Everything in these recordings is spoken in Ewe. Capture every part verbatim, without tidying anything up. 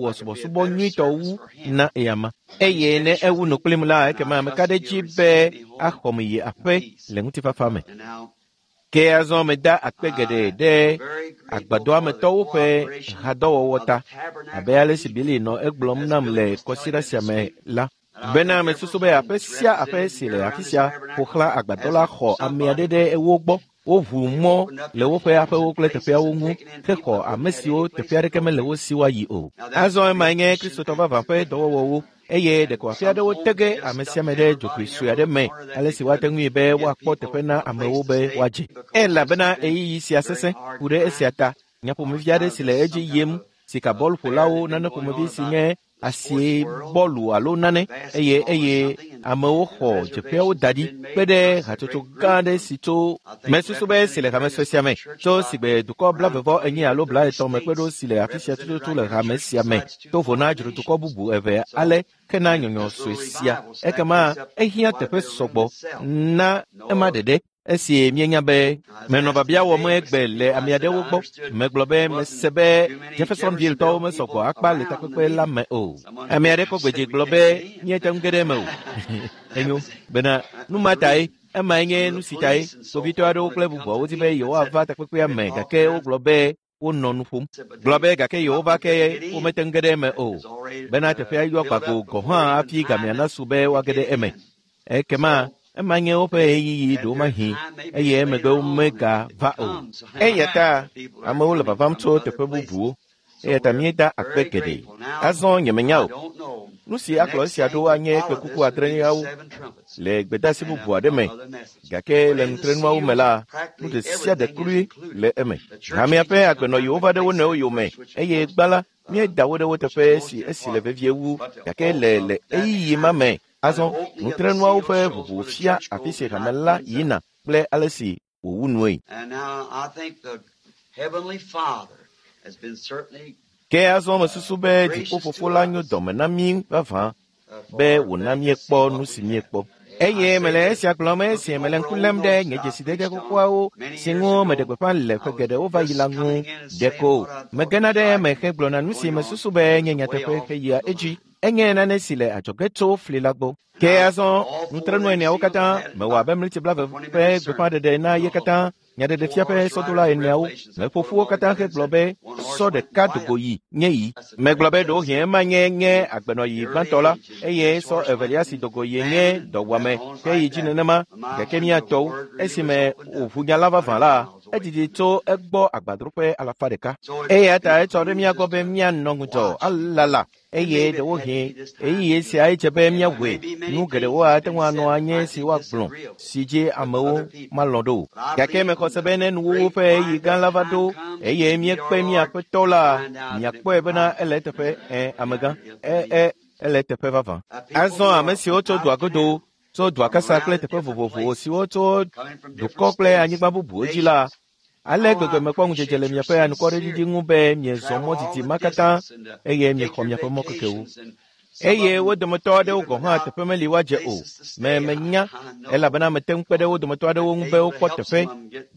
mawɔ subɔsubɔ nyuitɔ wu na eyama eye ne ewu nu kplim la ekema meka ɖe edzi be axɔm yi aƒe le ŋutifafa me. And now, Ke azɔ meda akpe geɖe ɖe agbadɔametɔwo ƒe hadɔwɔwɔ ta abe ale si Billy nɔ egblɔm nam le kɔsiɖa sia me la. Bena mesusu be aƒe sia aƒe si le afi sia ƒo xlã agbadɔ la xɔ ame aɖe ɖe ewo gbɔ. Woʋu mɔ le woƒe aƒewo kple teƒeawo ŋu hexɔ ame siwo teƒe aɖeke mele wo si woayi o. Azɔ emae nye Kristotɔ vavã ƒe dɔwɔwɔwo eye ɖeko afi aɖewo tege ame sia ame ɖe dzogoe sue aɖe me ale si woate ŋui be woakpɔ teƒe na amewo be woadze. Elabena ɣeyiɣi sia sesẽ ku ɖe esia ta. Nyaƒomevi aɖe si le edzi yim sika bɔluƒolawo nane ƒomevi si nye asie bɔlu alo nane eye eye amewo xɔ dzeƒeawo da ɖi kpe ɖe hatsotso gã aɖe si tso mesusu be si le hame sue sia me tso sigbe dukɔ blavevɔ enyi alo blaetɔ̃ me kpe ɖo si le afi sia tututu le hame sia me to vo na dzrodukɔ bubu eve ale kena nyɔnyɔ sue sia ekema ehiã teƒe sɔgbɔ na ema ɖeɖe. Esi míenya be menɔ babia wɔm egbe le ame aɖewo gbɔ megblɔ be mese be Jeffersonville tɔwo mesɔgbɔ akpa le takpekpe la me o. Ame aɖe kɔ gbedzi gblɔ be míete ŋu ge ɖe eme o. Enyo bena nu ma tae emae nye nu si tae kpovitɔ aɖewo kple bubuawo di be yewoava takpekpea me gake wogblɔ be wonɔ nu ƒom. Gblɔ be gake yewova ke womete ŋu ge ɖe eme o bena teƒea yɔ gbago gɔ̃ hã hafi gamea nasu be woage ɖe eme. Ekema ema nye woƒe ɣeyiɣi ɖewomahi eye emegbe womegava o. Eya ta amewo le vavam tso teƒe bubuwo eya ta míeda akpe geɖe. Azɔ nyemenya o. Nu si akplɔ esia ɖo anye kpekuku adreawo le gbedeasi bubu aɖe me gake le nutrenuawo me la nu ɖe sia ɖe kloe le eme. Hamea ƒe agbenɔɣiwo va ɖe wo nɔewo yome eye gbã la míeda wo ɖe wo teƒe si esi le vevie wu gake le le ɣeyiɣi ma me azɔ nutrenuawo ƒe ʋuʋu fia afi si hame la yina kple ale si wòwu nue. Ke azɔ mesusu be dziƒofofo la nyo dɔme na mí vavã be wòna míekpɔ nu si míekpɔ. Eye mele esia gblɔm esi mele ŋku lém ɖe nye dzesidede xoxoawo si ŋu meɖe gbeƒã le ƒe geɖewo va yi la ŋu. Ɖeko megena ɖe eme hegblɔna nu si mesusu be nye nyateƒe heyia edzi. Enye nane si le adzɔge tso fli la gbɔ. Ke azɔ nutrenu eneawo katã mewɔ abe mlitsi blave ƒe gbeƒãɖeɖe na ye katã nyaɖeɖefia ƒe sɔdola eneawo meƒo ƒu wo katã hegblɔ be sɔ ɖeka dogo yi nye yi. Megblɔ be ɖewohĩ ema nye nye agbenɔyi gbãtɔ la eye sɔ evelia si dogo yi nye dɔwɔame ke yi dzi nenema gake míatɔwo esime wòʋu nya la vavã la edidi tso egbɔ agbadroƒe alafa ɖeka. Eya ta etsɔ ɖe mía gbɔ be míanɔ ŋudzɔ alala eye ɖewohĩ ɣeyiɣi sia edze be míawɔe. Nu geɖewo ate ŋu anɔ anyi si woagblɔ si dzi amewo malɔ̃ ɖo o. Gake mexɔ se be ne nuwuwu ƒe ɣeyiɣi gã la va ɖo eye míekpe mía Aƒetɔ la, miakpɔe bena ele eteƒe ẽ amegã ẽ ẽ ele eteƒe vavã. Azɔ ame siwo tso dua godo tso dua kasa kple teƒe vovovowo siwo tso dukɔ kple anyigba bubuwo dzi la, ale gbegbe mekpɔ ŋudzedze le miaƒe anukwareɖiɖi ŋu be miezɔ mɔ didi ma katã eye miexɔ miaƒe mɔkekewo. Eye wo dometɔ aɖewo gɔ̃ hã teƒe meli woadze o. Me menya elabena mete ŋu kpe ɖe wo dometɔ aɖewo ŋu be wokpɔ teƒe.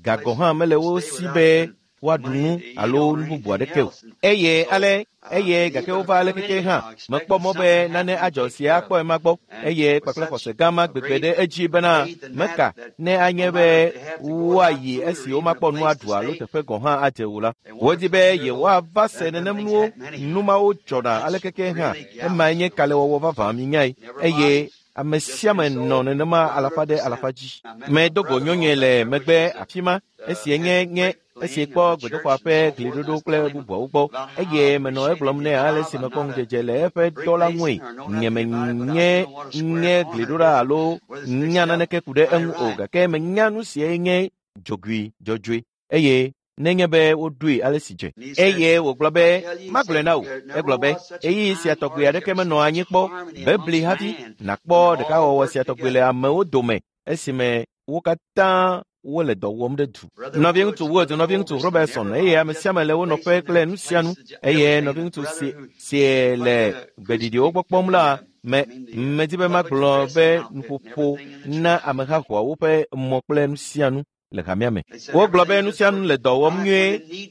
Ga gɔ̃ hã mele wo si be woaɖu nu alo nu bubu aɖeke o. Eye ale eye gake wova ale keke hã mekpɔ mɔ be nane adzɔ sia akpɔ ema gbɔ eye kpakple xɔse gã ma gbegbe ɖe edzi bena meka ne anye be woayi esi womakpɔ nu aɖu alo teƒe gɔ̃ hã adze o la. Wodi be yewoava se nenem nuwo nu mawo dzɔna ale keke hã emae nye kalẽwɔwɔ vavã minyae eye ame sia ame nɔ nenema alafa ɖe alafa dzi. Medo go nyɔnue le megbe afi ma esi nye nye esi kpɔ gbedoxɔa ƒe gliɖoɖo kple bubuawo gbɔ eye menɔ egblɔm nɛ ale si mekpɔ ŋudzedze le eƒe dɔ la ŋue. Nye menye nye gliɖoɖa alo nya naneke ku ɖe eŋu o gake menya nu siae nye dzogoe dzɔdzɔe eye nenye be woɖoe ale si dze. Eye wògblɔ be magblɔe na wò. Egblɔ be ɣeyiɣi sia tɔgbi aɖeke menɔ anyi kpɔ bebli hafi nàkpɔ ɖekawɔwɔ sia tɔgbi le amewo dome esime wo katã wole dɔ wɔm ɖe du. Nɔviŋutsu Wood, nɔviŋutsu Robertson eye ame sia ame le wo nɔƒe kple nu sia nu eye nɔviŋutsu si si le gbeɖiɖiwo gbɔ kpɔm la me medi be magblɔ be nuƒoƒo na amehahoawo ƒe mɔ kple nu sia nu le hamea me. Wogblɔ be nu sia nu le dɔ wɔm nyuie.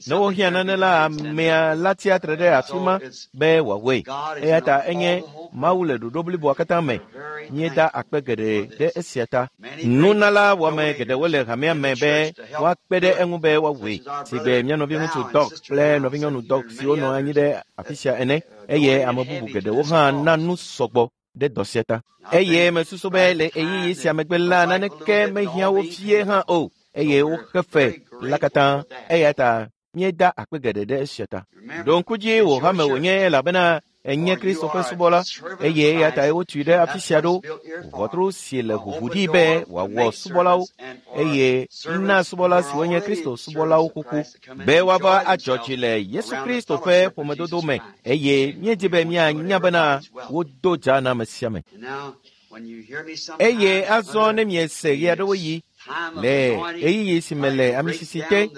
Ne wohiã nane la, amea la tsia tre ɖe afi ma be wòawɔe. Eya ta enye Mawu le ɖoɖo bliboa katã me. Míeda akpe geɖe ɖe esia ta. Nunala wɔme geɖewo le hamea me be woakpe ɖe eŋu be woawɔe. Sigbe mía nɔviŋutsu Dɔk kple nɔvinyɔnu Dɔk siwo nɔ anyi ɖe afi sia ene eye ame bubu geɖewo hã na nu sɔgbɔ ɖe dɔ sia ta. Eye mesusu be le ɣeyiɣi sia megbe la naneke mehiã wo vie hã o eye woxe fe la katã eya ta míeda akpe geɖe ɖe esia ta. Ɖo ŋku dzi wò hame wònye elabena enye Kristo ƒe subɔla eye eya ta wotui ɖe afi sia ɖo. Ʋɔtru si le ʋuʋu ɖi be wòawɔ subɔlawo eye na subɔla siwo nye Kristo subɔlawo xoxo be woava adzɔ dzi le Yesu Kristo ƒe ƒomedodo me eye míedi be míanya bena wodo dza na ame sia ame. Eye azɔ ne miese ɣe aɖewo yi le ɣeyiɣi si me le amisisi te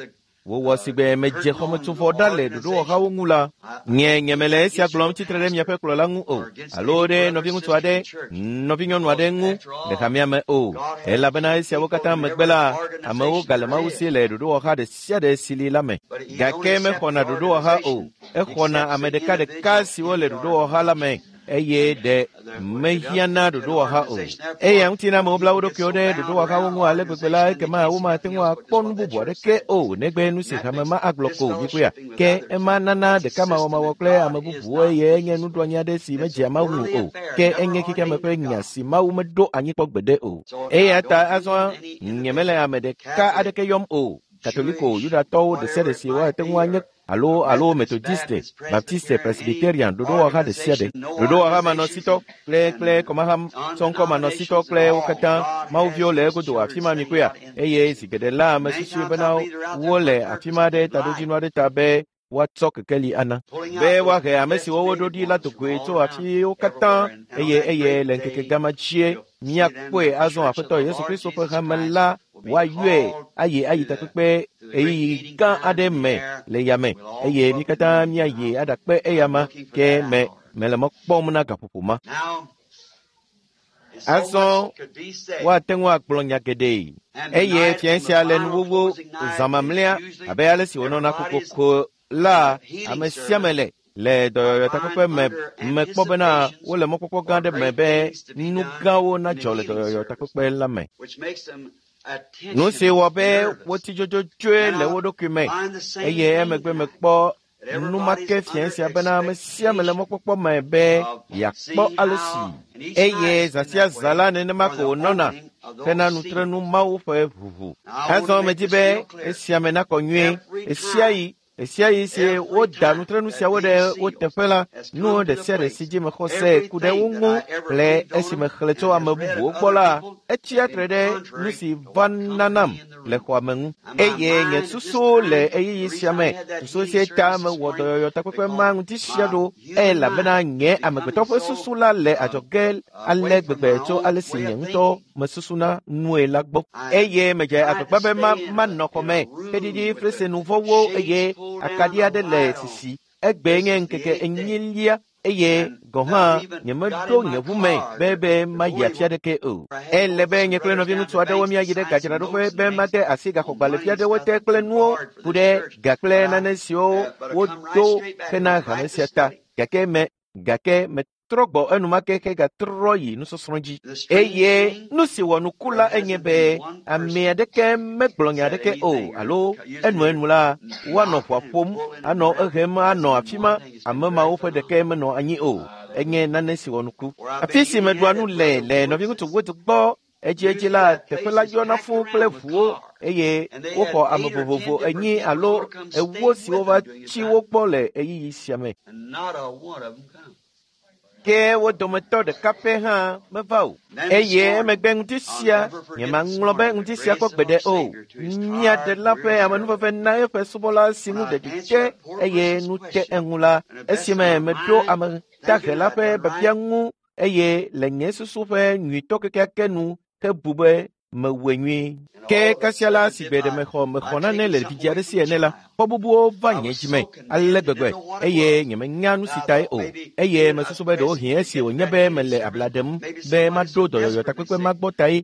wòwɔ sigbe medze xɔmetsovɔ ɖa le ɖoɖowɔhawo ŋu la, nye nyemele esia gblɔm tsitre ɖe miaƒe kplɔla ŋu o, alo ɖe nɔviŋutsu aɖe, nɔvinyɔnu aɖe ŋu le hamea me o, elabena esiawo katã megbe la, amewo gale Mawu si le ɖoɖowɔha ɖe sia ɖe si li la me. Gake mexɔna ɖoɖowɔha o, exɔna ame ɖekaɖeka siwo le ɖoɖowɔha la me eye ɖe mehiãna ɖoɖowɔha o. Eya ŋuti na amewo bla wo ɖokuiwo ɖe ɖoɖowɔhawo ŋu ale gbegbe la, ekema womate ŋu akpɔ nu bubu aɖeke o negbe nu si hame ma agblɔ ko míkpɔea. Ke ema nana ɖekamawɔmawɔ kple ame bubuwo eye enye nuɖoanyi aɖe si medzea Mawu ŋu o. Ke enye xexeame ƒe nya si Mawu meɖo anyi kpɔ gbeɖe o. Eya ta azɔ nyemele ame ɖeka aɖeke yɔm o. Katoliko, Yudatɔwo ɖe sia ɖe si woate ŋu anye alo alo Methodiste, Baptiste, Presbyterian, ɖoɖowɔha ɖe sia ɖe, ɖoɖowɔha manɔsitɔ kple kple kɔmaha sɔŋkɔ manɔsitɔ kple wo katã Mawuviwo le egodo afi ma mikpɔea eye zi geɖe la ame susui bena wole afi ma ɖe taɖodzinu aɖe ta be woatsɔ kekeli ana be woahe ame siwo woɖo ɖi la dogoe tso afiwo katã eye eye le ŋkeke gama dzie míakpɔe azɔ Aƒetɔ Yesu Kristo ƒe hame la woayɔe ayi ayi takpekpe ɣeyiɣi gã aɖe me le yame eye mí katã míayi aɖakpe eyama ke me mele mɔ kpɔm na gaƒoƒo ma. Azɔ woate ŋu agblɔ nya geɖe eye fia sia le nuwuwu zã mamlɛa abe ale si wònɔna kokoko la ame sia ame le le dɔyɔyɔ takpekpe me mekpɔ bena wole mɔkpɔkpɔ gã aɖe me be nu gãwo nadzɔ le dɔyɔyɔ takpekpe la me. Nu si wɔ be wotsi dzodzodzoe le wo ɖokui me eye emegbe mekpɔ enumake fia sia bena ame sia ame le mɔkpɔkpɔ me be yeakpɔ ale si eye zã sia zã la nenema ko wònɔna hena nutrenu Mawu ƒe ʋuʋu. Azɔ medi be esia me nakɔ nyuie ɣesiaɣi ɣesiaɣi si woda nutrenu siawo ɖe wo teƒe la, nu ɖe sia ɖe si dzi mexɔ se ku ɖe wo ŋu le esi mexlẽ tso ame bubuwo gbɔ la, etsia tre ɖe nu si va nanam le xɔa me ŋu. Eye nye susu le ɣeyiɣi sia me, susu sia ta mewɔ dɔyɔyɔ takpekpe ma ŋuti sia ɖo elabena nye amegbetɔ ƒe susu la le adzɔge ale gbegbe tso ale si nye ŋutɔ mesusuna nue la gbɔ. Eye medze agbagba be ma manɔ xɔme heɖiɖi fresenuvɔwo eye akaɖi aɖe le sisi. Egbe nye ŋkeke enyilia eye gɔ̃ hã nyemeɖo nye ʋu me be be mayi afi aɖeke o. Ele be nye kple nɔviŋutsu aɖewo míayi ɖe gadzraɖoƒe be made asi gaxɔgbalẽvi aɖewo te kple nuwo ku ɖe ga kple nane siwo wodo hena hame sia ta. Gake me gake metrɔ gbɔ enumake hegatrɔ yi nusɔsrɔ̃ dzi. Eye nu si wɔ nuku la enye be ame aɖeke megblɔ nya aɖeke o alo enuenu la woanɔ ʋua ƒom anɔ ehem anɔ afi ma ame mawo ƒe ɖeke menɔ anyi o. Enye nane si wɔ nuku. Afi si meɖua nu le le nɔviŋutsu Wood gbɔ edziedzi la teƒe la yɔna fũu kple ʋuwo eye woxɔ ame vovovo enyi alo ewo siwo va tsi wo gbɔ le ɣeyiɣi sia me. Ke wo dometɔ ɖeka pɛ hã meva o. Eye emegbe ŋuti sia nyemaŋlɔ be ŋuti sia kpɔ gbeɖe o. Mía Ɖela ƒe amenuveve na eƒe subɔla si ŋu ɖeɖi te eye nu te eŋu la, esime meɖo ame dahe la ƒe biabia ŋu eye le nye susu ƒe nyuitɔ kekeake nu hebu be mewɔe nyuie. Ke kasia la si gbe ɖe mexɔ mexɔ nane le vidzĩ aɖe si ene la, xɔ bubuwo va nye dzime ale gbegbe eye nyemenya nu si tae o. Eye mesusu be ɖewohĩ esi wònye be mele abla ɖem be maɖo dɔyɔyɔ takpekpe ma gbɔ tae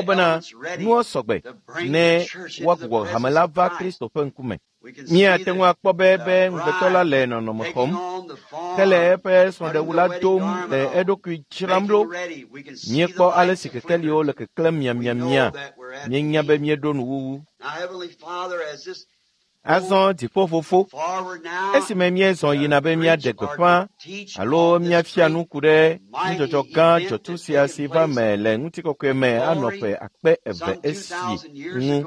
akpɔ bena nuwo sɔgbe ne woagbugbɔ hame la va Kristo ƒe ŋkume. Míate ŋu akpɔ be be ŋugbetɔ la le nɔnɔme xɔm hele eƒe srɔ̃ɖewu la dom le eɖokui dzram ɖo. Míekpɔ ale si kekeliwo le keklẽm miamiamia. Míenya be míeɖo nuwuwu. Azɔ dziƒofofo, esime míezɔ yina be míaɖe gbeƒã alo míafia nu ku ɖe nudzɔdzɔ gã dzɔtsu sia si va me le ŋutikɔkɔe me anɔ ƒe akpe eve esi ŋu.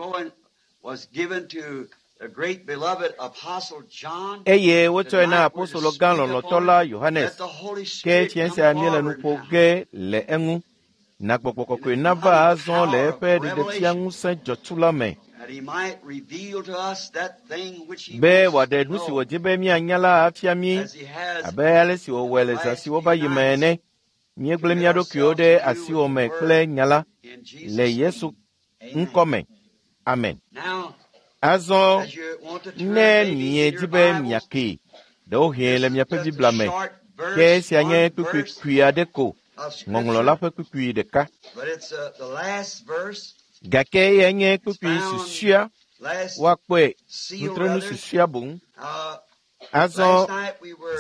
Eye wotsɔe na apostolo gã lɔlɔ̃tɔ la Yohanes, ke fiẽ sia míele nu ƒo ge le eŋu. Na gbɔgbɔ kɔkɔe nava azɔ le eƒe ɖeɖefia ŋusẽ dzɔtsu la me, be wòaɖe nu si wòdi be míanya la afia mí abe ale si wòwɔe le zã siwo va yi me ene. Míegblẽ mía ɖokuiwo ɖe asiwò me kple nya la le Yesu ŋkɔ me. Amen. Azɔ ne miedi be miakee, ɖewohĩ le miaƒe Biblia me, ke esia nye kpukpui kpui aɖe ko, ŋɔŋlɔ la ƒe kpukpui ɖeka. Gake eyae nye kpukpui susɔea, woakpɔe nutrenu susɔea boŋ. Azɔ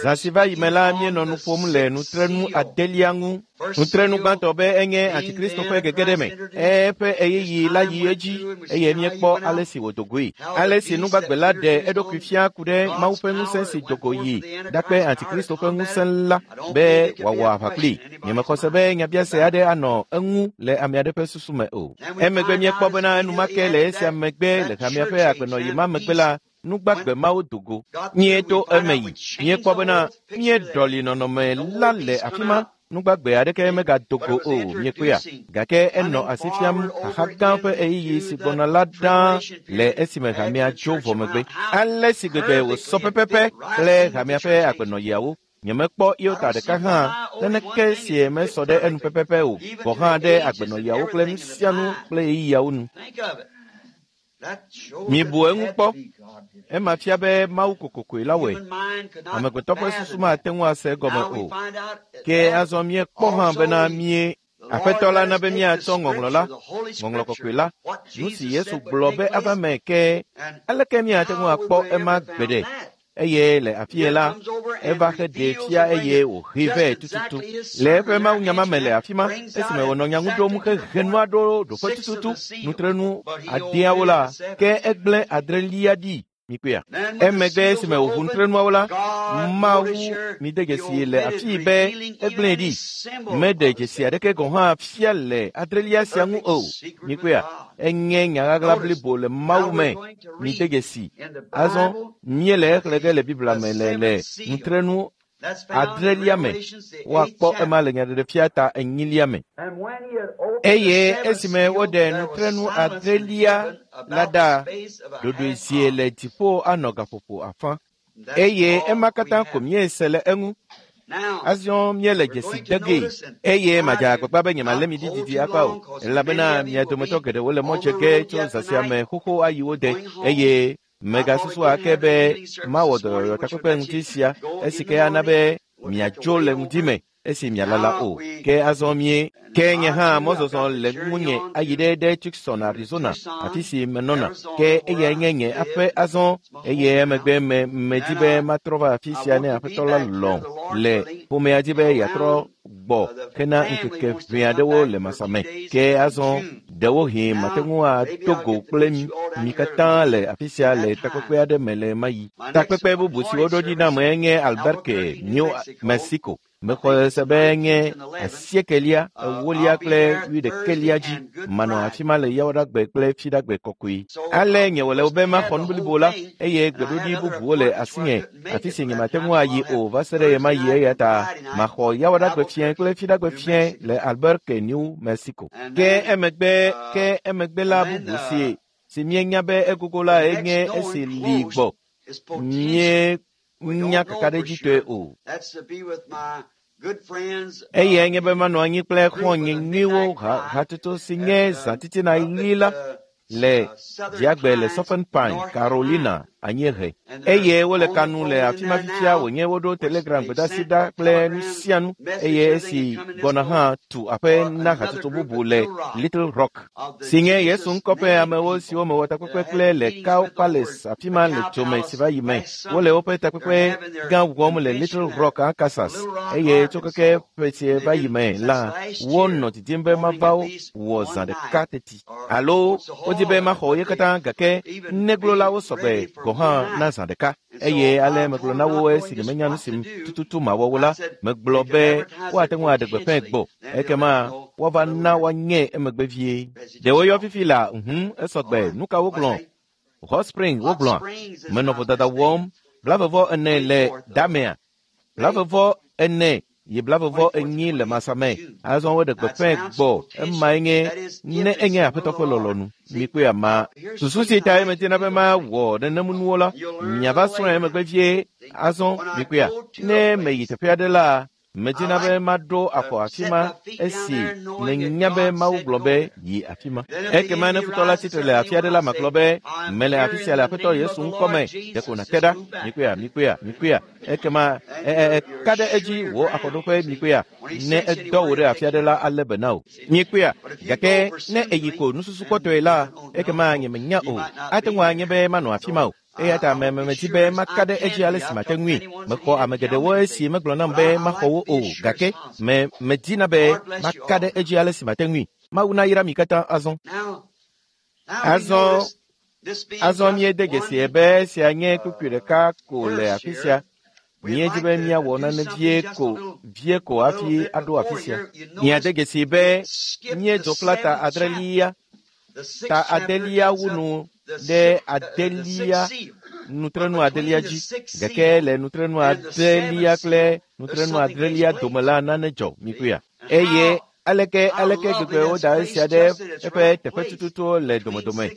zã si va yi me la, míenɔ nu ƒom le nutrenu adelia ŋu. Nutrenu gbãtɔ be enye Antikristo ƒe gegeɖe me. Eƒe ɣeyiɣi la yi edzi eye míekpɔ ale si wòdo goe. Ale si nugbagbe la ɖe eɖokui fia ku ɖe Mawu ƒe ŋusẽ si do go yi ɖakpe Antikristo ƒe ŋusẽ la be wòawɔ aʋa kplii. Nyemexɔ se be nyabiase aɖe anɔ eŋu le ame aɖe ƒe susu me o. Emegbe míekpɔ bena enumake le esia megbe le hamea ƒe agbenɔɣi ma megbe la, nugbagbe mawo do go. Míeto eme yi. Míekpɔ bena míeɖɔli nɔnɔme la le afi ma. Nugbagbe aɖeke megado go o, míekpɔea. Gake enɔ asi fiam xaxa gã ƒe ɣeyiɣi si gbɔna la ɖaa le esime hamea dzo vɔ megbe. Ale si gbegbe wòsɔ pɛpɛpɛ kple hamea ƒe agbenɔɣiawo. Nyemekpɔ iota ɖeka hã naneke si mesɔ ɖe enu pɛpɛpɛ o, gɔ̃ hã ɖe agbenɔɣiawo kple nu sia nu kple ɣeyiɣiawo nu. Mibu eŋu kpɔ. Ema fia be Mawu kokokoe la wɔe. Amegbetɔ ƒe susu mate ŋu ase egɔme o. Ke azɔ míekpɔ hã bena mí Aƒetɔ la na be míatsɔ ŋɔŋlɔ la, ŋɔŋlɔ kɔkɔe la, nu si Yesu gblɔ be ava me ke aleke míate ŋu akpɔ ema gbeɖe. Eye le afie la, eva heɖee fia eye wòhee vɛ tututu. Le eƒe mawunyama me le afi ma, esime wònɔ nya ŋu ɖom hehe nua ɖo ɖoƒe tututu, nutrenu adeawo la, ke egblẽ adrelia ɖi. Mikpɔea. Emegbe esime wòʋu nutrenuawo la, Mawu mide dzesi le afii be egblẽe ɖi. Meɖe dzesi aɖeke gɔ̃ hã fia le adrelia sia ŋu o. Mikpɔea. Enye nya ɣaɣla blibo le Mawu me. Mide dzesi. Azɔ míele exlẽ ge le Biblia me le le nutrenu adrelia me. Woakpɔ ema le nyaɖeɖefia ta enyilia me. Eye esime woɖe nutrenu adrelia la ɖa, ɖoɖoezie le dziƒo anɔ gaƒoƒo afã. Eye ema katã ko míese le eŋu. Azɔ míele dzesi de gee. Eye madze agbagba be nyemalé mi ɖi didi akpa o, elabena mia dometɔ geɖewo le mɔ dze ge tso zã sia me xoxo ayi wo de. Eye megasusu ake be mawɔ dɔyɔyɔ takpekpe ŋuti sia esi ke ana be miadzo le ŋdi me esi mialala o. Ke azɔ mie. Ke nye hã mɔzɔzɔ le ŋunye ayi ɖe ɖe Tucson, Arizona, afi si menɔna. Ke eyae nye nye aƒe azɔ eye emegbe me medi be matrɔ va afi sia ne Aƒetɔ la lɔ̃ le ƒomea dzi be yeatrɔ gbɔ hena ŋkeke ʋɛ aɖewo le masa me. Ke azɔ ɖewohĩ mate ŋu ato go kple mi katã le afi sia le takpekpe aɖe me le ɣemaɣi. Takpekpe bubu si woɖo ɖi nam enye Albuquerque, New Mexico. Mexɔ se be nye asiekelia, ewolia kple wuiɖekelia dzi. Manɔ afi ma le Yawoɖagbe kple Fiɖagbe kɔkɔe. Ale nye wòle be maxɔ nu blibo la, eye gbeɖoɖi bubuwo le asinye, afi si nyemate ŋu ayi o va se ɖe ɣemaɣi eya ta maxɔ Yawoɖagbe fiẽ kple Fiɖagbe fiẽ le Albuquerque, New Mexico. Ke emegbe ke emegbe la bubu si si míenya be egogo la enye esi li gbɔ. Míenya kakaɖedzitɔe o. Eyae nye be manɔ anyi kple xɔ̃nye nyuiwo hatsotso si nye zã titina ɣi la le Dziagbe le Southern Pine, Carolina, anyiehe. Eye wole ka nu le afi ma fifia wònye woɖo telegram gbedasi ɖa kple nu sia nu eye esi gbɔna hã tu aƒe na hatsotso bubu le Little Rock, si nye Yesu ŋkɔ ƒe amewo siwo mewɔ takpekpe kple le Cow Palace afi ma le dzome si va yi me. Wole woƒe takpekpe gã wɔm le Little Rock, Arkansas, eye tso keke ƒe si va yi me la, wonɔ didim be mava wɔ zã ɖeka teti. Alo wodi be maxɔ ye katã gake neglolawo sɔgbe gɔ̃ gɔ̃ hã na zã ɖeka. Eye ale megblɔ na wo esi nyemenya nu si tututu mawɔ wo la, megblɔ be woate ŋu aɖe gbeƒãe gbɔ. Ekema woava na woanye emegbe vie. Ɖe woyɔ fifi la ŋu esɔgbe. Nu ka wogblɔ? Hot Spring wogblɔa. Menɔ vodada wɔm blavevɔ ene le damea. Blavevɔ ene yi blavevɔ enyi le masame. Azɔ woɖe gbeƒãe gbɔ. Emae nye ne enye Aƒetɔ ƒe lɔlɔ̃nu. Mikpɔe ama. Susu si tae medina be mawɔ nenemunuwo la, miava srɔ̃e emegbe vie. Azɔ mikpɔea, ne meyi teƒe aɖe la, medina be maɖo afɔ afi ma esi nenya be Mawu gblɔ be yi afi ma. Ekema ne futɔ la tsitre le afi aɖe la, magblɔ be mele afi sia le Aƒetɔ Yesu ŋkɔme. Ɖeko nàte ɖa. Mikpɔea, mikpɔea, mikpɔea. Ekema eka ɖe edzi wò afɔɖoƒe mikpɔea. Ne edɔ wò ɖe afi aɖe la, alé be na wò. Mikpɔea, gake ne èyi ko nususukpɔtɔe la, ekema nyemenya o. Ate ŋu anye be manɔ afi ma o. Eya ta me medi be maka ɖe edzi ale si mate ŋui. Mexɔ ame geɖewo esi megblɔ nam be maxɔ wo o, gake me medina be maka ɖe edzi ale si mate ŋui. Mawu nayra mi katã azɔ. Azɔ, azɔ míede dzesi be esia nye kpukpui ɖeka ko le afi sia. Míedi be míawɔ nane vie ko vie ko hafi aɖo afi sia. Míade dzesi be míedzo kpla ta adrelia, ta adelia wu nu ɖe adelia nutrenu adelia dzi. Gake le nutrenu adelia kple nutrenu adrelia dome la nane dzɔ mikpɔea. Eye aleke aleke gbegbe woda esia ɖe eƒe teƒe tututu le domedome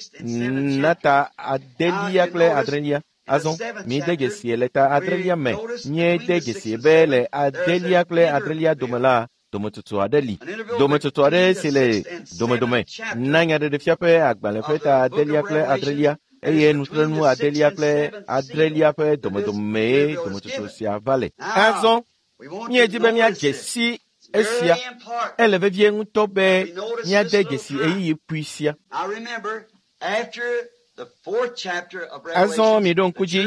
na ta adelia kple adrelia. Azɔ míede dzesi le ta adrelia me. Míede dzesi be le adelia kple adrelia dome la, dometsotso aɖe li. Dometsotso aɖe si le domedome na nyaɖeɖefia ƒe agbalẽ ƒe ta adelia kple adrelia eye nutrenu adelia kple adrelia ƒe domedomee dometsotso sia va le. Azɔ míedi be míadze si esia. Ele vevie ŋutɔ be míade dzesi ɣeyiɣi kpui sia. Azɔ miɖo ŋku dzi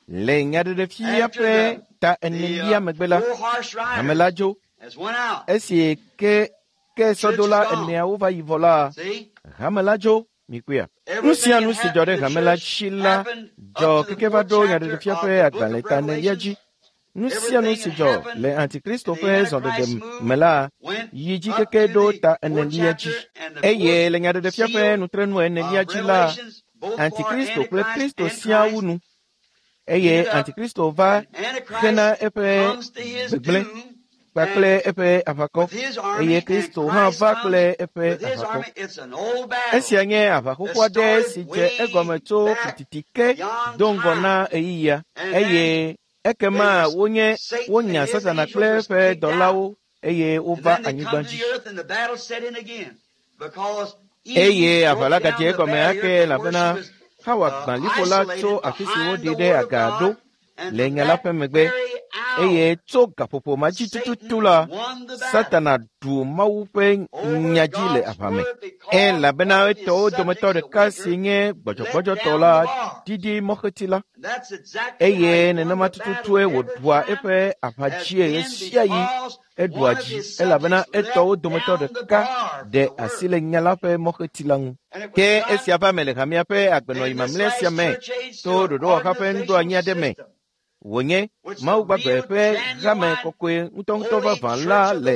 le nyaɖeɖefia ƒe ta enelia megbe la, hame la dzo. Esi ke ke sɔdola eneawo va yi vɔ la, hame la dzo. Mikpɔea. Nu sia nu si dzɔ ɖe hame la dzi la dzɔ keke va ɖo nyaɖeɖefia ƒe agbalẽ ta enelia dzi. Nu sia nu si dzɔ le Antikristo ƒe zɔɖeɖe me la yi dzi keke ɖo ta enelia dzi. Eye le nyaɖeɖefia ƒe nutrenu enelia dzi la, Antikristo kple Kristo siaa wu nu. Eye Antikristo va hena eƒe gbegblẽ kpakple eƒe aʋakɔ, eye Kristo hã va kple eƒe aʋakɔ. Esia nye aʋa xoxo aɖe si dze egɔme tso fititi ke do ŋgɔ na ɣeyiɣia, eye ekema wonye wonya Satana kple eƒe dɔlawo eye wova anyigba dzi. Eye aʋa la gadze egɔme ake elabena Xawa gbã liƒo la tso afi si woɖi ɖe aga ɖo le nya la ƒe megbe. Eye tso gaƒoƒo ma dzi tututu la, Satana ɖu Mawu ƒe nya dzi le aʋa me. Elabena etɔwo dometɔ ɖeka si nye gbɔdzɔgbɔdzɔtɔ la ɖiɖi mɔxeti la. Eye nenema tututue wòɖua eƒe aʋa dzie ɣesiaɣi eɖua dzi elabena etɔwo dometɔ ɖeka ɖe asi le nya la ƒe mɔxeti la ŋu. Ke esia va me le hamea ƒe agbenɔɣi mamlɛ sia me to ɖoɖowɔha ƒe nuɖoanyi aɖe me. Wònye Mawu gbagbe ƒe hame kɔkɔe ŋutɔŋutɔ vavã la le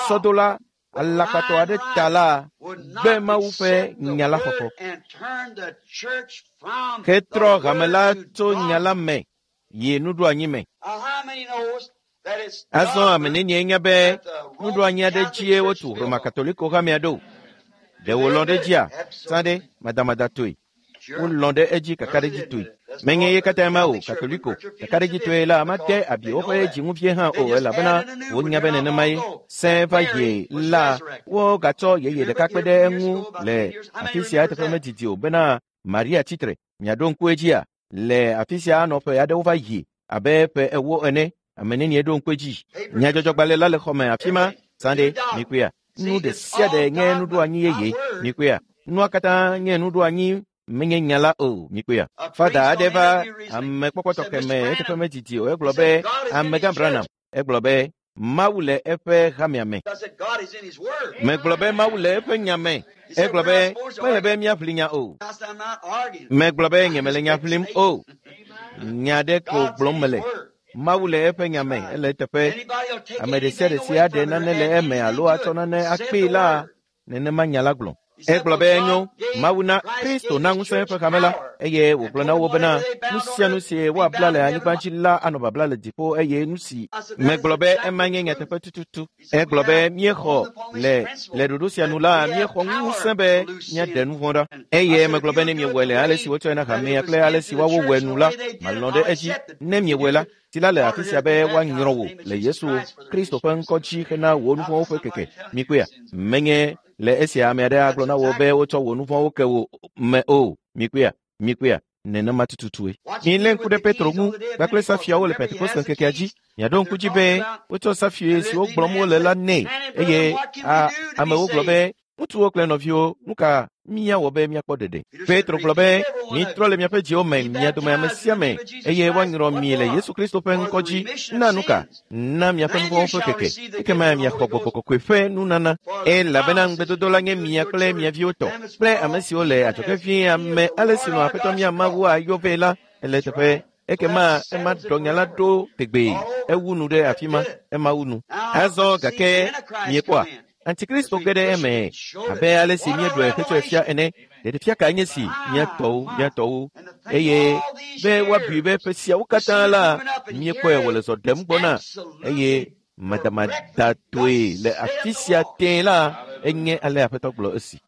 sɔdola alakpatɔ aɖe ta la gbe Mawu ƒe nya la xɔxɔ. Hetrɔ hame la tso nya la me yi nuɖoanyi me. Azɔ ame nenie nya be nuɖoanyi aɖe dzie wotu Roma Katoliko hamea ɖo. Ɖe wòlɔ̃ ɖe edzia? Sã ɖe madamadatɔe. Wolɔ̃ ɖe edzi kakaɖedzitɔe. Menye ye katã ma o, Katoliko kakaɖedzitɔe la made abi woƒe dziŋuvie hã o elabena wonya be nenemae. Sẽ va yi la, wogatsɔ yeye ɖeka kpe ɖe eŋu le afi sia eteƒe medidi o bena Maria tsitre. Miaɖo ŋku edzia? Le afi sia anɔ ƒe aɖewo va yi abe ƒe ewo ene. Ame nenie ɖo ŋku edzi? Nyadzɔdzɔgbalẽ la le xɔme afi ma. Sã ɖe, mikpɔea? Nu ɖe sia ɖe nye nuɖoanyi yeye. Mikpɔea? Nua katã nye nuɖoanyi menye nya la o. Mikpɔea? Fada aɖe va ame kpɔkpɔ tɔxɛ me eteƒe medidi o. Egblɔ be Amegã Branham. Egblɔ be Mawu le eƒe hamea me. Megblɔ be Mawu le eƒe nya me. Egblɔ be mele be míaʋli nya o. Megblɔ be nyemele nya ʋlim o. Nya ɖe ko gblɔm mele. Mawu le eƒe nya me, ele eteƒe. Ame ɖe sia ɖe si aɖe nane le eme alo atsɔ nane akpee la, nenema nya la gblɔ. Egblɔ be enyo, Mawu na Kristo na ŋusẽ eƒe hame la, eye wògblɔ na wo bena nu sia nu si woabla le anyigba dzi la anɔ babla le dziƒo eye nu si megblɔ be ema nye nyateƒe tututu. Egblɔ be míexɔ le le ɖoɖo sia nu la, míexɔ ŋusẽ be míaɖe nu vɔ̃ ɖa. Eye megblɔ be ne miewɔe le ale si wotsɔe na hamea kple ale si woawo wɔe nu la, malɔ̃ ɖe edzi. Ne miewɔe la, si la le afi sia be woanyrɔ wò le Yesu Kristo ƒe ŋkɔ dzi hena wò nu vɔ̃wo ƒe keke. Mikpɔea? Menye le esia ame aɖe agblɔ na wò be wotsɔ wò nu vɔ̃wo ke wò me o. Mikpɔea? Mikpɔea? Nenema tututue. Milé ŋku ɖe Petro ŋu kpakple safiawo le Pentekoste ŋkekea dzi. Miaɖo ŋku dzi be wotsɔ safie siwo gblɔm wole la nɛ eye a amewo gblɔ be ŋutsuwo kple nɔviwo, nu ka míawɔ be míakpɔ ɖeɖe? Petro gblɔ be mitrɔ le miaƒe dziwo me, mia dome ame sia ame, eye woanyrɔ mi le Yesu Kristo ƒe ŋkɔ dzi. Na nu ka? Na miaƒe nu vɔ̃wo ƒe keke. Ekema miaxɔ Gbɔgbɔ Kɔkɔe ƒe nunana. Elabena ŋugbedodo la nye mia kple mia viwo tɔ kple ame siwo le adzɔge vie ame ale si nɔ Aƒetɔ mía Mawu ayɔ vɛ la ele teƒe. Ekema ema ɖɔ nya la ɖo tegbee. Ewu nu ɖe afi ma. Ema wu nu. Azɔ gake miekpɔa? Antikristo ge ɖe eme abe ale si míeɖɔe hetsɔe fia ene. Ɖeɖefia kae nye si mía tɔwo, mía tɔwo. Eye be woabui be ƒe siawo katã la, míekpɔe wòle zɔ ɖem gbɔna eye madamadatɔe le afi sia tẽe la, enye ale Aƒetɔ gblɔ esi.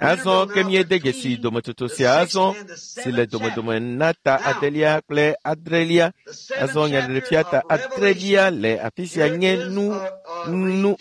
Azɔ ke míede dzesi dometsotso sia azɔ si le domedome na ta adelia kple adrelia. Azɔ nyaɖeɖefia ta adrelia le afi sia nye nu nu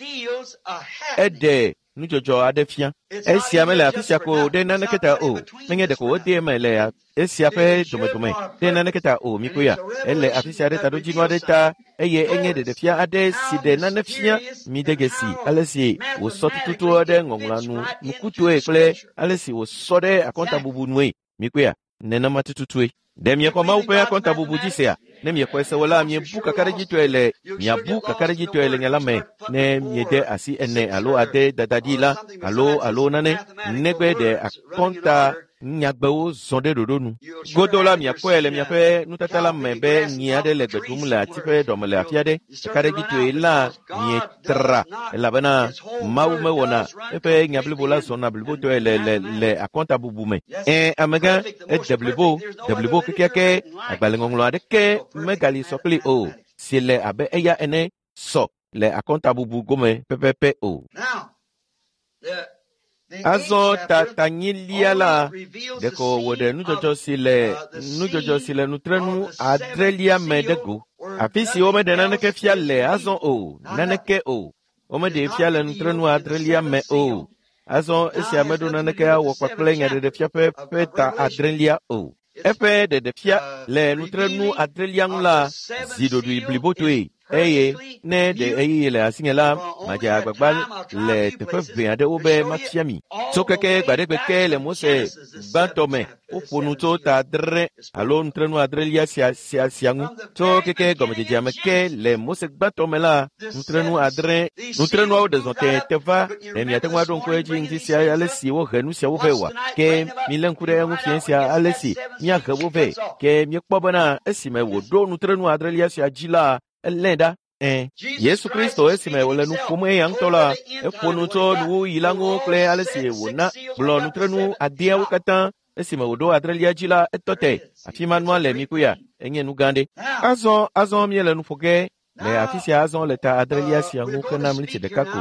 eɖe nudzɔdzɔ aɖe fia. Esia mele afi sia ko ɖe naneke ta o. Menye ɖeko wode eme le esia ƒe domedome ɖe naneke ta o. Mikpɔea? Ele afi sia ɖe taɖodzinu aɖe ta eye enye ɖeɖefia aɖe si ɖe nane fia. Mide dzesi ale si wòsɔ tututu ɖe ŋɔŋlɔa nu nukutɔe kple ale si wòsɔ ɖe akɔntabubu nue. Mikpɔea? Nenema tututue. Ɖe miexɔ Mawu ƒe akɔntabubu dzi sea? Ne miexɔe se o la, miebu kakaɖedzitɔe le miabu kakaɖedzitɔe le nya la me ne miede asi ene alo ade dadaɖi la alo alo nane negbe ɖe akɔnta nyagbewo zɔ ɖe ɖoɖo nu. Godo la miakpɔe le miaƒe nutata la me be nyi aɖe le gbe ɖum le ati ƒe ɖɔme le afi aɖe. Kakaɖedzitɔe la mietra elabena Mawu mewɔna eƒe nya blibo la zɔna blibotɔe le le le akɔntabubu me. Ẽ amegã ede blibo, de blibo kekeake agbalẽŋɔŋlɔ aɖeke megali sɔ kpli o si le abe eya ene sɔ le akɔntabubu gome pɛpɛpɛ o. Azɔ ta tanyilia la ɖeko wòɖe nudzɔdzɔ si le nudzɔdzɔ si le nutrenu adrelia me ɖe go. Afi si womeɖe naneke fia le azɔ o, naneke o. Womeɖee fia le nutrenu adrelia me o. Azɔ esia meɖo naneke awɔ kpakple nyaɖeɖefia ƒe ƒe ta adrelia o. Eƒe ɖeɖefia le nutrenu adrelia ŋu la zi ɖoɖoe blibotoe eye ne ɖe ɣeyiɣi le asinye la, madze agbagba le teƒe ʋɛ aɖewo be mafia mi. Tso keke gbaɖegbe ke le Mose gbãtɔ me, woƒo nu tso ta adre alo nutrenu adrelia sia sia sia ŋu. Tso keke gɔmedzedzea me ke le Mose gbãtɔ me la, nutrenu adre nutrenuawo ɖe zɔ tẽe va. Ɖe miate ŋu aɖo ŋku edzi ŋdi sia ale si wohe nu siawo vɛ oa? Ke milé ŋku ɖe eŋu fiẽ sia ale si míahe wo vɛ. Ke míekpɔ bena esime wòɖo nutrenu adrelia sia dzi la, elé ɖa. Ẽ, Yesu Kristo esime wòle nu ƒom eya ŋutɔ la, eƒo nu tso nuwuɣi la ŋu kple ale si wòna gblɔ nutrenu adeawo katã. Esime wòɖo adrelia dzi la, etɔ te. Afi ma nua le mikpɔea? Enye nu gã ɖe. Azɔ azɔ míele nu ƒo ge le afi sia azɔ le ta adrelia sia ŋu hena mlitsi ɖeka ko.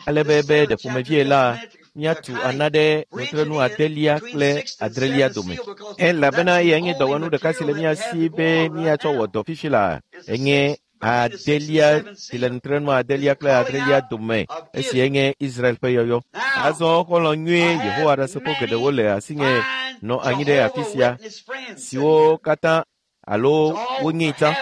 Ale be be ɖe ƒomevie la, míatu ana ɖe nutrenu adelia kple adrelia dome. Elabena eya nye dɔwɔnu ɖeka si le mía si be míatsɔ wɔ dɔ fifi la. Enye adelia si le nutrenu adelia kple adrelia dome esi enye Israel ƒe yɔyɔ. Azɔ xɔlɔ̃ nyuie Yehowa Ɖasefo geɖewo le asinye nɔ anyi ɖe afi sia siwo katã alo wonyee tsã.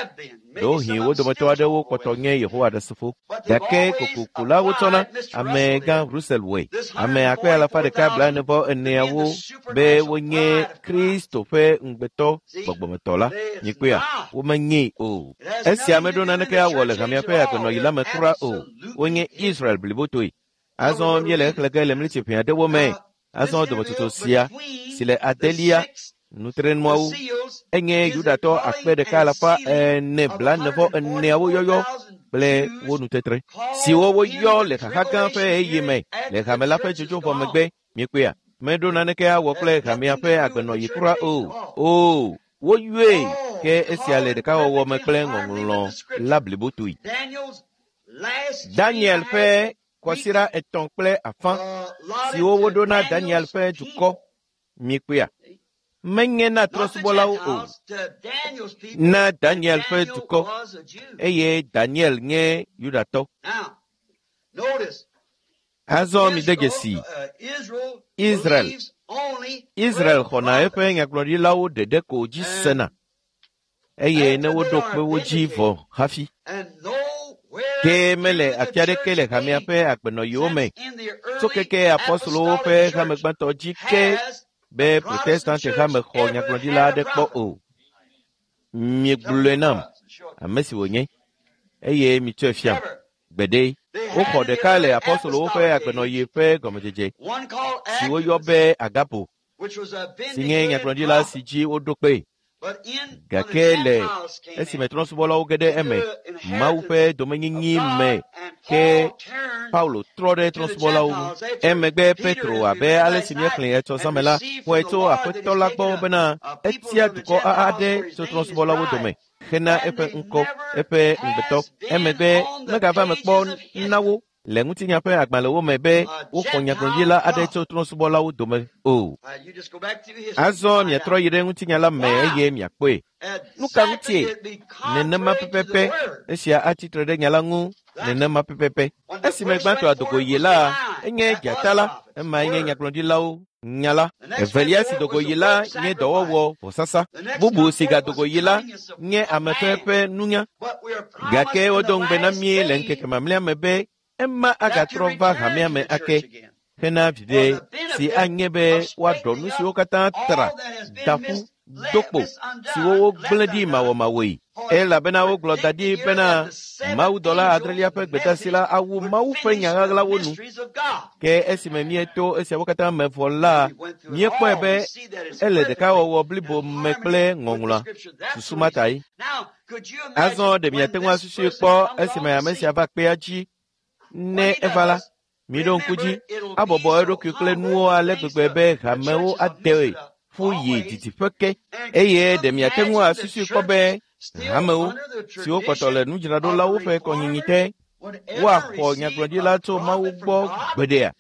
Ɖewohĩ wo dometɔ aɖewo kpɔtɔ nye Yehowa Ɖasefo. Gake kokoko la wotsɔna amegã Russell wɔe. Ame akpe alafa ɖeka blaene vɔ eneawo be wonye Kristo ƒe ŋugbetɔ gbɔgbɔmetɔ la. Mikpɔea, womenyee o. Esia meɖo naneke awɔ le hamea ƒe agbenɔɣi la me kura o. Wonye Israel blibotoe. Azɔ míele exlẽ ge le mlitsi ʋɛ aɖewo me. Azɔ dometsotso sia si le adelia nutrenuawo enye Yudatɔ akpe ɖeka alafa ene blaene vɔ eneawo yɔyɔ kple wo nutetre siwo woyɔ le xaxa gã ƒe ɣeyiɣi me le hame la ƒe dzodzo vɔ megbe. Miekpɔea, meɖo naneke awɔ kple hamea ƒe agbenɔɣi kura o. O, woyɔe ke esia le ɖekawɔwɔ me kple ŋɔŋlɔ la blibotoe. Daniel ƒe kɔsiɖa etɔ̃ kple afã siwo woɖo na Daniel ƒe dukɔ. Miekpɔea, menye na trɔ̃subɔlawo o, na Daniel ƒe dukɔ, eye Daniel nye Yudatɔ. Azɔ mide dzesi Israel. Israel xɔna eƒe nyagblɔɖilawo ɖeɖe ko dzi sena, eye ne woɖo kpe wo dzi vɔ hafi. Ke mele afi aɖeke le hamea ƒe agbenɔɣiwo me tso keke apɔstolowo ƒe hame gbãtɔ dzi ke be Protestante hame xɔ nyagblɔɖila aɖe kpɔ o. Miegblɔe nam ame si wònye, eye mitsɔe fiam. Gbeɖe, woxɔ ɖeka le apɔstolowo ƒe agbenɔɣi ƒe gɔmedzedze si woyɔ be Agapo, si nye nyagblɔɖila si dzi woɖo kpee. Gake le esime trɔ̃subɔlawo ge ɖe eme, Mawu ƒe domenyinyi me ke Paulo trɔ ɖe trɔ̃subɔlawo ŋu. Emegbe Petro abe ale si míexlẽ etsɔ zãme la, xɔe tso Aƒetɔ la gbɔ bena etia dukɔ aɖe tso trɔ̃subɔlawo dome hena eƒe ŋkɔ, eƒe ŋugbetɔ. Emegbe megava me kpɔ na wo le ŋutinya ƒe agbalẽwo me be woxɔ nyagblɔɖila aɖe tso trɔ̃subɔlawo dome o. Azɔ miatrɔ yi ɖe ŋutinya la me eye miakpɔe. Nu ka ŋutie? Nenema pɛpɛpɛ esia atsitre ɖe nya la ŋu nenema pɛpɛpɛ. Esime gbãtɔ adogo yi la, enye dzata la, emae nye nyagblɔɖilawo nya la. Evelia si dogo yi la nye dɔwɔwɔ vɔsasa. Bubu si gadogo yi la nye ame ƒe ƒe nunya. Gake wodo ŋugbe na mí le ŋkeke mamlɛa me be ema agatrɔ va hamea me ake hena viɖe si anye be woaɖɔ nu siwo katã tra, da ƒu, do kpo siwo wogblẽ ɖi mawɔmawɔe. Elabena wogblɔ da ɖi bena mawudɔla adrelia ƒe gbedeasi la awu Mawu ƒe nya ɣaɣlawo nu. Ke esime míeto esiawo katã me vɔ la, míekpɔe be ele ɖekawɔwɔ blibo me kple ŋɔŋlɔa. Susu ma tae. Azɔ ɖe miate ŋu asusui kpɔ esime ame sia va kpea dzi ne eva la, miɖo ŋku dzi abɔbɔ eɖokui kple nuwo ale gbegbe be hamewo ade ƒu yi didiƒe ke. Eye ɖe miate ŋu asusui kpɔ be hamewo siwo kpɔtɔ le nudzraɖolawo ƒe kɔnyinyi te woaxɔ nyagblɔɖila tso Mawu gbɔ gbeɖea?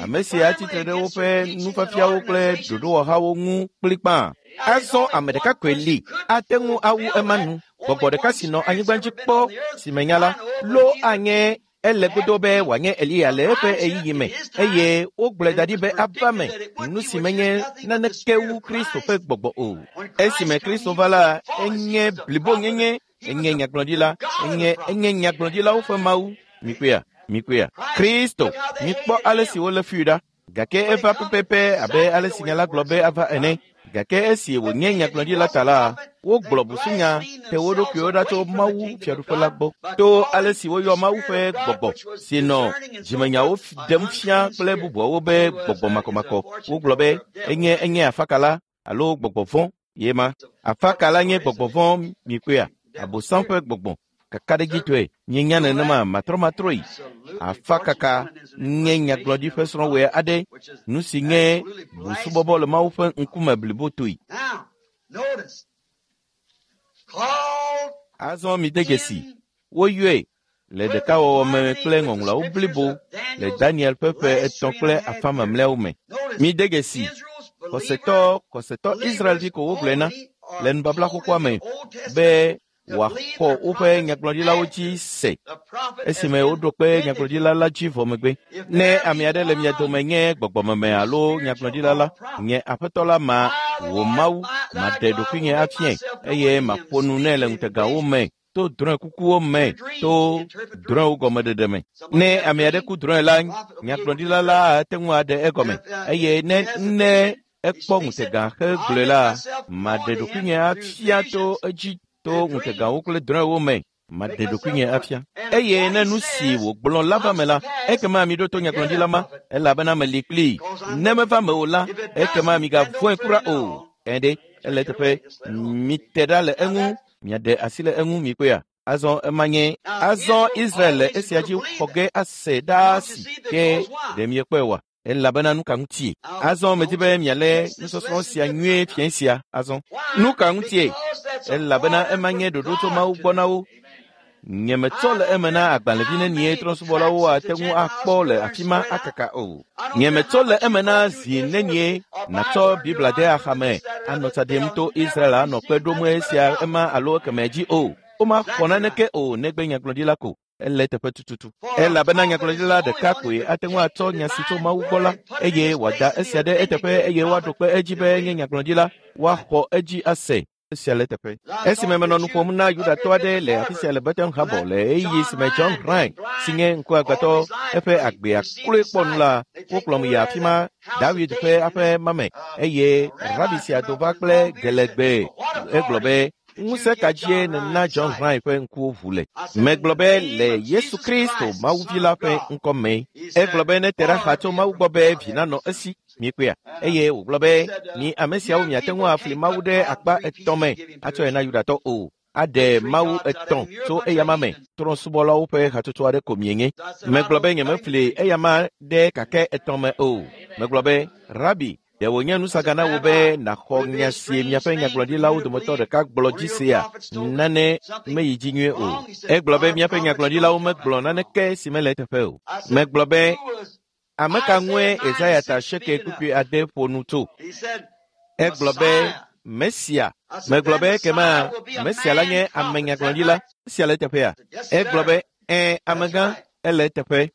Ame sia atsitre ɖe woƒe nufiafiawo kple ɖoɖowɔhawo ŋu kplikpaa. Azɔ ame ɖeka koe li ate ŋu awu ema nu. Gbɔgbɔ ɖeka si nɔ anyigba dzi kpɔ si menya la, lo anye ele godo be wòanye Eliya le eƒe ɣeyiɣi me, eye wogblɔe da ɖi be ava me nu si menye naneke wu Kristo ƒe gbɔgbɔ o. Esime Kristo va la, enye blibonyenye, enye nyagblɔɖila, enye enye nyagblɔɖilawo ƒe Mawu. Mikpɔea, mikpɔea, Kristo, mikpɔ ale si wolé fui ɖa. Gake eva pɛpɛpɛ abe ale si nya la gblɔ be ava ene. Gake esi wònye nyagblɔɖila ta la, wogblɔ busunya te wo ɖokuiwo ɖa tso Mawu fiaɖuƒe la gbɔ to ale si woyɔ Mawu ƒe gbɔgbɔ si nɔ dzimenyawo ɖem fia kple bubuawo be gbɔgbɔ makɔmakɔ. Wogblɔ be enye enye afakala alo gbɔgbɔ vɔ̃ ye ma. Afakala nye gbɔgbɔ vɔ̃ mikpɔea, Abosam ƒe gbɔgbɔ. Kakaɖedzitɔe mienya nenema matrɔmatrɔe. Afakaka nye nyagblɔɖi ƒe srɔ̃wɔe aɖe, nu si nye busubɔbɔ le Mawu ƒe ŋkume blibotoe. Azɔ mide dzesi, woyɔe le ɖekawɔwɔ me kple ŋɔŋlɔawo blibo le Daniel ƒe ƒe etɔ̃ kple afã mamlɛawo me. Mide dzesi, xɔsetɔ xɔsetɔ Israelvi ko wogblɔe na le nubabla xoxoa me be wòaxɔ woƒe nyagblɔɖilawo dzi se esime woɖo kpe nyagblɔɖila la dzi vɔ megbe. Ne ame aɖe le mia dome nye gbɔgbɔmeme alo nyagblɔɖila la, nye Aƒetɔ la ma wò Mawu maɖe ɖokuinye afiae eye maƒo nu nɛ le ŋutegawo me to drɔ̃ekukuwo me to drɔ̃ewo gɔmeɖeɖe me. Ne ame aɖe ku drɔ̃e la, nyagblɔɖila la ate ŋu aɖe egɔme eye ne ne ekpɔ ŋutega hegblɔe la, maɖe ɖokuinye afia to edzi to ŋutegawo kple drɔ̃ewo me. Maɖe ɖokuinye afia. Eye ne nu si wògblɔ la va me la, ekema miɖo to nyagblɔɖila ma, elabena meli kplii. Ne meva me o la, ekema migavɔ̃e kura o. Ɛɖe, ele teƒe, mite ɖa le eŋu, miaɖe asi le eŋu mikpɔea. Azɔ ema nye azɔ Israel le esia dzi xɔ ge ase ɖaa si ke ɖe miekpɔe oa? Elabena nu ka ŋutie? Azɔ medi be mialé nusɔsrɔ̃ sia nyuie fiẽ sia azɔ. Nu ka ŋutie? Elabena ema nye ɖoɖo tso Mawu gbɔ na wo. Nyemetsɔ le eme na agbalẽvi nenie trɔ̃subɔlawo ate ŋu akpɔ le afi ma akaka o. Nyemetsɔ le eme na zi nenie natsɔ Biblia de axame anɔ tsa ɖem to Israel anɔ kpe ɖom esia ema alo ekemɛ dzi o. Womaxɔ naneke o negbe nyagblɔɖila ko. Ele teƒe tututu. Elabena nyagblɔɖila ɖeka koe ate ŋu atsɔ nya si tso Mawu gbɔ la eye wòada esia ɖe eteƒe eye woaɖo kpe edzi be enye nyagblɔɖila, woaxɔ edzi ase. Esia le teƒe. Esime menɔ nu ƒom na Yudatɔ aɖe le afi sia le Bethlehem Habɔ le ɣeyiɣi si me John Rhyn si nye ŋkuagbãtɔ eƒe agbea kloe kpɔ nu la, wokplɔm yi afi ma David ƒe aƒe ma me eye rabi sia do va kple gelegbe. Egblɔ be, ŋusẽ ka dzie nèna John Rhyn ƒe ŋkuwo ʋu le? Megblɔ be le Yesu Kristo Mawuvi la ƒe ŋkɔ me. Egblɔ be nete ɖa xa tso Mawu gbɔ be vi nanɔ esi. Mikpɔea? Eye wògblɔ be mi ame siawo miate ŋu afli Mawu ɖe akpa etɔ̃ me atsɔe na Yudatɔ o. Aɖe Mawu etɔ̃ tso eyama me. Trɔ̃subɔlawo ƒe hatsotso aɖe ko mienye. Megblɔ be nyemefli eyama ɖe kakɛ etɔ̃ me o. Megblɔ be, Rabi, ɖe wònye nusaga na wò be nàxɔ nya si miaƒe nyagblɔɖilawo dometɔ ɖeka gblɔ dzi sea? Nane meyi dzi nyuie o. Egblɔ be miaƒe nyagblɔɖilawo megblɔ naneke si mele eteƒe o. Megblɔ be, ame ka ŋue Yesaya ta asieke kpukpui ade ƒo nu tso? Egblɔ be Mesia. Megblɔ be ekema Mesia la nye ame nyagblɔɖila. Esia le eteƒea? Egblɔ be ɛ̃, amegã, ele eteƒe.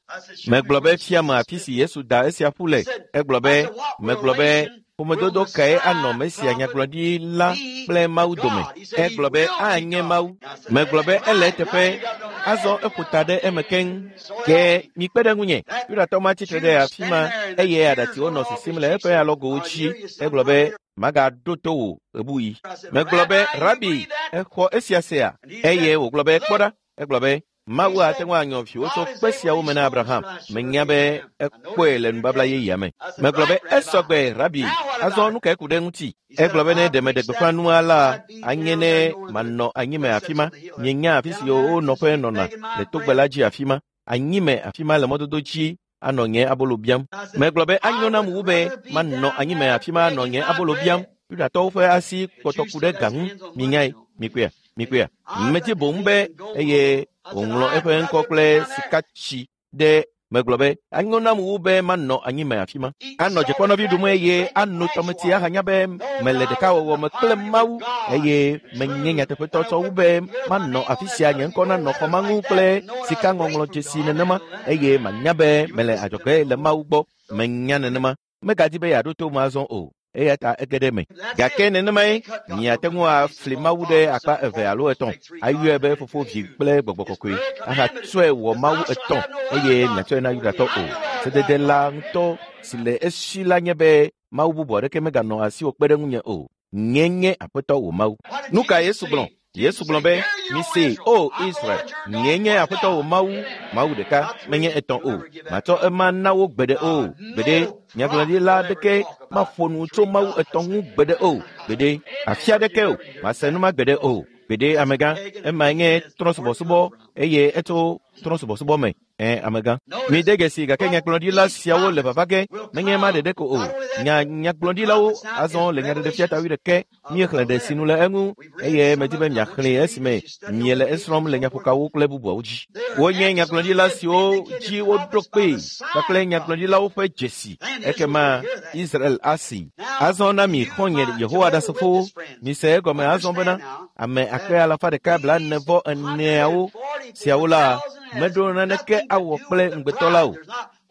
Megblɔ be fiame afi si Yesu da esia ƒu le. Egblɔ be, megblɔ be ƒomedodo kae anɔ Mesia nyagblɔɖila kple Mawu dome? Egblɔ be anye Mawu. Megblɔ be ele eteƒe. Azɔ eƒo ta ɖe eme keŋ. Ke mikpe ɖe ŋunye. Yudatɔ ma tsitre ɖe afi ma eye aɖatsiwo nɔ sisim le eƒe alɔgowo dzi. Egblɔ be, magaɖo to wò ɣebuɣi. Megblɔ be, Rabi, exɔ esia sea? Eye wògblɔ be, kpɔ ɖa. Egblɔ be, Mawu ate ŋu anyɔ viwò tso kpe siawo me na Abraham. Menya be ekpɔe le nubabla yeyea me. Megblɔ be, esɔgbe, Rabi, azɔ nu kae ku ɖe ŋuti? Egblɔ be ne ɖe meɖe gbeƒã nua la, anye ne manɔ anyime afi ma. Mienya afi si wo nɔƒe nɔna le togbe la dzi afi ma. Anyime afi ma le mɔdodo dzi anɔ nye abolo biam. Megblɔ be anyo nam wu be manɔ anyime afi ma anɔ nye abolo biam. Yudatɔwo ƒe asi kpɔtɔ ku ɖe ga ŋu. Minyae, mikpɔea, mikpɔea. Medi boŋ be eye wòŋlɔ eƒe ŋkɔ kple sikatsi ɖe. Megblɔ be anyo nam wu be manɔ anyime afi ma. Anɔ dzekpɔnɔvi ɖum eye ano tɔmetsi ahanya be mele ɖekawɔwɔ me kple Mawu eye menye nyateƒetɔ tsɔ wu be manɔ afi sia nye ŋkɔ nanɔ xɔ ma ŋu kple sikaŋɔŋlɔdzesi nenema eye manya be mele adzɔge le Mawu gbɔ. Menya nenema. Megadi be yeaɖo to me azɔ o. Eya ta ege ɖe eme. Gake nenemae miate ŋu afli Mawu ɖe akpa eve alo etɔ̃, ayɔe be Fofo, Vi kple Gbɔgbɔ Kɔkɔe, ahatsɔe wɔ Mawu etɔ̃ eye miatsɔe na Yudatɔ o. Sedede la ŋutɔ si le esi la nye be Mawu bubu aɖeke meganɔ asiwò kpe ɖe ŋunye o. Nye nye Aƒetɔ wò Mawu. Nu ka Yesu gblɔ? Yesu gblɔ be, mise, o Israel, nye nye Aƒetɔ wò Mawu, Mawu ɖeka, menye etɔ̃ o. Matsɔ ema na wo gbeɖe o. Gbeɖe, nyagblɔɖila aɖeke maƒo nu tso Mawu etɔ̃ ŋu gbeɖe o. Gbeɖe, afi aɖeke o, mase nu ma gbeɖe o. Gbeɖe, amegã, emae nye trɔ̃subɔsubɔ eye etso trɔ̃subɔsubɔ me. Ɛ, amegã. Mide dzesi gake nyagblɔɖila siawo le vava ge, menye ema ɖeɖe ko o. Nya nyagblɔɖilawo azɔ le nyaɖeɖefia ta wuiɖekɛ míexlẽ ɖe sinu le eŋu eye medi be miaxlẽe esime miele esrɔ̃m le nyaƒokawo kple bubuawo dzi. Wonye nyagblɔɖila siwo dzi woɖo kpee kpakple nyagblɔɖilawo ƒe dzesi. Ekema Israel asi. Azɔ na mi xɔ̃nye Yehowa Ɖasefowo, mise egɔme azɔ bena ame akpe alafa ɖeka blaene vɔ eneawo siawo la meɖo naneke awɔ kple ŋugbetɔ la o.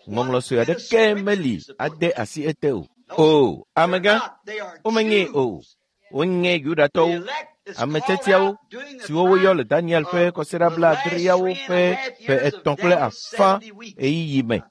Ŋɔŋlɔ sue aɖeke meli ade asi ete o. O, amegã, womenyee o. Wonye Yudatɔwo, Ame tiatiawo siwo woyɔ le Daniel ƒe kɔsiɖa blaadreawo ƒe ƒe etɔ̃ kple afã ɣeyiɣi me.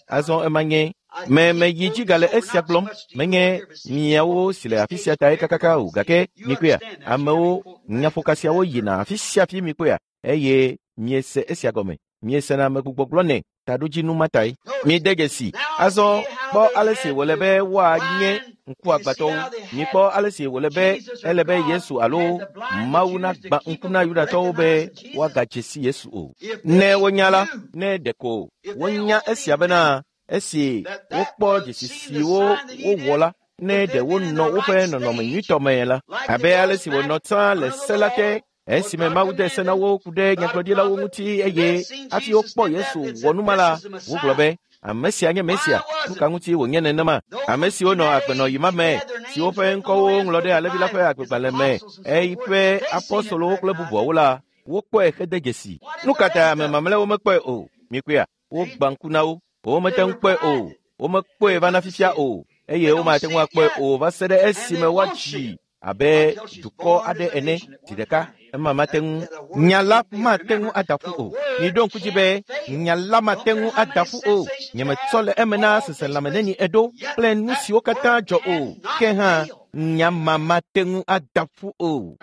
Azɔ ema nye me meyi dzi gale esia gblɔm menye miawo si le afi sia tae kakaka o gake mikpɔea amewo nyaƒoka siawo yina afi sia afi mikpɔea eye miese esia gɔme miesena amegbugbɔ gblɔnɛ taɖodzinu ma tae. Mide dzesi azɔ kpɔ ale si wòle be woanye ŋkuagbãtɔwo. Mikpɔ ale si wòle be ele be Yesu alo Mawu nagbã ŋku na Yudatɔwo be woagadze si Yesu o. Ne wonya la, ne ɖeko wonya esia bena esi wokpɔ dzesi siwo wowɔ la, ne ɖe wonɔ woƒe nɔnɔme nyuitɔ me la, abe ale si wònɔ tsã le se la te esime Mawu de se na wo ku ɖe nyagblɔɖilawo ŋuti eye hafi wokpɔ Yesu wɔ nu ma la, wogblɔ be ame sia nye Mesia. Nu ka ŋuti wònye nenema? Ame siwo nɔ agbenɔɣi ma me, siwo ƒe ŋkɔwo ŋlɔ ɖe Alẽvi la ƒe agbegbalẽ me, eƒe apɔstolowo kple bubuawo la, wokpɔe hede dzesi. Nu ka ta ame mamlɛawo mekpɔe o? Mikpɔea, wogbã ŋku na wo. Womete ŋu kpɔe o. Womekpɔe va na fifia o eye womate ŋu akpɔe o va se ɖe esime woadzi abe dukɔ aɖe ene zi ɖeka. Ema mate ŋu nya la mate ŋu ada ƒu o. Miɖo ŋku dzi be nya la mate ŋu ada ƒu o. Nyemetsɔ le eme na seselãme neni eɖo kple nu siwo katã dzɔ o. Ke hã nya ma mate ŋu ada ƒu o.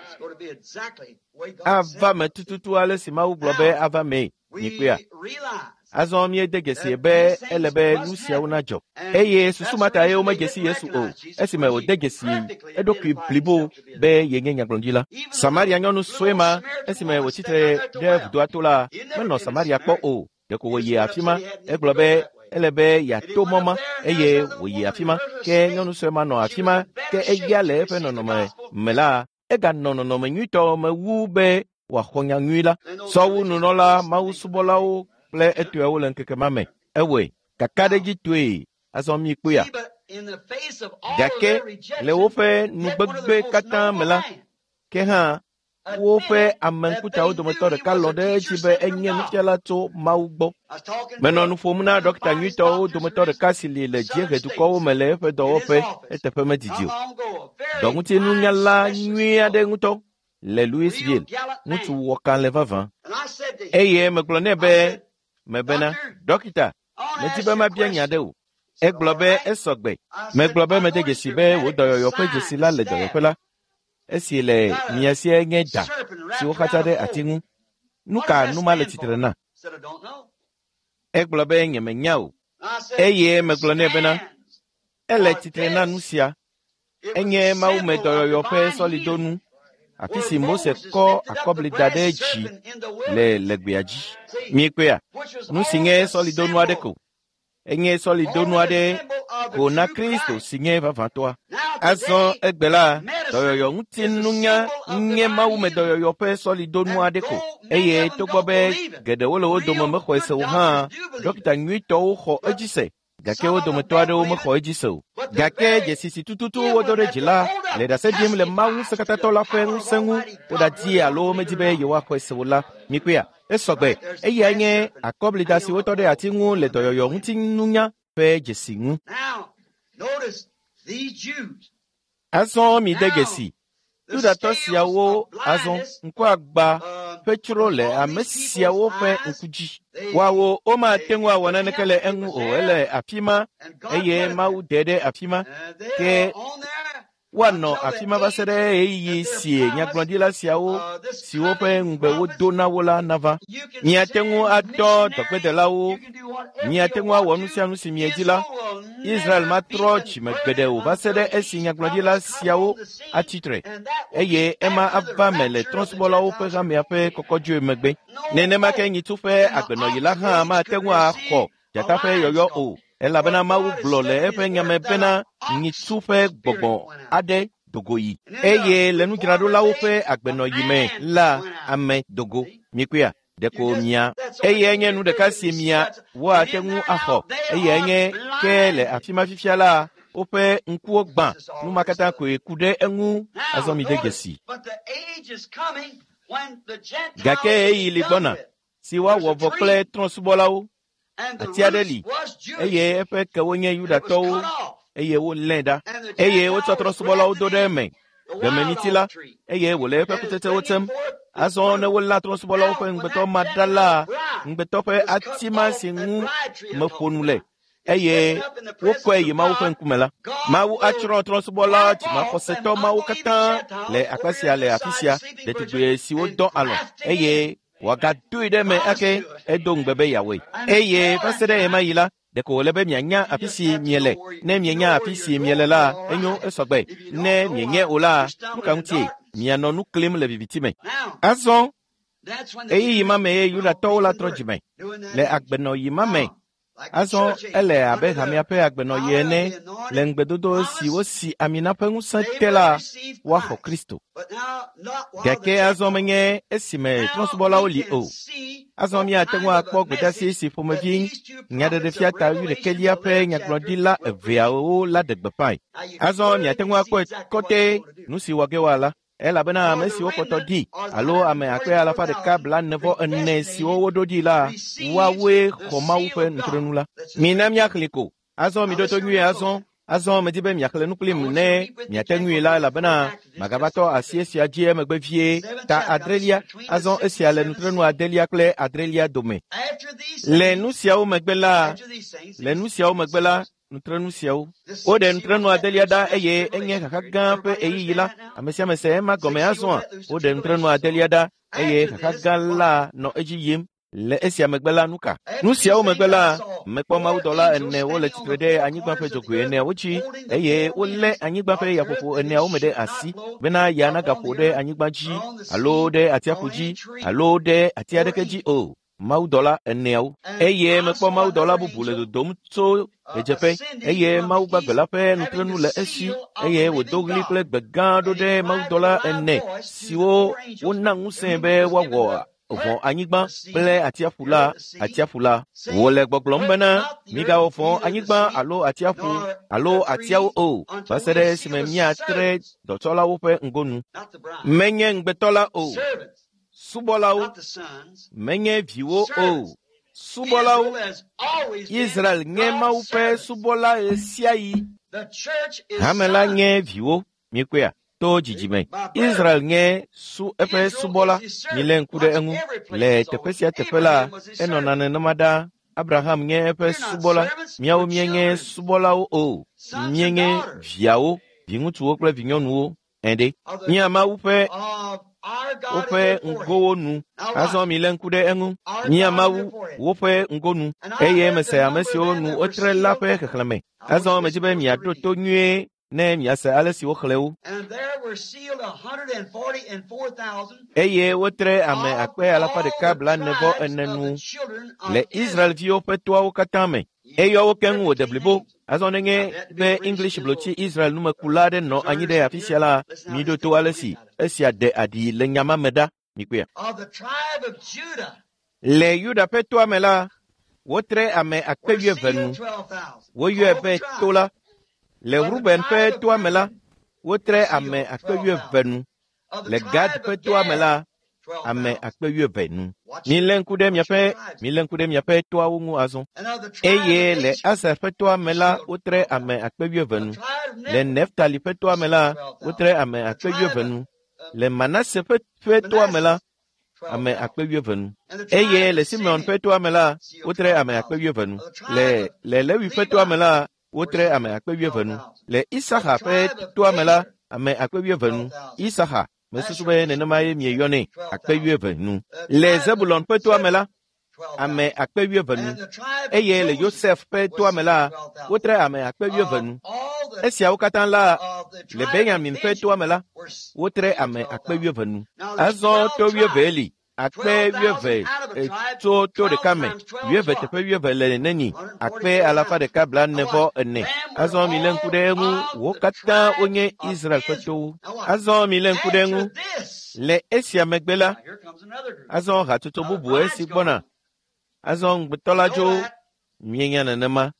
Ava me tututu ale si Mawu gblɔ be ava mee. Mikpɔea? Azɔ míede dzesi be ele be nu siawo nadzɔ. Eye susu ma tae womedze si Yesu o, esime wòde dzesi eɖokui blibo be yenye nyagblɔɖila. Samaria nyɔnu sue ma, esime wòtsi tre ɖe vudoa to la, menɔ Samaria kpɔ o. Ɖeko wòyi afi ma, egblɔ be ele be yeato mɔ ma eye wòyi afi ma. Ke nyɔnu sue ma nɔ afi ma, ke eya le eƒe nɔnɔme me la, eganɔ nɔnɔme nyuitɔ me wu be wòaxɔ nya nyui la. Sɔwu nunɔla, mawusubɔlawo kple etɔewo le ŋkeke ma me. Ewɔe kakaɖedzitɔe azɔ mikpɔea. Gake le woƒe nugbegbe katã me la, ke hã woƒe ame ŋkutawo dometɔ ɖeka lɔ̃ ɖe edzi be enye nufiala tso Mawu gbɔ. Menɔ nu ƒom na ɖɔkita nyuitɔwo dometɔ ɖeka si li le dziehedukɔwo me le eƒe dɔwɔƒe eteƒe medidi o. Dɔŋutinunyala nyui aɖe ŋutɔ le Louisville, ŋutsu wɔkalẽ vavã. Eye megblɔ nɛ be mebena, ɖɔkita, medi be mabia nya ɖe o. Egblɔ be esɔ gbe. Megblɔ be mede dzesi be wò dɔyɔyɔ ƒe dzesi la le dɔyɔƒe la. Esi le mia sie nye da si woxatsa ɖe ati ŋu. Nu ka nu ma le tsitre na? Egblɔ be nyemenya o. Eye megblɔ nɛ bena, ele tsitre na nu sia. Enye Mawu me dɔyɔyɔ ƒe sɔlidonu, afi si Mose kɔ akɔbli da ɖe dzi le le gbea dzi. Miekpɔea? Nu si nye sɔlidonu aɖe ko. Enye sɔlidonu aɖe ko na Kristo si nye vavãtɔa. Azɔ egbe la, dɔyɔyɔ ŋutinunya nye Mawu me dɔyɔyɔ ƒe sɔlidonu aɖe ko. Eye togbɔ be geɖewo le wo dome mexɔe se o hã, ɖɔkita nyuitɔwo xɔ edzi se. Gake wo dometɔ aɖewo mexɔ edzi se o. Gake dzesi si tututu wodo ɖe dzi la le ɖase ɖim le Mawu ŋusẽkatãtɔ la ƒe ŋusẽ ŋu woɖadi alo womedi be yewoaxɔe se o la. Mikpɔea? Esɔ gbe. Eyae nye akɔblida si wotɔ ɖe ati ŋu le dɔyɔyɔ ŋutinunya ƒe dzesi ŋu. Azɔ mide dzesi. Yudatɔ siawo azɔ ŋkuagbã ƒe tsro le ame siawo ƒe ŋku dzi. Woawo womate ŋu awɔ naneke le eŋu o. Ele afi ma eye Mawu de ɖe afi ma. Ke woanɔ afi ma va se ɖe ɣeyiɣi si nyagblɔɖila siawo siwo ƒe ŋugbe wodo na wo la nava. Miate ŋu adɔ dɔgbedelawo, miate ŋu awɔ nu sia nu si miedi la. Israel matrɔ dzime gbeɖe o va se ɖe esi nyagblɔɖila siawo atsi tre eye ema ava me le trɔ̃subɔlawo ƒe hamea ƒe kɔkɔdzoe megbe. Nenema ke nyitsu ƒe agbenɔɣi la hã mate ŋu axɔ dzata ƒe yɔyɔ o. Elabena Mawu gblɔ le eƒe nyame bena nyitsu ƒe gbɔgbɔ aɖe dogo yi. Eye le nudzraɖolawo ƒe agbenɔɣi me la, ame dogo. Mikpɔea? Ɖeko mia. Eyae nye nu ɖeka si mia woate ŋu axɔ. Eyae nye ke le afi ma fifia la, woƒe ŋkuwo gbã. Nu ma katã koe ku ɖe eŋu. Azɔ mide dzesi. Gake ɣeyiɣi li gbɔna si woawɔ vɔ kple trɔ̃subɔlawo. Ati aɖe li eye eƒe kewo nye Yudatɔwo eye wolée ɖa. Eye wotsɔ trɔ̃subɔlawo do ɖe eme. Gbememiti la, eye wòle eƒe kutsetsewo tsem. Azɔ ne wolé trɔ̃subɔlawo ƒe ŋugbetɔ ma ɖa la, ŋugbetɔ ƒe ati ma si ŋu meƒo nu le eye wokɔe yi Mawu ƒe ŋkume la, Mawu atsrɔ̃ trɔ̃subɔla dzimaxɔsetɔ mawo katã le akpa sia le afi sia, ɖetugbi siwo dɔ alɔ̃ eye wòagadoe ɖe eme ake edo ŋugbe be yeawɔe. Eye va se ɖe ɣemaɣi la, ɖeko wòle be mianya afi si miele. Ne mienya afi si miele la, enyo esɔgbe. Ne mienye o la, nu ka ŋutie? Mianɔ nu klim le viviti me. Azɔ ɣeyiɣi ma me ye Yudatɔwo la trɔ dzime le agbenɔɣi ma me. Azɔ ele abe hamea ƒe agbenɔɣi ene le ŋugbedodo si wosi ami na ƒe ŋusẽ te la, woaxɔ Kristo. Gake azɔ menye esime trɔ̃subɔlawo li o. Azɔ míate ŋu akpɔ gbedeasi si ƒomevi nyaɖeɖefia ta wuiɖekɛlia ƒe nyagblɔɖila eveawo la ɖe gbeƒãe. Azɔ miate ŋu akpɔe kɔtɛ nu si wɔ ge woala. Elabena ame siwo kpɔtɔ ɖi alo ame akpe alafa ɖeka blaene vɔ ene siwo woɖo ɖi la, woawoe xɔ Mawu ƒe nutrenu la. Mina míaxlẽ ko. Azɔ miɖo to nyuie azɔ. Azɔ medi be miaxlẽ nu kplim ne miate ŋui la elabena magava tɔ asi esia dzi emegbe vie. Ta adrelia. Azɔ esia le nutrenu adelia kple adrelia dome. Le nu siawo megbe la, le nu siawo megbe la, nutrenu siawo. Woɖe nutrenu adelia ɖa eye enye xaxa gã ƒe ɣeyiɣi la. Ame sia ame se ema gɔme azɔa. Woɖe nutrenu adelia ɖa eye xaxa gã la nɔ edzi yim. Le esia megbe la, nu ka? Nu siawo megbe la, mekpɔ mawudɔla ene wole tsitre ɖe anyigba ƒe dzogoe eneawo dzi eye wolé anyigba ƒe yaƒoƒo eneawo me ɖe asi bena ya nagaƒo ɖe anyigba dzi alo ɖe atsiaƒu dzi alo ɖe ati aɖeke dzi o. Mawudɔla eneawo. Eye mekpɔ mawudɔla bubu le dodom tso ɣedzeƒe eye Mawu gbagbe la ƒe nutrenu le esi eye wòdo ɣli kple gbe gã ɖo ɖe mawudɔla ene siwo wona ŋusẽ be woawɔ vɔ̃ anyigba kple atsiaƒu la atsiaƒu la. Wòle gbɔgblɔm bena migawɔ vɔ̃ anyigba alo atsiaƒu alo atiawo o va se ɖe esime míatre dɔtsɔlawo ƒe ŋgonu. Menye ŋugbetɔ la o. Subɔlawo, menye viwo o. Subɔlawo, Israel nye Mawu ƒe subɔla ɣesiaɣi. Hame la nye viwo, miekpɔea, to dzidzime. Israel nye su eƒe subɔla. Milé ŋku ɖe eŋu. Le teƒe sia teƒe la, enɔna nenema ɖaa. Abraham nye eƒe subɔla. Míawo míenye subɔlawo o. Míenye viawo, viŋutsuwo kple vinyɔnuwo. Ɛ̃ɖe. Mía Mawu ƒe woƒe ŋgowo nu. Azɔ milé ŋku ɖe eŋu. Mía Mawu woƒe ŋgonu eye mese ame siwo nu wotre la ƒe xexlẽme. Azɔ medzi be miaɖo to nyuie ne miase ale si woxlẽ wo. Eye wotre ame akpe alafa ɖeka blaene vɔ ene nu le Israelviwo ƒe toawo katã me. Eyɔ wo keŋ wòde blibo. Azɔ nenye be English blotsi Israel numekula aɖe nɔ anyi ɖe afi sia la, miɖo to ale si esia ɖe aɖi le nya ma me ɖa. Mikpɔea. Le Yuda ƒe toa me la, wotre ame akpe wuieve nu. Woyɔe be to la. Le Ruben ƒe toa me la, wotre ame akpe wuieve nu. Le Gad ƒe toa me la, ame akpe wuieve nu. Milé ŋku ɖe miaƒe milé ŋku ɖe miaƒe toawo ŋu azɔ. Eye le Aser ƒe toa me la, wotre ame akpe wuieve nu. Le Neftali ƒe toa me la, wotre ame akpe wuieve nu. Le Manase ƒe ƒe toa me la, ame akpe wuieve nu. Eye le Simeon ƒe toa me la, wotre ame akpe wuieve nu. Le le Lewi ƒe toa me la, wotre ame akpe wuieve nu. Le Isaxa ƒe toa me la, ame akpe wuieve nu. Isaxa, mesusu be nenema ye mieyɔnɛ, akpe wuieve nu. Le Zebulon ƒe toa me la, ame akpe wuieve nu. Eye le Yosef ƒe toa me la, wotre ame akpe wuieve nu. Esiawo katã la, le Benyamin ƒe toa me la, wotre ame akpe wuieve nu. Azɔ to wuieve li. Akpe wuieve tso to ɖeka me. Wuieve teƒe wuieve le neni. Akpe alafa ɖeka blaene vɔ ene. Azɔ milé ŋku ɖe eŋu. Wo katã wonye Israel ƒe towo. Azɔ milé ŋku ɖe eŋu. Le esia megbe la, azɔ hatsotso bubu esi gbɔna. Azɔ ŋugbetɔ la dzo. Mienya nenema.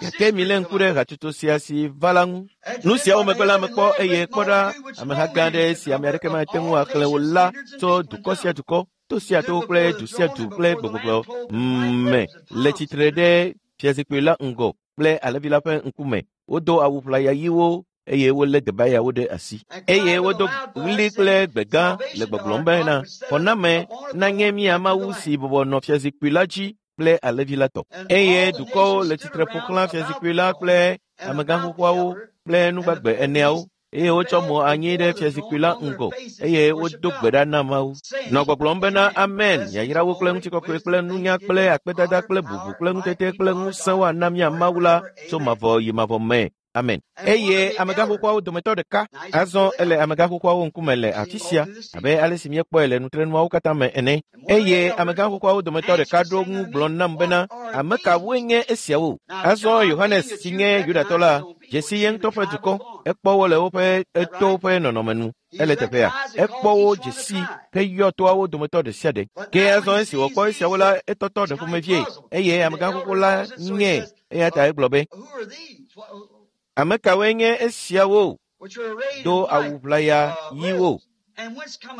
Gake milé ŋku ɖe hatsotso sia si va la ŋu. Nu siawo megbe la mekpɔ eye kpɔ ɖa ameha gã aɖe si ame aɖeke mate ŋu axlẽ o la tso dukɔ sia dukɔ, to sia to kple du sia du kple gbegbɔgblɔ me le tsitre ɖe fiazikpui la ŋgɔ kple alẽvi la ƒe ŋkume. Wodo awu ʋlaya ɣiwo eye wolé debayawo ɖe asi. Eye wodo ɣli kple gbe gã le gbɔgblɔm bena, xɔname nanye mía Mawu si bɔbɔ nɔ fiazikpui la dzi kple alẽvi la tɔ. Eye dukɔwo le tsitre ƒo xlã fiazikpui la kple amegã xoxoawo kple nugbagbe eneawo eye wotsɔ mo anyi ɖe fiazikpui la ŋgɔ eye wodo gbe ɖa na Mawu. Nɔ gbɔgblɔm bena amen, yayrawo kple ŋutikɔkɔe kple nunya kple akpedada kple bubu kple ŋutete kple ŋusẽ woana mía Mawu la tso mavɔ yi mavɔ me. Amen. Eye amegã xoxoawo dometɔ ɖeka azɔ ele amegã xoxoawo ŋkume le afi sia abe ale si míekpɔe le nutrenuawo katã me ene. Eye amegã xoxoawo dometɔ ɖeka ɖo ŋu gblɔ nam bena, ame kawoe nye esiawo? Azɔ Yohanes si nye Yudatɔ la dze si ye ŋutɔ ƒe dukɔ, ekpɔ wo le woƒe etowo ƒe nɔnɔme nu. Ele teƒea, ekpɔ wo dze si heyɔ toawo dometɔ ɖe sia ɖe. Ke azɔ esi wòkpɔ esiawo la, etɔtɔ ɖe ƒomevie eye amegã xoxo la nyee eya ta egblɔ be, ame kawoe nye esiawo do awu ʋlaya ɣiwo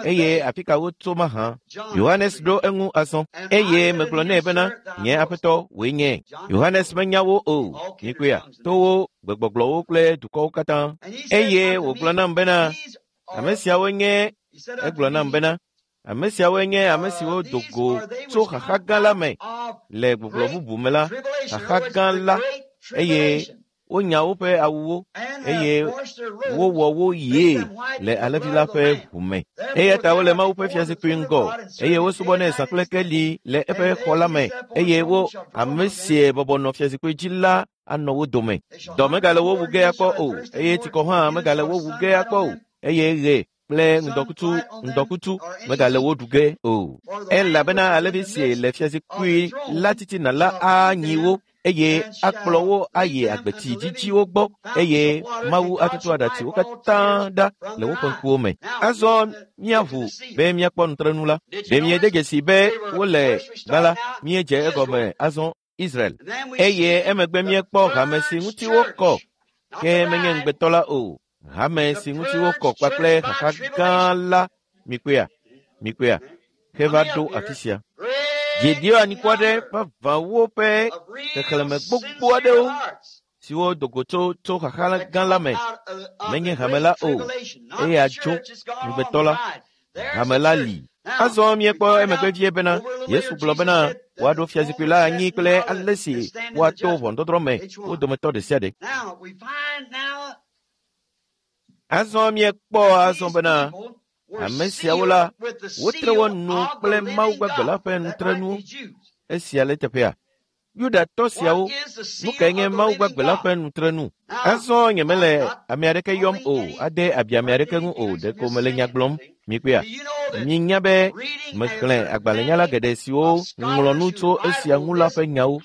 eye afi ka wotso mahã? Yohanes ɖo eŋu azɔ eye megblɔ nɛ bena, nye aƒetɔ wòe nye. Yohanes menya wo o, mikpɔea, towo, gbegbɔgblɔwo kple dukɔwo katã. Eye wògblɔ nam bena, ame siawo nye, egblɔ nam bena, ame siawoe nye ame siwo do go tso xaxa gã la me le gbɔgblɔ bubu me la, xaxa gã la, eye wonya woƒe awuwo eye wowɔ wo ɣie le alẽvi la ƒe ʋu me. Eya ta wole Mawu ƒe fiazikpui ŋgɔ eye wosubɔnɛ zã kple keli le eƒe xɔ la me eye wo ame sie bɔbɔ nɔ fiazikpui dzi la anɔ wo dome. Dɔ megale wo wu ge akpɔ o eye tsikɔ hã megale wo wu ge akpɔ o eye ɣe kple ŋdɔkutsu ŋdɔkutsu megale wo ɖu ge o. Elabena alẽvi si le fiazikpui la titina la anyi wo eye akplɔ wo ayi agbetsi dzidziwo gbɔ eye Mawu atutu aɖatsiwo katã ɖa le woƒe ŋkuwo me. Azɔ míaʋu be míakpɔ nutrenu la. Ɖe miede dzesi be wole gbã la, míedze egɔme azɔ Israel. Eye emegbe míekpɔ hame si ŋuti wokɔ, ke menye ŋugbetɔ la o. Hame si ŋuti wokɔ kpakple xaxa gã la, mikpɔea, mikpɔea, heva ɖo afi sia. Dziɖio anyikɔ aɖe vavãwo ƒe xexlẽme gbogbo aɖewo siwo do go tso tso xaxa gã la me menye hame la o, eye atso ŋugbetɔ la. Hame la li. Azɔ míekpɔ emegbe vie bena Yesu gblɔ bena woaɖo fiazikpui la anyi kple ale si woato ʋɔnudɔdrɔ̃ me wo dometɔ ɖe sia ɖe. Azɔ míekpɔ azɔ bena ame siawo la, wotre wo nu kple Mawu gbagbe la ƒe nutrenuwo. Esia le teƒea. Yudatɔ siawo, nu kae nye Mawu gbagbe la ƒe nutrenu? Azɔ nyemele ame aɖeke yɔm o, ade abi ame aɖeke ŋu o, ɖeko mele nya gblɔm. Mikpɔea, minya be mexlẽ agbalẽnyala geɖe siwo ŋlɔ nu tso esia ŋu la ƒe nyawo.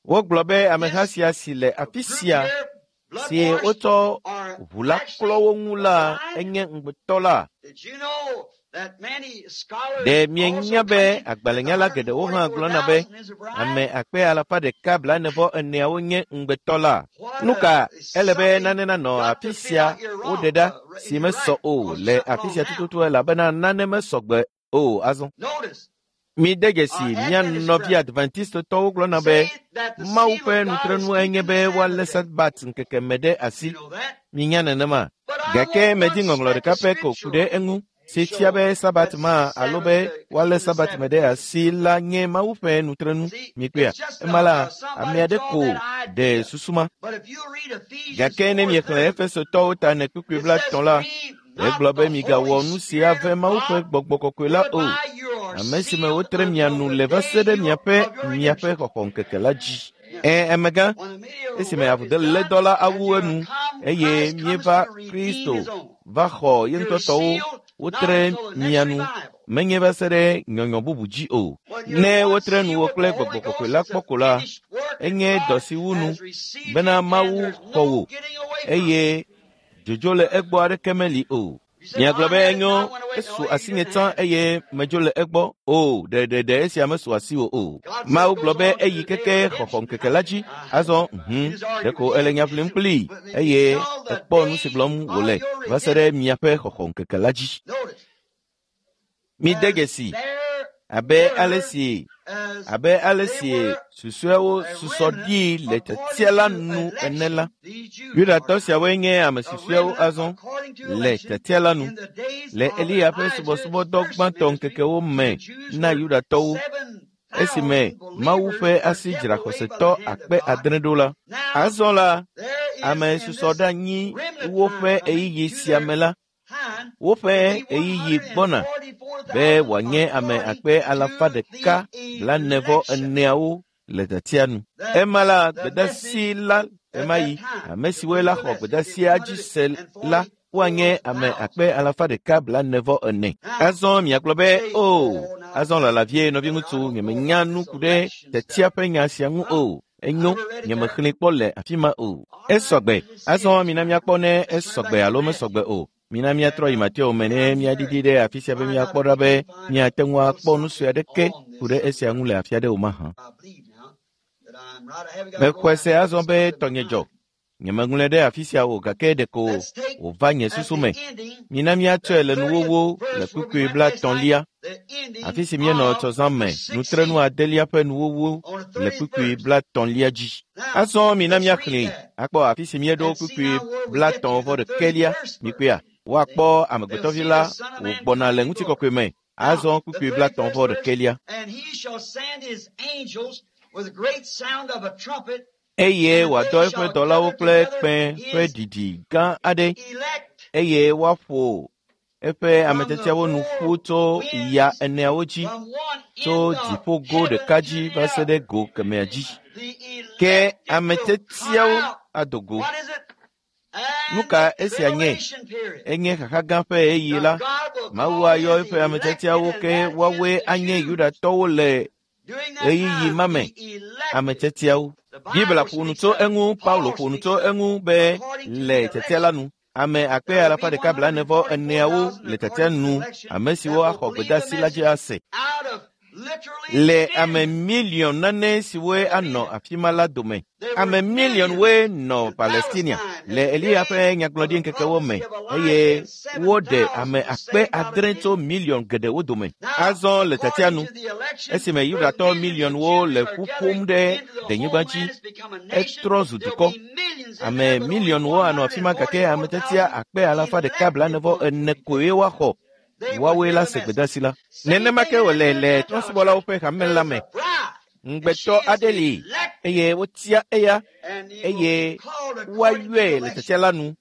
Wogblɔ be ameha sia si le afi sia si wotsɔ ʋu la klɔ wo ŋu la enye ŋugbetɔ la. Ɖe mienya be agbalẽnyala geɖewo hã gblɔna be ame akpe alafa ɖeka blaene vɔ eneawo nye ŋugbetɔ la? Nu ka ele be nane nanɔ afi sia woɖe ɖa si mesɔ o le afi sia tututu elabena nane mesɔ gbe o azɔ. Mide dzesi mía nɔvi Adventistetɔwo gblɔna be Mawu ƒe nutrenu enye be woalé Sabat ŋkeke me ɖe asi. Minya nenema. Gake medi ŋɔŋlɔ ɖeka pɛ ko ku ɖe eŋu si fia be Sabat ma alo be woalé Sabat me ɖe asi la nye Mawu ƒe nutrenu. Mikpɔea, ema la, ame aɖe ko ɖe susu ma. Gake ne miexlẽ Efesotɔwo ta ene kpukpui blaetɔ̃ la, egblɔ be migawɔ nu si ave Mawu ƒe gbɔgbɔ kɔkɔe la o, ame si me wotre mia nu le va se ɖe miaƒe miaƒe xɔxɔŋkeke la dzi. Ẽ, amegã, esime avulédɔ la awu enu eye míeva Kristo va xɔ ye ŋutɔ tɔwo, wotre mia nu, menye va se ɖe nyɔnyɔ bubu dzi o. Ne wotre nuwò kple gbɔgbɔ kɔkɔe la kpɔ ko la, enye dɔ si wu nu bena Mawu xɔ wò eye dzodzo le egbɔ aɖeke meli o. Miagblɔ be enyo, esu asinye tsã eye medzo le egbɔ o, ɖeɖeɖe esia mesu asiwò o. Mawu gblɔ be eyi keke xɔxɔŋkeke la dzi. Azɔ hũ, ɖeko ele nya ʋlim kplii eye ekpɔ nu si gblɔm wòle va se ɖe miaƒe xɔxɔŋkeke la dzi. Mide dzesi, Abe ale si abe ale si susɔeawo susɔ ɖi le tiatia la nu ene la, Yudatɔ siawoe nye ame susɔeawo azɔ le tiatia la nu. Le Eliya ƒe subɔsubɔdɔ gbãtɔ ŋkekewo me na Yudatɔwo, esime Mawu ƒe asi dzra xɔsetɔ akpe adre ɖo la. Azɔ la, ame susɔ ɖe anyi woƒe ɣeyiɣi sia me la, woƒe ɣeyiɣi gbɔna be wòanye ame akpe alafa ɖeka blaene vɔ eneawo le tiatia nu. Ema la gbedasi la ɣemaɣi, ame siwoe la xɔ gbedasia dzi se la woanye ame akpe alafa ɖeka blaene vɔ ene. Azɔ miagblɔ be, o, azɔ lala vie nɔviŋutsu, nyemenya nu ku ɖe tiatia ƒe nya sia ŋu o. Enyo, nyemexlẽe kpɔ le afi ma o. Esɔgbe. Azɔ mina míakpɔ ne esɔgbe alo mesɔgbe o. Mina míatrɔ yi Mateo me ne míaɖiɖi ɖe afi sia be míakpɔ ɖa be míate ŋu akpɔ nu sue aɖeke ku ɖe esia ŋu le afi aɖe o mahã. Mexɔe se azɔ be tɔnye dzɔ. Nyemeŋlɔe ɖe afi sia o gake ɖeko wòva nye susu me. Mina míatsɔe le nuwuwu le kpukpui blaetɔ̃lia, afi si míenɔ tsɔzã me nutrenu adelia ƒe nuwuwu le kpukpui blaetɔ̃lia dzi. Azɔ mina míaxlẽe akpɔ afi si míeɖo kpukpui blaetɔ̃ vɔ ɖekɛlia. Mikpɔea, woakpɔ amegbetɔvi la wògbɔna le ŋutikɔkɔe me. Azɔ kpukpui blaetɔ̃ vɔ ɖekɛlia. Eye wòadɔ eƒe dɔlawo kple kpẽ ƒe ɖiɖi gã aɖe, eye woaƒo eƒe ametiatiawo nu ƒu tso ya eneawo dzi, tso dziƒogo ɖeka dzi va se ɖe go kemɛa dzi. Ke ametiatiawo ado go. Nu ka esia nye? Enye xaxa gã ƒe ɣeyiɣi la, Mawu ayɔ eƒe ametiatiawo ke woawoe anye Yudatɔwo le ɣeyiɣi ma me, ametiatiawo. Biblia ƒo nu tso eŋu, Paulo ƒo nu tso eŋu be le tiatia la nu, ame akpe alafa ɖeka blaene vɔ eneawo le tiatia nu, ame siwo axɔ gbedeasi la dzi ase. Le ame miliɔn nane siwoe anɔ afi ma la dome. Ame miliɔnwoe nɔ Palestinia le Eliya ƒe nyagblɔɖi ŋkekewo me eye woɖe ame akpe adre tso miliɔn geɖewo dome. Azɔ le tiatia nu, esime Yudatɔ miliɔnwo le ƒu ƒom ɖe denyigba dzi, etrɔ zu dukɔ. Ame miliɔnwo anɔ afi ma gake ame tiatia akpe alafa ɖeka blaene vɔ ene koe woaxɔ. Woawoe la se gbedeasi la. Nenema ke wòle le trɔ̃subɔlawo ƒe hame la me. Ŋugbetɔ aɖe li eye wotia eya eye woayɔe le tiatia la nu.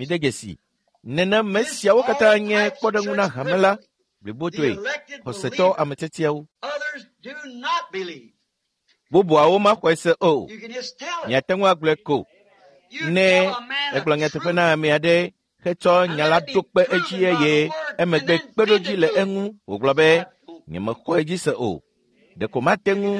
Mide dzesi. Nenema siawo katã nye kpɔɖeŋu na hame la blibotoe, xɔsetɔ ametiatiawo. Bubuawo maxɔe se o. Miate ŋu agblɔe ko. Ne egblɔ nyateƒe na ame aɖe hetsɔ nya la ɖo kpe edzi eye emegbe kpeɖodzi le eŋu wògblɔ be nyemexɔ edzi se o. Ɖeko mate ŋu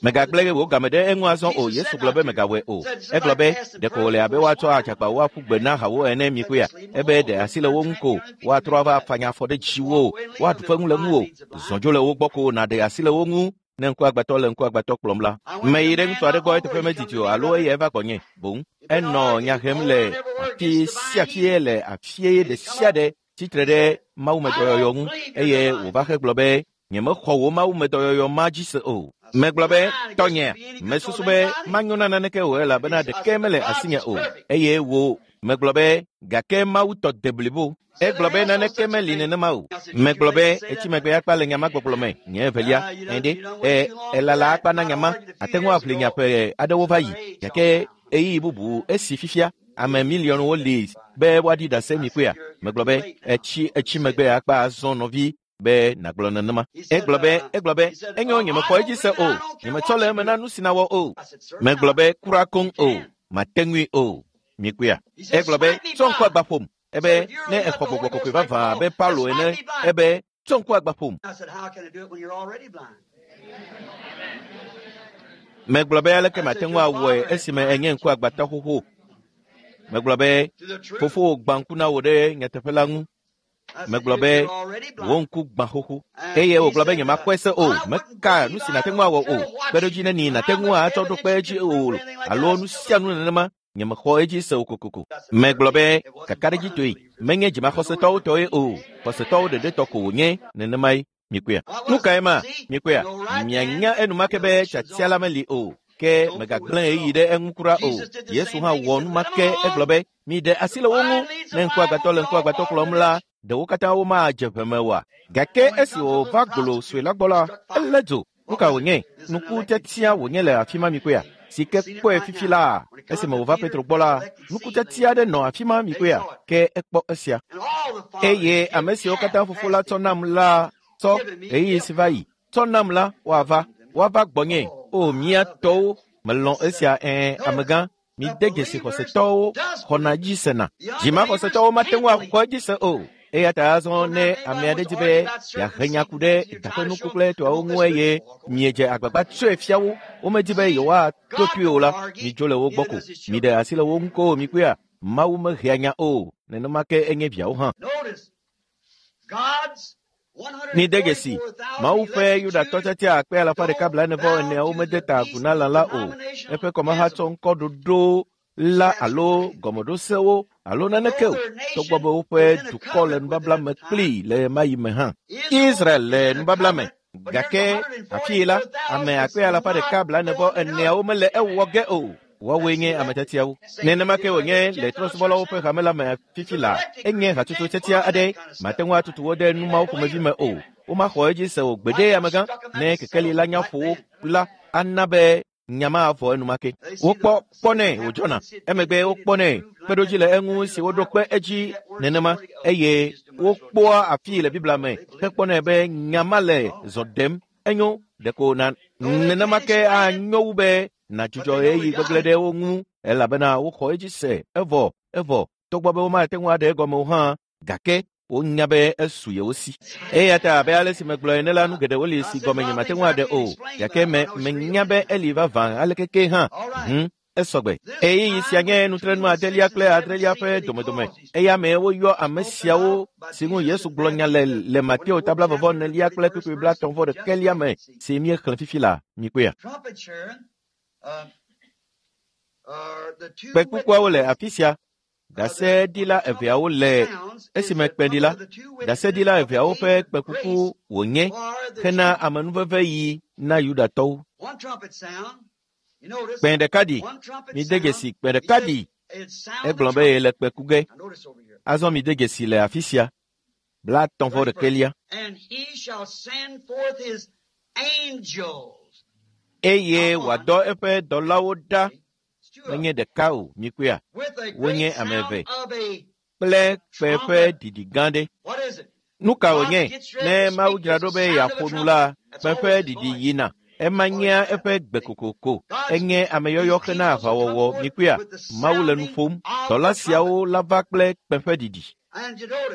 megagblẽ wò game ɖe eŋu azɔ o. Yesu gblɔ be megawɔe o. Egblɔ be ɖeko wòle abe woatsɔ adzagbawo aƒu gbe na hawo ene mikpɔea. Ebe ɖe asi le wo ŋu ko woatrɔ ava afanya afɔ ɖe dziwò, woaɖu feŋu le ŋuwò. Zɔ dzo le wo gbɔ ko nàɖe asi le wo ŋu ne ŋkuagbãtɔ le ŋkuagbãtɔ kplɔm la. Meyi ɖe ŋutsu aɖe gbɔ eteƒe medidi o alo eya eva gbɔnye boŋ. Enɔ nya hem le afi sia fie le afie ɖe sia ɖe tsitre ɖe mawumedɔyɔyɔ ŋu eye wòva hegblɔ be nyemexɔ wò mawumedɔyɔyɔ ma dzi se o. Megblɔ be tɔnye, mesusu be manyo na naneke o elabena ɖeke mele asinye o eye wò megblɔ be gake Mawu tɔ de blibo. Egblɔ be naneke meli nenema o. Megblɔ be etsi megbe akpa le nya ma gbɔgblɔ me. Nye evelia, ɛɖe, e, elala akpa na nya ma. Ate ŋu aʋli nya ƒe aɖewo va yi gake ɣeyiɣi bubu esi fifia ame miliɔnwo li be woaɖi ɖase mi kpɔea. Megblɔ be etsi etsi megbe akpa azɔ nɔvi be nàgblɔ nenema. Egblɔ be egblɔ be enyo nyemexɔ edzi se o. Nyemetsɔ le eme na nu si nawɔ o. Megblɔ be kura koŋ o. Mate ŋui o. Mikpɔea. Egblɔ be tsɔ ŋku agba ƒom. Ebe ne exɔ gbɔgbɔ kɔkɔe vavã abe Paulo ene, ebe tsɔ ŋku agba ƒom. Megblɔ be aleke mate ŋu awɔe esime enye ŋku agbatɔ xoxo. Megblɔ be fofowò gbã ŋku na wò ɖe nyateƒe la ŋu. Megblɔ be wò ŋku gbã xoxo. Eye wògblɔ be nyemakpɔe se o. Meka nu si nàte ŋu awɔ o. Kpeɖodzi neni nàte ŋu atsɔ ɖo kpe edzi o alo nu sia nu nenema. Nyemexɔ edzi se o kokoko. Megblɔ be kakaɖedzitɔe menye dzimaxɔsetɔwo tɔe o. Xɔsetɔwo ɖeɖe tɔ ko wònye nenemae. Mikpɔea? Nu kae ma? Mikpɔea? Mianya enumake be tiatia la meli o. Ke megagblẽ ɣeyiɣi ɖe eŋu kura o. Yesu hã wɔ nu ma ke egblɔ be, mi ɖe asi le wo ŋu. Ne ŋkuagbãtɔ le ŋkuagbãtɔ kplɔm la, ɖewo katã womadze ʋe me oa? Gake esi wòva golo sue la gbɔ la, elé dzo. Nu ka wònye? Nuku tiatia wònye le afi ma mikpɔea? Si ke kpɔe fifi la, esime wòva Petro gbɔ la, nuku tiatia aɖe nɔ afi ma mikpɔea? Ke ekpɔ esia. Eye ame siwo katã fofo la tsɔ nam la tsɔ ɣeyiɣi si va yi tsɔ nam la woava woava gbɔnye. O mía tɔwo, melɔ̃ esia ɛ̃ amegã. Mide dzesi xɔsetɔwo xɔna dzi sena. Dzimaxɔsetɔwo mate ŋu axɔ edzi se o. Eya ta azɔ ne ame aɖe di be yeahe nya ku ɖe daƒenuku kple etɔawo ŋu eye miedze agbagba tsɔe fia wo, womedi be yewoato toe o la, midzo le wo gbɔ ko. Miɖe asi le wo ŋu ko mikpɔea? Mawu mehea nya o. Nenema ke enye viawo hã. Mide dzesi, Mawu ƒe Yudatɔ tiatia akpe alafa ɖeka blaene vɔ eneawo mede ta agu na lã la o. Eƒe kɔmaha tsɔ ŋkɔ ɖoɖo la alo gɔmeɖosewo alo naneke o, togbɔ be woƒe dukɔ le nubabla me kplii le ɣemaɣi me hã. Israel le nubabla me, gake afii la, ame akpe alafa ɖeka blaene vɔ eneawo mele ewɔ ge o. Woawoe nye ame tiatiawo. Nenema ke wònye le trɔ̃subɔlawo ƒe hame la me fifi la, enye hatsotso tiatia aɖe. Mate ŋu atutu wo ɖe nu mawo ƒomevi me o. Womaxɔ edzi se o gbeɖe amegã. Ne kekeli la nya ƒo wo la, ana be nya ma avɔ enumake. Wokpɔ kpɔnɛ wòdzɔna. Emegbe wokpɔnɛ kpeɖodzi le eŋu si woɖo kpe edzi nenema eye wokpɔa afii le Biblia me hekpɔnɛ be nya ma le zɔ ɖem. Enyo ɖeko na nenema ke anyo wu be nadzudzɔ ɣeyiɣi gbegblẽ ɖe wo ŋu elabena woxɔ edzi se evɔ evɔ togbɔ be womate ŋu aɖe egɔme o hã gake wonya be esu yewo si. Eya ta abe ale si megblɔ ene la, nu geɖewo li si gɔme nyemate ŋu aɖe o gake me menya be eli vavã aleke ke hã. Hm, esɔgbe. Ɣeyiɣi sia nye nutrenu adelia kple adrelia ƒe domedome. Eya mee woyɔ ame siawo si ŋu Yesu gblɔ nya le le Mateo tabla vɔvɔ enelia kple kpukpui blaetɔ̃ vɔ ɖekɛlia me si míexlẽ fifi la. Mikpɔea? Kpẽkukuawo le afi sia. Ɖaseɖila eveawo le esime kpẽɖila. Ɖaseɖila eveawo ƒe kpẽkuku wònye hena amenuveve yi na Yudatɔwo. Kpẽ ɖeka ɖi. Mide dzesi kpẽ ɖeka ɖi. Egblɔ be yele kpẽ ku ge. Azɔ mide dzesi le afi sia. Blaetɔ̃ vɔ ɖekɛlia. Eye wòadɔ eƒe dɔlawo ɖa. Menye ɖeka o, mikpɔea? Wonye ame eve kple kpẽ ƒe ɖiɖi gã ɖe. Nu ka wònye? Ne Mawu dzra ɖo be yeaƒo nu la, kpẽ ƒe ɖiɖi yina. Ema nyea eƒe gbe kokoko. Enye ameyɔyɔ hena aʋawɔwɔ, mikpɔea? Mawu le nu ƒom. Dɔla siawo la va kple kpẽ ƒe ɖiɖi.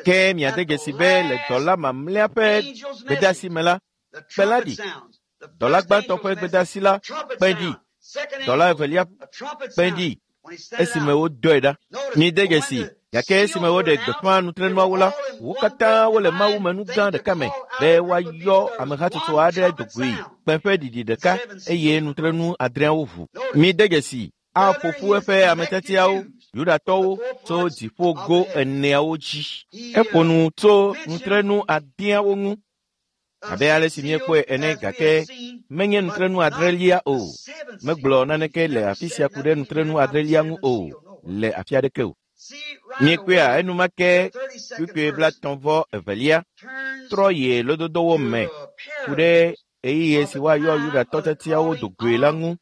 Ke miade dzesi be le dɔla mamlɛa ƒe gbedeasi me la, kpẽ la ɖi. Dɔla gbãtɔ ƒe gbedeasi la, kpẽ ɖi. Dɔla evelia kpẽ ɖi esime wodɔe ɖa. Mide dzesi, gake esime woɖe gbeƒã nutrenuawo la, wo katã wole Mawu me nu gã ɖeka me be woayɔ amehatsotso aɖe do goe kpẽ ƒe ɖiɖi ɖeka eye nutrenu adreawo ʋu. Mide dzesi, aƒo ƒu eƒe ame tiatiawo, Yudatɔwo, tso dziƒogo eneawo dzi. Eƒo nu tso nutrenu adeawo ŋu abe ale si míekpɔe ene gake menye nutrenu adrelia o. Megblɔ naneke le afi sia ku ɖe nutrenu adrelia ŋu o le afi aɖeke o. Míekpɔea enumake kpukpui blaetɔ̃ vɔ evelia trɔ yi lododowo me ku ɖe ɣeyiɣi si woayɔ Yudatɔ tiatiawo do goe la ŋu.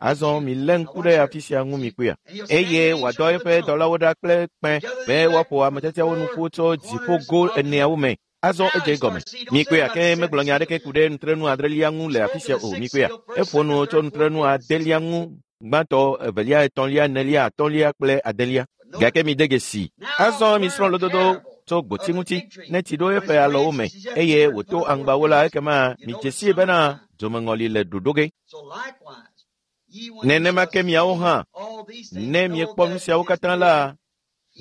Azɔ milé ŋku ɖe afi sia ŋu mikpɔea? Eye wòadɔ eƒe dɔlawo ɖa kple kpẽ be woaƒo ame tiatiawo nu ƒu tso dziƒogo eneawo me. Azɔ edze egɔme. Mikpɔea? Ke megblɔ nya aɖeke ku ɖe nutrenu adrelia ŋu le afi sia o. Mikpɔea? Eƒo nu tso nutrenu adelia ŋu gbãtɔ, evelia, etɔ̃lia, enelia, atɔ̃lia kple adelia. Gake mide dzesi. Azɔ misrɔ̃ lododo tso gboti ŋuti ne tsi ɖo eƒe alɔwo me eye wòto aŋgbawo la, ekema midze sii bena dzomeŋɔli le ɖoɖo ge. Nenema ke miawo hã, ne miekpɔ nu siawo katã la,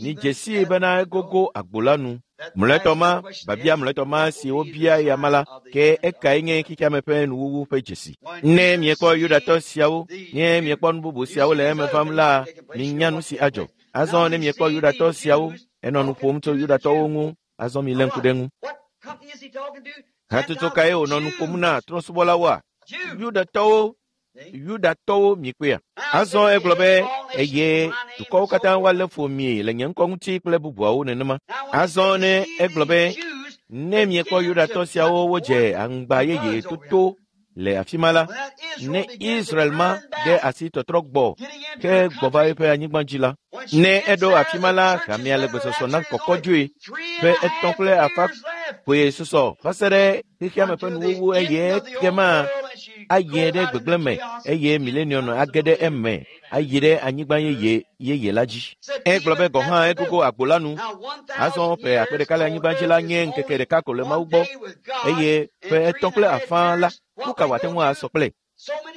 midze sii bena egogo agbo la nu. Mlɔetɔ ma, biabia mlɔetɔ ma si wobia eya ma la, ke ekae nye xexeame ƒe nuwuwu ƒe dzesi. Ne miekpɔ Yudatɔ siawo, ne miekpɔ nu bubu siawo le eme vam la, minya nu si adzɔ. Azɔ ne miekpɔ Yudatɔ siawo, enɔ nu ƒom tso Yudatɔwo ŋu, azɔ milé ŋku ɖe ŋu. Hatsotso kae wònɔ nu ƒom na trɔ̃subɔlawoa? Yudatɔwo, Yudatɔwo mikpɔea. Azɔ egblɔ be eye dukɔwo katã woalé fu mi le nye ŋkɔ ŋuti kple bubuawo nenema. Azɔ ne egblɔ be ne miekpɔ Yudatɔ siawo wodze aŋgba yeye toto le afi ma la, ne Israel ma ɖe asi tɔtrɔ gbɔ ke gbɔ va eƒe anyigba dzi la, ne eɖo afi ma la, hamea le gbesɔsɔ na kɔkɔdzoe ƒe etɔ̃ kple afã koe susɔ va se ɖe xexeame ƒe nuwuwu eye ekema ayi ɖe gbegblẽ me eye milenium age ɖe eme ayi ɖe anyigba yeye yeye la dzi. Egblɔ be gɔ̃ hã egogo agbo la nu. Azɔ ƒe akpe ɖeka le anyigba dzi la nye ŋkeke ɖeka ko le Mawu gbɔ eye ƒe etɔ̃ kple afã la nu ka wòate ŋu asɔ kple?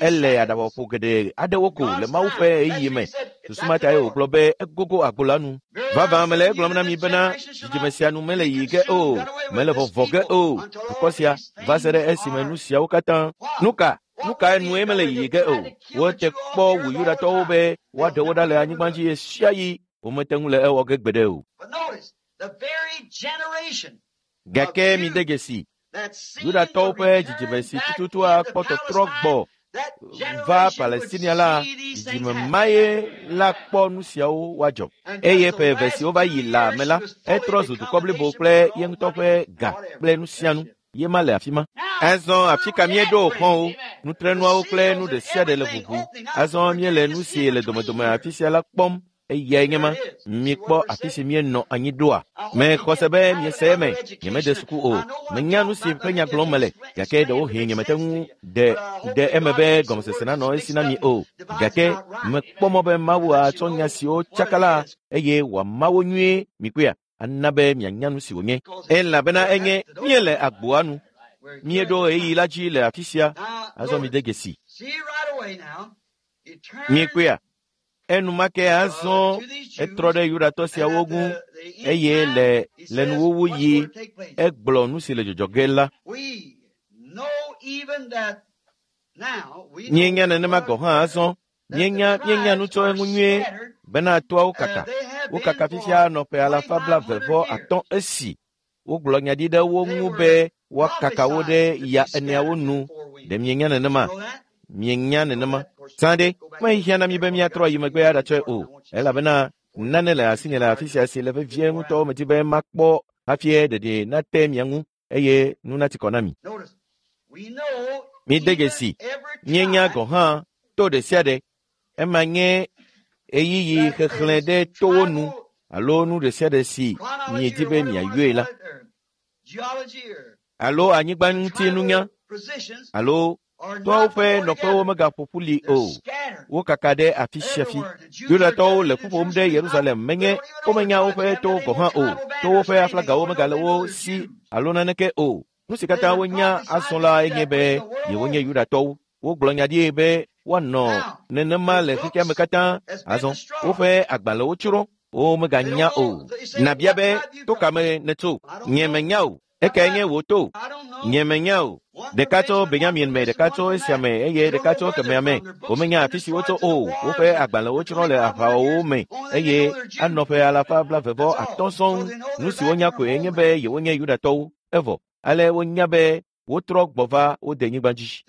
Ele aɖabaƒoƒo geɖe aɖewo ko le Mawu ƒe ɣeyiɣi me. Susu ma tae wògblɔ be egogo agbo la nu. Vavã mele egblɔm na mi bena dzidzime sia nu mele yiyi ge o, mele vɔvɔ ge o. Dukɔ sia va se ɖe esime nu siawo katã. Nu ka? Nu kae nue mele yiyi ge o? Wote kpɔ wu Yudatɔwo be woaɖe wo ɖa le anyigba dzi ɣe sia ɣi. Womete ŋu le ewɔ ge gbeɖe o. Gake mide dzesi, Yudatɔwo ƒe dzidzime si tututu akpɔ tɔtrɔ gbɔ va Palestinia la, dzidzime mae la kpɔ nu siawo woadzɔ. Eye ƒe eve siwo va yi la me la, etrɔ zu dukɔ blibo kple ye ŋutɔ ƒe ga kple nu sia nu. Ye ma le afi ma. Azɔ afi ka míeɖo xɔwo, nutrenuawo kple nu ɖe sia ɖe le ʋuʋu. Azɔ míele nu si le domedome afi sia la kpɔm. Eyae nye ma. Mikpɔ afi si míenɔ anyi ɖoa. Mexɔ se be miese eme. Nyemede suku o. Menya nu si ƒe nya gblɔm mele. Gake ɖewohĩ nyemete ŋu ɖe ɖe eme be gɔmesese nanɔ esi na mi o. Gake mekpɔ mɔ be Mawu atsɔ nya siwo tsaka la eye wòama wo nyuie mikpɔea ana be mianya nu si wònye. Elabena enye míele agboa nu. Míeɖo ɣeyiɣi la dzi le afi sia. Azɔ mide dzesi. Mikpɔea. Enumake azɔ etrɔ ɖe Yudatɔ siawo ŋu eye le le nuwuwu yi egblɔ nu si le dzɔdzɔ ge la. Míenya nenema gɔ̃ hã azɔ. Míenya míenya nu tso eŋu nyuie bena toawo kaka. Wokaka fifia nɔ ƒe alafa blaeve vɔ atɔ̃ esi wogblɔ nya ɖi ɖe wo ŋu be woakaka wo ɖe ya eneawo nu. Ɖe mienya nenema? Mienya nenema. Zã ɖe, mehiã na mi be míatrɔ ayi megbe aɖatsɔe o, elabena nane le asinye le afi sia si le vevie ŋutɔ medi be makpɔ hafi ɖeɖe nate mia ŋu eye nu nati kɔ na mi. Mide dzesi, míenya gɔ̃ hã to ɖe sia ɖe. Ema nye ɣeyiɣi xexlẽ ɖe towo nu alo nu ɖe sia ɖe si miedi be miayɔe la. Alo anyigba ŋuti nunya alo toawo ƒe nɔƒewo megaƒo ƒu li o. Wokaka ɖe afi sia afi. Yudatɔwo le ƒu ƒom ɖe Yerusalem menye womenya woƒe towo gɔ̃ hã o. Towo ƒe aflagawo megale wo si alo naneke o. Nu si katã wonya azɔ la enye be yewonye Yudatɔwo. Wogblɔ nya ɖi be woanɔ nenema le xexeame katã. Azɔ woƒe agbalẽwo tsrɔ̃. Womeganya o. Nabia be to ka me nètso? Nye menya o. Ekae nye wò to? Nye menya o. Ɖeka tso Benyamin me, ɖeka tso esia me eye ɖeka tso kemɛa me. Womenya afi si wotso o. Woƒe agbalẽwo tsrɔ̃ le aʋawɔwɔwo me eye anɔ ƒe alafa blaeve vɔ atɔ̃ sɔŋ. Nu si wonya koe nye be yewonye Yudatɔwo. Evɔ ale wonya be wotrɔ gbɔ va wo denyigba dzi.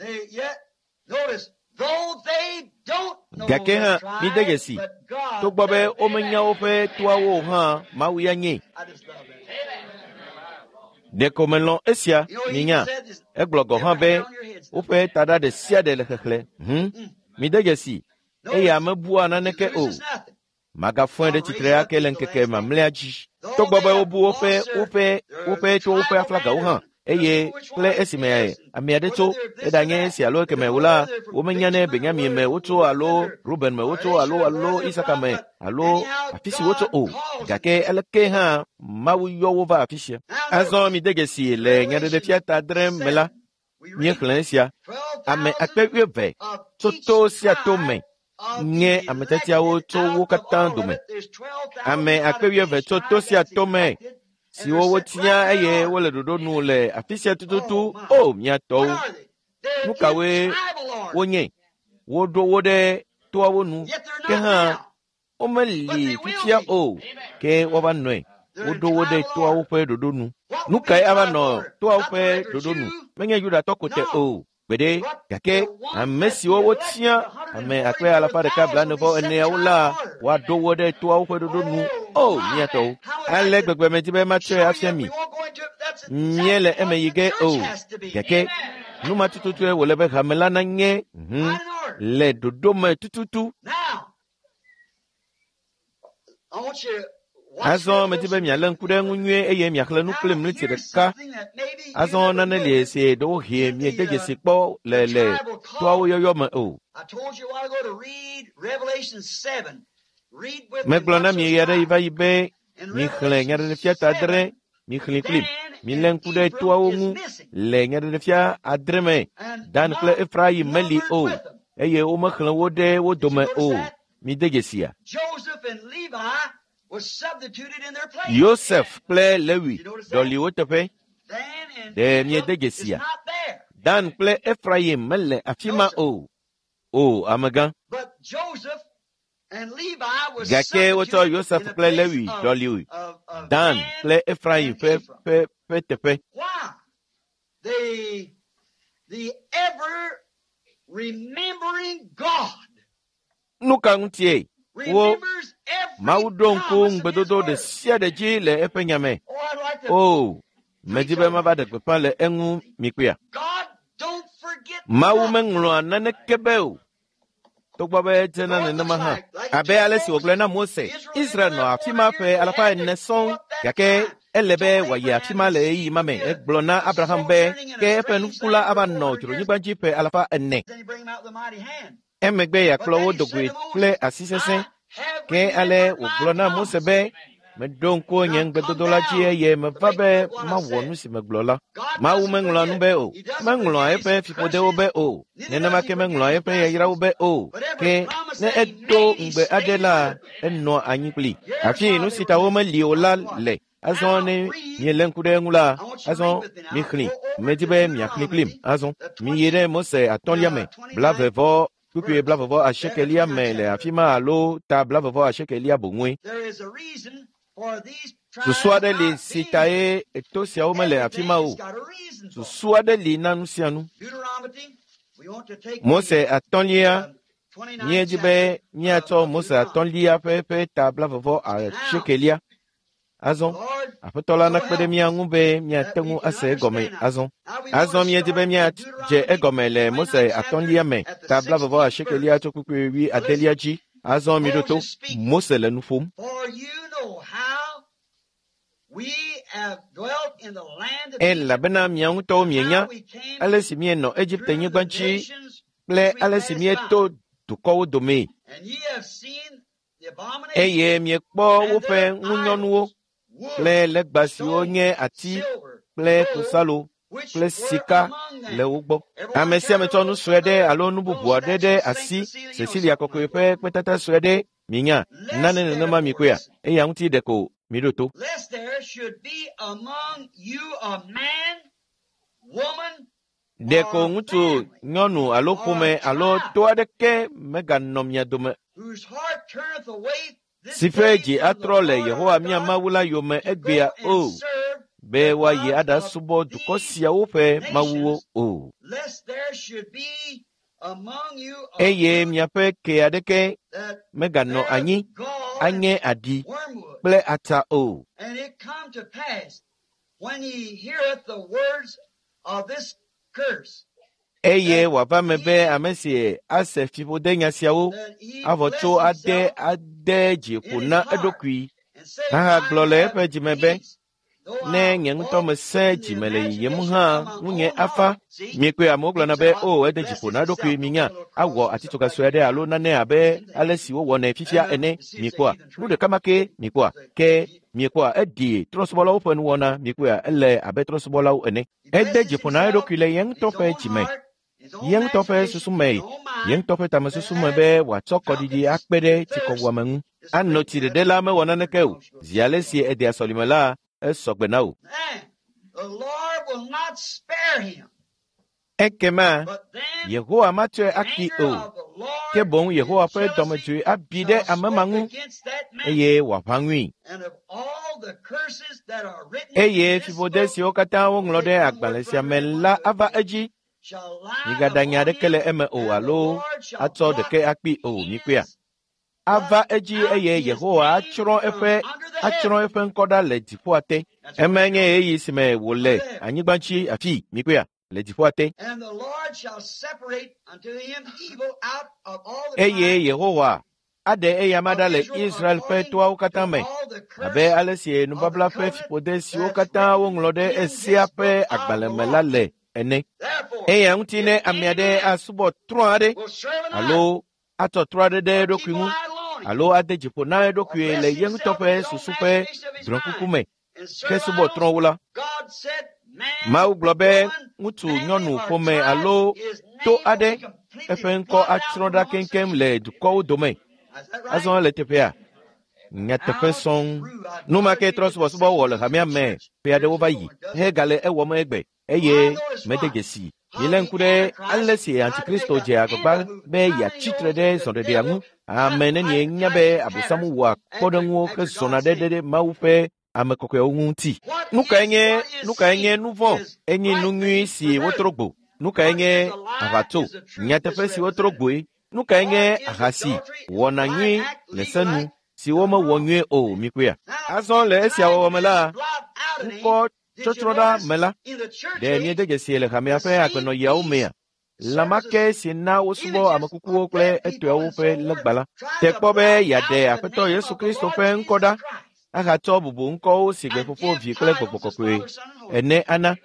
Gake hã mide dzesi, togbɔ be womenya woƒe toawo o hã, Mawu ya nyee. Ɖeko melɔ̃ esia, minya. Egblɔ gɔ̃ hã be woƒe taɖa ɖe sia ɖe le xexlẽ. Hm, mide dzesi, eya mebua naneke o. Magafɔe ɖe tsitre ake le ŋkeke mamlɛa dzi. Togbɔ be wobu woƒe woƒe woƒe towo ƒe aflagawo hã eye kple esime ame aɖe tso eɖanye esi alo ekeme o la, womenya ne Benyamin me wotso alo Ruben me wotso alo alo Isaka me alo afi si wotso o. Gake aleke hã Mawu yɔ wo va afi sia. Azɔ mide dzesi le nyaɖeɖefia ta adre me la, míexlẽ esia. Ame akpe wuieve tso to sia to me nye ame tiatiawo tso wo katã dome. Ame akpe wuieve tso to sia to me siwo wotia eye wole ɖoɖo nu le afi sia tututu. O mía tɔwo, nu kawoe wonye? Woɖo wo ɖe toawo nu, ke hã womeli fifia o, ke woava nɔe. Woɖo wo ɖe toawo ƒe ɖoɖo nu. Nu kae ava nɔ toawo ƒe ɖoɖo nu? Menye Yudatɔ ko te o. Gbeɖe, gake ame siwo wotia ame akpe alafa ɖeka blaene-vɔ eneawo la, woaɖo wo ɖe toawo ƒe ɖoɖo nu. O, mía tɔwo! Ale gbegbe medi be matsɔe afia mi. Míele eme yi ge o. Gake nu ma tututue wòle be hame la nanye hũu le ɖoɖo me tututu. Azɔ medi be mialé ŋku ɖe eŋu nyuie eye miaxlẽ nu kplim ɣleti ɖeka. Azɔ nane li si ɖewohĩ miede dzesi kpɔ le le toawo yɔyɔ me o. Megblɔ na mi ɣe aɖe yi va yi be mixlẽ Nyaɖeɖefia ta adre, mixlẽe kplim. Milé ŋku ɖe toawo ŋu le Nyaɖeɖefia adre me. Dan kple Efraim meli o eye womexlẽ wo ɖe wo dome o. Mide dzesia? Yosef kple Lewi ɖɔli wo teƒe. Ɖe miede dzesia? Dan kple Efraim mele afi ma o. O, amegã. Gake wotsɔ Yosef kple Lewi ɖɔli Dan kple Efraim ƒe ƒe ƒe teƒe. Nu ka ŋutie? Wo Mawu ɖo ŋku ŋugbedodo ɖe sia ɖe dzi le eƒe nya me. O, medi be mava ɖe gbeƒã le eŋu mikpɔea. Mawu meŋlɔa naneke be o. Togbɔ be edzena nenema hã. Abe ale si wògblɔe na Mose, Israel nɔ afi ma ƒe alafa ene sɔŋ, gake ele be wòayi afi ma le ɣeyiɣi ma me. Egblɔ na Abraham be ke eƒe nuku la ava nɔ dzronyigba dzi ƒe alafa ene. Emegbe yeakplɔ wo dogoe kple asi sesẽ. Ke ale wògblɔ na Mose be, meɖo ŋku nye ŋugbedodo la dzi eye meva be mawɔ nu si megblɔ la. Mawu meŋlɔa nu be o. Meŋlɔa eƒe fiƒodewo be o. Nenema ke meŋlɔa eƒe yayrawo be o. Ke ne edo ŋugbe aɖe la, enɔa anyi kpli. Hafi nu si ta womeli o la le. Azɔ ne mielé ŋku ɖe eŋu la, azɔ mixlẽ. Medi be miaxlẽ kplim. Azɔ miyi ɖe Mose atɔ̃lia me, blaeve vɔ kpukpui blavevɔ asiekelia me le afi ma alo ta blavevɔ asiekelia boŋue. Susu aɖe li si tae to siawo mele afi ma o. Susu aɖe li na nu sia nu. Mose atɔ̃lia, míedi be míatsɔ Mose atɔ̃lia ƒe ƒe ta blavevɔ asiekelia. Azɔ, Aƒetɔ la nakpe ɖe mía ŋu be míate ŋu ase egɔme azɔ. Azɔ míedi be míadze egɔme le Mose atɔ̃lia me, ta blavevɔ asiekelia tso kpukpui wui adelia dzi. Azɔ miɖo to, Mose le nu ƒom. Elabena mia ŋutɔwo mienya ale si míenɔ Egipte-nyigba dzi kple ale si míeto dukɔwo domee. Eye miekpɔ woƒe ŋunyɔnuwo kple legba siwo nye ati kple klosalo kple sika le wo gbɔ. Ame sia ame tsɔ nu sue ɖe alo nu bubu aɖe ɖe asi, Cecilia kɔkɔe ƒe kpetata sue ɖe, minya, nane nenema mikpɔea, eya ŋuti ɖeko miɖo to. Ɖeko ŋutsu, nyɔnu alo ƒome alo to aɖeke meganɔ mia dome si ƒe dzi atrɔ le Yehowa mía Mawu la yome egbea o, be woayi aɖasubɔ dukɔ siawo ƒe mawuwo o. Eye miaƒe ke aɖeke meganɔ anyi anye aɖi kple ata o. Eye wòava me be ame si ase fiƒodenya siawo avɔ tso ade ade dzi ƒo na eɖokui ahagblɔ le eƒe dzime be, ne nye ŋutɔ mesẽ dzime le yiyim hã ŋunye afa. Miekpɔe amewo gblɔna be, o, ede dzi ƒo na eɖokui, minya, awɔ atitsoga sue aɖe alo nane abe ale si wowɔnɛ fifia ene. Miekpɔa nu ɖeka ma ke miekpɔa ke miekpɔa eɖi trɔ̃subɔlawo ƒe nuwɔna. Miekpɔa ele abe trɔ̃subɔlawo ene. Ede dzi ƒo na eɖokui le ye ŋutɔ ƒe dzime, ye ŋutɔ ƒe susu me, ye ŋutɔ ƒe tamesusu me be wòatsɔ kɔɖiɖi akpe ɖe tsikɔwuame ŋu. Anɔ tsi ɖeɖe la mewɔ naneke o. Zi ale si edea sɔlime la, esɔgbe na wò. Ekema Yehowa matsɔe aki o, ke boŋ Yehowa ƒe dɔmedzoe abi ɖe ame ma ŋu eye wòaʋã ŋui. Eye fiƒode siwo katã woŋlɔ ɖe agbalẽ sia me la ava edzi. Migaɖa nya aɖeke le eme o alo atsɔ ɖeke akpee o, mikpɔea? Ava edzi eye Yehowa atsrɔ̃ eƒe atsrɔ̃ eƒe ŋkɔ ɖa le dziƒoa te. Emae nye ɣeyiɣi si me wòle anyigba dzi afii, mikpɔea? Le dziƒoa te. Eye Yehowa aɖe eyama ɖa le Israel ƒe toawo katã me, abe ale si nubabla ƒe fiƒode siwo katã woŋlɔ ɖe Esea ƒe agbalẽ me la le ene. Eya ŋuti ne ame aɖe asubɔ trɔ̃ aɖe alo atsɔ trɔ̃ aɖe ɖe eɖokui ŋu alo ade dzi ƒo na eɖokui le ye ŋutɔ ƒe susu ƒe drɔ̃kuku me hesubɔ trɔ̃wo la, Mawu gblɔ be ŋutsu, nyɔnu, ƒome alo to aɖe eƒe ŋkɔ atsrɔ̃ ɖa keŋkeŋ le dukɔwo dome. Azɔ le teƒea, nyateƒe sɔŋ. Nu ma ke trɔ subɔsubɔ wɔ le hamea me ƒe aɖewo va yi hegale ewɔm egbe eye mede dzesi. Milé ŋku ɖe ale si Antikristo dze agbagba be yeatsi tre ɖe zɔɖeɖea ŋu. Ame nenie nya be Abosam wɔa kpɔɖeŋuwo hezɔna ɖe ɖe Mawu ƒe ame kɔkɔewo ŋuti. Nu kae nye nu kae nye nu vɔ̃? Enye nu nyui si wotrɔ gbo. Nu kae nye aʋatso? Nyateƒe si wotrɔ gboe. Nu kae nye ahasi wɔna nyui le se nu si womewɔ nyuie o, mikpɔea? Azɔ le esia wɔwɔ me la, ŋkɔ tsɔtsrɔ̃ ɖa me la, ɖe miede dzesi le hamea ƒe agbenɔɣiawo mea? Lã ma ke si na wosubɔ ame kukuwo kple etɔewo ƒe legba la, te kpɔ be yeaɖe Aƒetɔ Yesu Kristo ƒe ŋkɔ ɖa ahatsɔ bubu ŋkɔwo si gbe Fofo, Vi kple Gbɔgbɔ Kɔkɔe ene ana.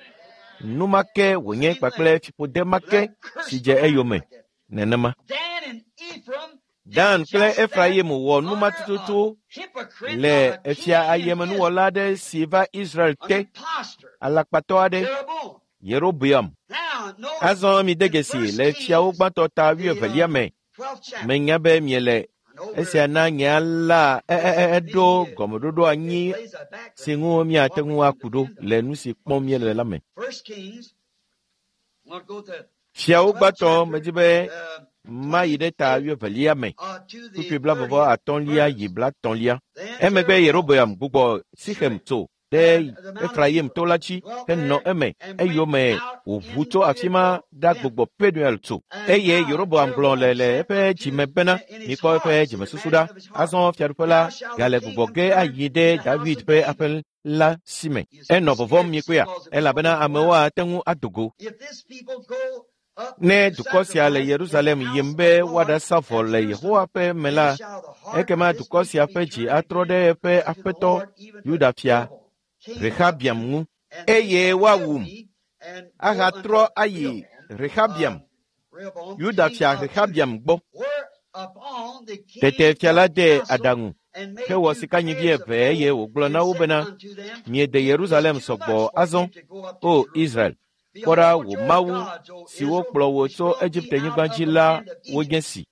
Nu ma ke wònye kpakple fiƒode ma ke si dze eyome. Nenema. Dan kple Efraim wɔ nu ma tututu le efia ayemenuwɔla aɖe si va Israel te, alakpatɔ aɖe, Yerobeam. Azɔ mide dzesi le fiawo gbãtɔ ta wuievelia me. Menya be miele esia na nye la eɖo gɔmeɖoɖo anyi si ŋu miate ŋu aku ɖo le nu si kpɔm míele la me. Fiawo gbãtɔ medi be mayi ɖe ta wuievelia me, kpukpui blavɔvɔ atɔ̃lia yi blatɔ̃lia. Emegbe Yerobeam gbugbɔ Sixem tso ɖe Efraim to la dzi henɔ eme eyome wòʋu tso afi ma ɖagbugbɔ Penuel tso. Eye Yeroboam gblɔ le le eƒe dzime bena, mikpɔ eƒe dzimesusu ɖa. Azɔ fiaɖuƒe la gale gbugbɔ ge ayi ɖe David ƒe aƒe la si me. Enɔ vɔvɔ̃m mikpɔea, elabena amewo ate ŋu ado go. Ne dukɔ sia le Yerusalem yim be woaɖasa vɔ le Yehowa ƒe me la, ekema dukɔ sia ƒe dzi atrɔ ɖe eƒe aƒetɔ Yuda fia Rehabiam ŋu eye woawum ahatrɔ ayi Rehabiam, Yuda fia Rehabiam gbɔ. Tete fia la de aɖaŋu hewɔ sikanyivi eve eye wògblɔ na wo bena, miede Yerusalem sɔgbɔ azɔ, O Israel. Kpɔ ɖa wò Mawu siwo kplɔ wò tso Egipte-nyigba dzi la wonye si.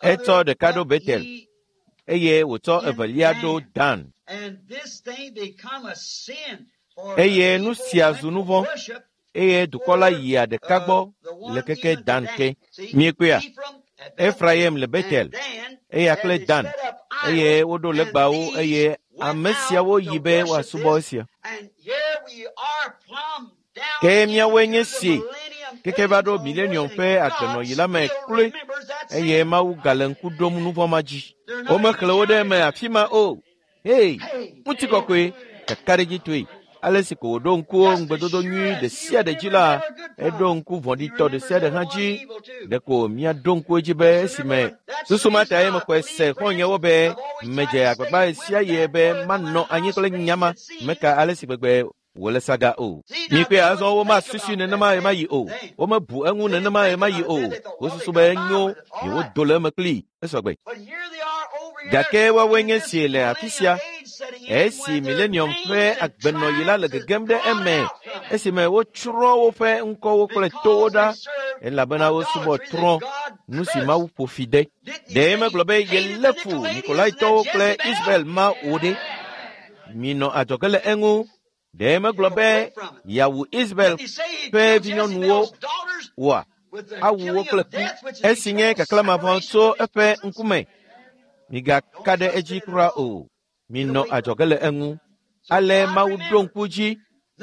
Etsɔ ɖeka ɖo Betel eye wòtsɔ evelia ɖo Dan. Eye nu sia zu nu vɔ̃, eye dukɔ la yia ɖeka gbɔ le keke Dan ke. Miekpɔea? Efraim le Betel, eya kple Dan, eye woɖo legbawo eye ame siawo yi be woasubɔ esia. Ke míawoe nye si keke va ɖo milenium ƒe agbenɔɣi la me kloe eye Mawu gale ŋku ɖom nu vɔ̃ ma dzi. Womexlẽ wo ɖe eme afi ma o. Hei, ŋutikɔkɔe, kakaɖedzitɔe. Ale si ko wòɖo ŋku ŋugbedodo nyui ɖe sia ɖe dzi la, eɖo ŋku vɔ̃ɖitɔ ɖe sia ɖe hã dzi. Ɖeko míaɖo ŋku edzi be esime susu ma tae mexɔe se xɔ̃nyewo be medze agbagba ɣe sia ɣi be manɔ anyi kple nya ma meka ale si gbegbe wòle saga o. Mikpɔe azɔ womasusui nenema ɣemaɣi o. Womebu eŋu nenema ɣemaɣi o. Wosusu be enyo yewodo le eme kplii esɔgbe. Gake woawoe nye si le afi sia esi milenium ƒe agbenɔɣi la le gegem ɖe eme esime wotsrɔ̃ woƒe ŋkɔwo kple towo ɖa elabena wosubɔ trɔ̃ nu si Mawu ƒo fi de. Ɖe megblɔ be yelé fu Nikolaitɔwo kple Israel ma wò ɖe? Minɔ adzɔge le eŋu. Ɖe megblɔ be yeawu Israel ƒe vinyɔnuwo oa? Awu wo kple ku esi nye kaklãmavɔ tso eƒe ŋkume. Migaka ɖe edzi kura o. Minɔ adzɔge le eŋu. Ale Mawu ɖo ŋku dzi.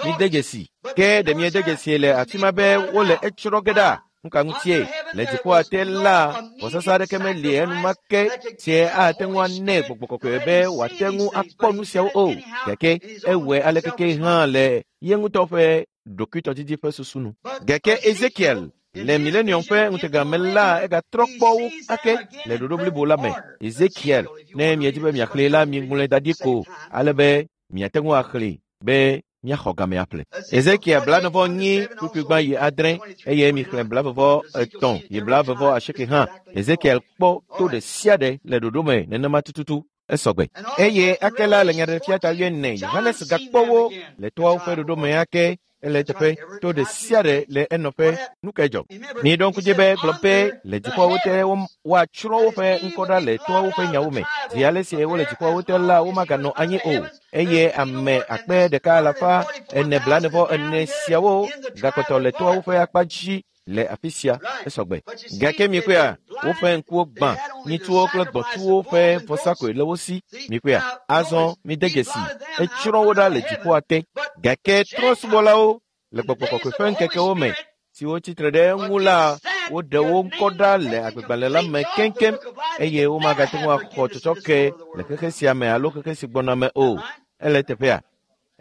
Mide dzesi. Ke ɖe miede dzesi le afi ma be wole etsrɔ̃ ge ɖa. Nuka ŋutie? Le dziƒoa te la, vɔsasa aɖeke meli enumake sie ate ŋu anɛ gbɔgbɔ kɔkɔe be wòate ŋu akpɔ nu siawo o. Gake ewɔe alekeke hã le ye ŋutɔ ƒe ɖokuitɔdidi ƒe susu nu. Gake Ezekiel le milenium ƒe ŋutega me la egatrɔ kpɔ wo ake le ɖoɖo blibo la me. Ezekiel, ne miedi be miaxlẽe la, miŋlɔe da ɖi ko ale be miate ŋu axlẽe be miaxɔ game aƒle. Ezekiel blanevɔ nyi kpukpui gbã yi adre eye mixlẽ blavevɔ etɔ̃ yi blavevɔ asieke hã. Ezekiel kpɔ to ɖe sia ɖe le ɖoɖo me nenema tututu esɔgbe. Eye ake la le nyaɖeɖefia ta wuiene Yohanes gakpɔ wo le toawo ƒe ɖoɖo me ake ele teƒe to ɖe sia ɖe le enɔƒe. Nu kae dzɔ? Miɖo ŋku dzi be gblɔ be le dziƒoawo te woatsrɔ̃ woƒe ŋkɔ ɖa le toawo ƒe nyawo me. Zi ale si wole dziƒoawo te la, womaganɔ anyi o. Eye ame akpe ɖeka alafa ene blanevɔ ene siawo gakpɔtɔ le toawo ƒe akpa dzi le afi sia esɔgbe. Gake mikpɔea, woƒe ŋkuwo gbã, nyitsuwo kple gbɔ̃tsuwo ƒe vɔsa koe le wo si. Mikpɔea, azɔ mide dzesi, etsrɔ̃ wo ɖa le dziƒoa te. Gake trɔ̃subɔlawo le gbɔgbɔ kɔkɔe ƒe ŋkekewo me siwo tsitre ɖe eŋu la, woɖe wo ŋkɔ ɖa le agbegbalẽ la me keŋkeŋ eye womagate ŋu axɔ tsɔtsɔke le xexe sia me alo xexe si gbɔna me o. Ele teƒea.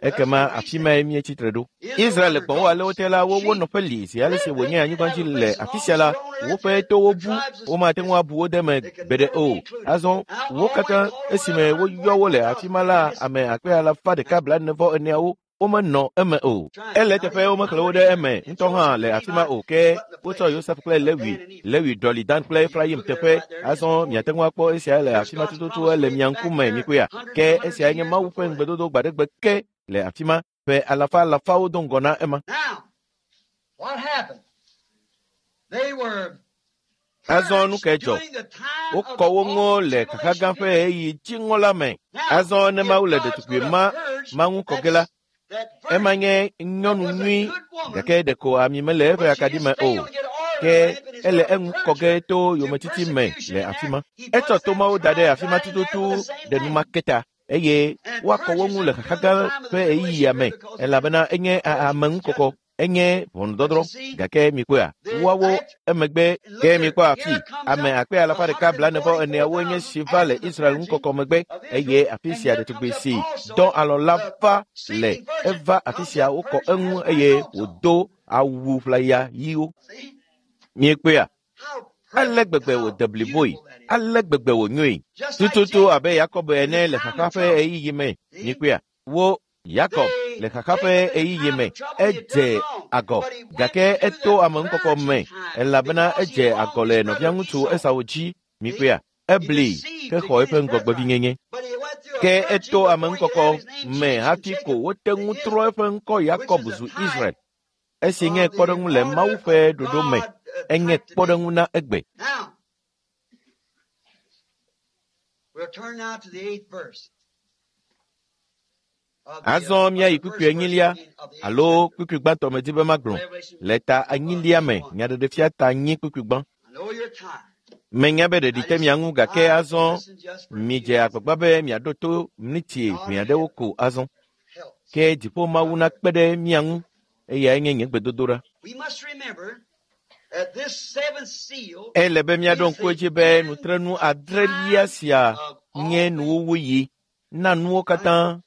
Ekema afi mae míetsitre ɖo. Israel le gbɔ̃wo ale wote la, wo wo nɔƒe li zi ale si wònye anyigba dzi le afi sia la, woƒe towo bu, womate ŋu abu wo de me gbeɖe o. Azɔ wo katã esime woyɔ wo le afi ma la, ame akpe alafa ɖeka blaenevɔ eneawo womenɔ eme o. Ele teƒe womexlẽ wo ɖe eme ŋutɔ hã le afi ma o. Ke wotsɔ Yosef kple Lewi, Lewi ɖɔli Dan kple Efraim teƒe. Azɔ miate ŋu akpɔ esia le afi ma tututu ele mia ŋkume mikpɔea. Ke esiae nye Mawu ƒe ŋugbedodo gbaɖegbe ke le afi ma ƒe alafa alafawo do ŋgɔ na ema. Azɔ nu kae dzɔ? Wokɔ wo ŋu le xaxa gã ƒe ɣeyiɣi dziŋɔ la me. Azɔ ne Mawu le ɖetugbui ma ma ŋu kɔ ge la, ema nye nyɔnu nyui gake ɖeko ami mele eƒe akaɖi me o. Ke ele eŋu kɔ ge to yometiti me le afi ma. Etsɔ tomawo da ɖe afi ma tututu ɖe numake ta. Eye woakɔ wo ŋu le xaxa gã ƒe ɣeyiɣia me elabena enye ameŋukɔkɔ, enye ʋɔnudɔdrɔ̃. Gake mikpɔea, woawo emegbe ke mikpɔ afi ame akpe alafa ɖeka blaenevɔ eneawo nye si va le Israel ŋukɔkɔ megbe eye afi sia ɖetugbui si dɔ alɔ la va le eva afi sia wokɔ eŋu eye wòdo awu ʋlaya ɣiwo. Miekpɔea? Ale gbegbe wòde bliboe, ale gbegbe wònyoe. Tututu abe Yakob ene le xaxa ƒe ɣeyiɣi me. Mikpɔea? Wo Yakob le xaxa ƒe ɣeyiɣi me edze agɔ gake eto ameŋukɔkɔ me elabena edze agɔ le nɔviaŋutsu Esau dzi. Mikpɔea? Ebli ke xɔ eƒe ŋgɔgbevinyenye. Ke eto ameŋukɔkɔ me hafi ko wote ŋu trɔ eƒe ŋkɔ Yakob zu Israel. Esi nye kpɔɖeŋu le Mawu ƒe ɖoɖo me, enye kpɔɖeŋu na egbe. Azɔ míayi kpukpui enyilia alo kpukpui gbãtɔ medi be magblɔ le ta enyilia me nyaɖeɖefia ta enyi kpukpui gbã. Menya be ɖeɖi te mia ŋu gake azɔ midze agbagba be miaɖo to miniti ʋɛ aɖewo ko azɔ. Ke dziƒo Mawu nakpe ɖe mia ŋu eyae nye nye gbedodoɖa. Ele be míaɖo ŋku edzi be nutrenu adrelia sia nye nuwuwuyi na nuwo katã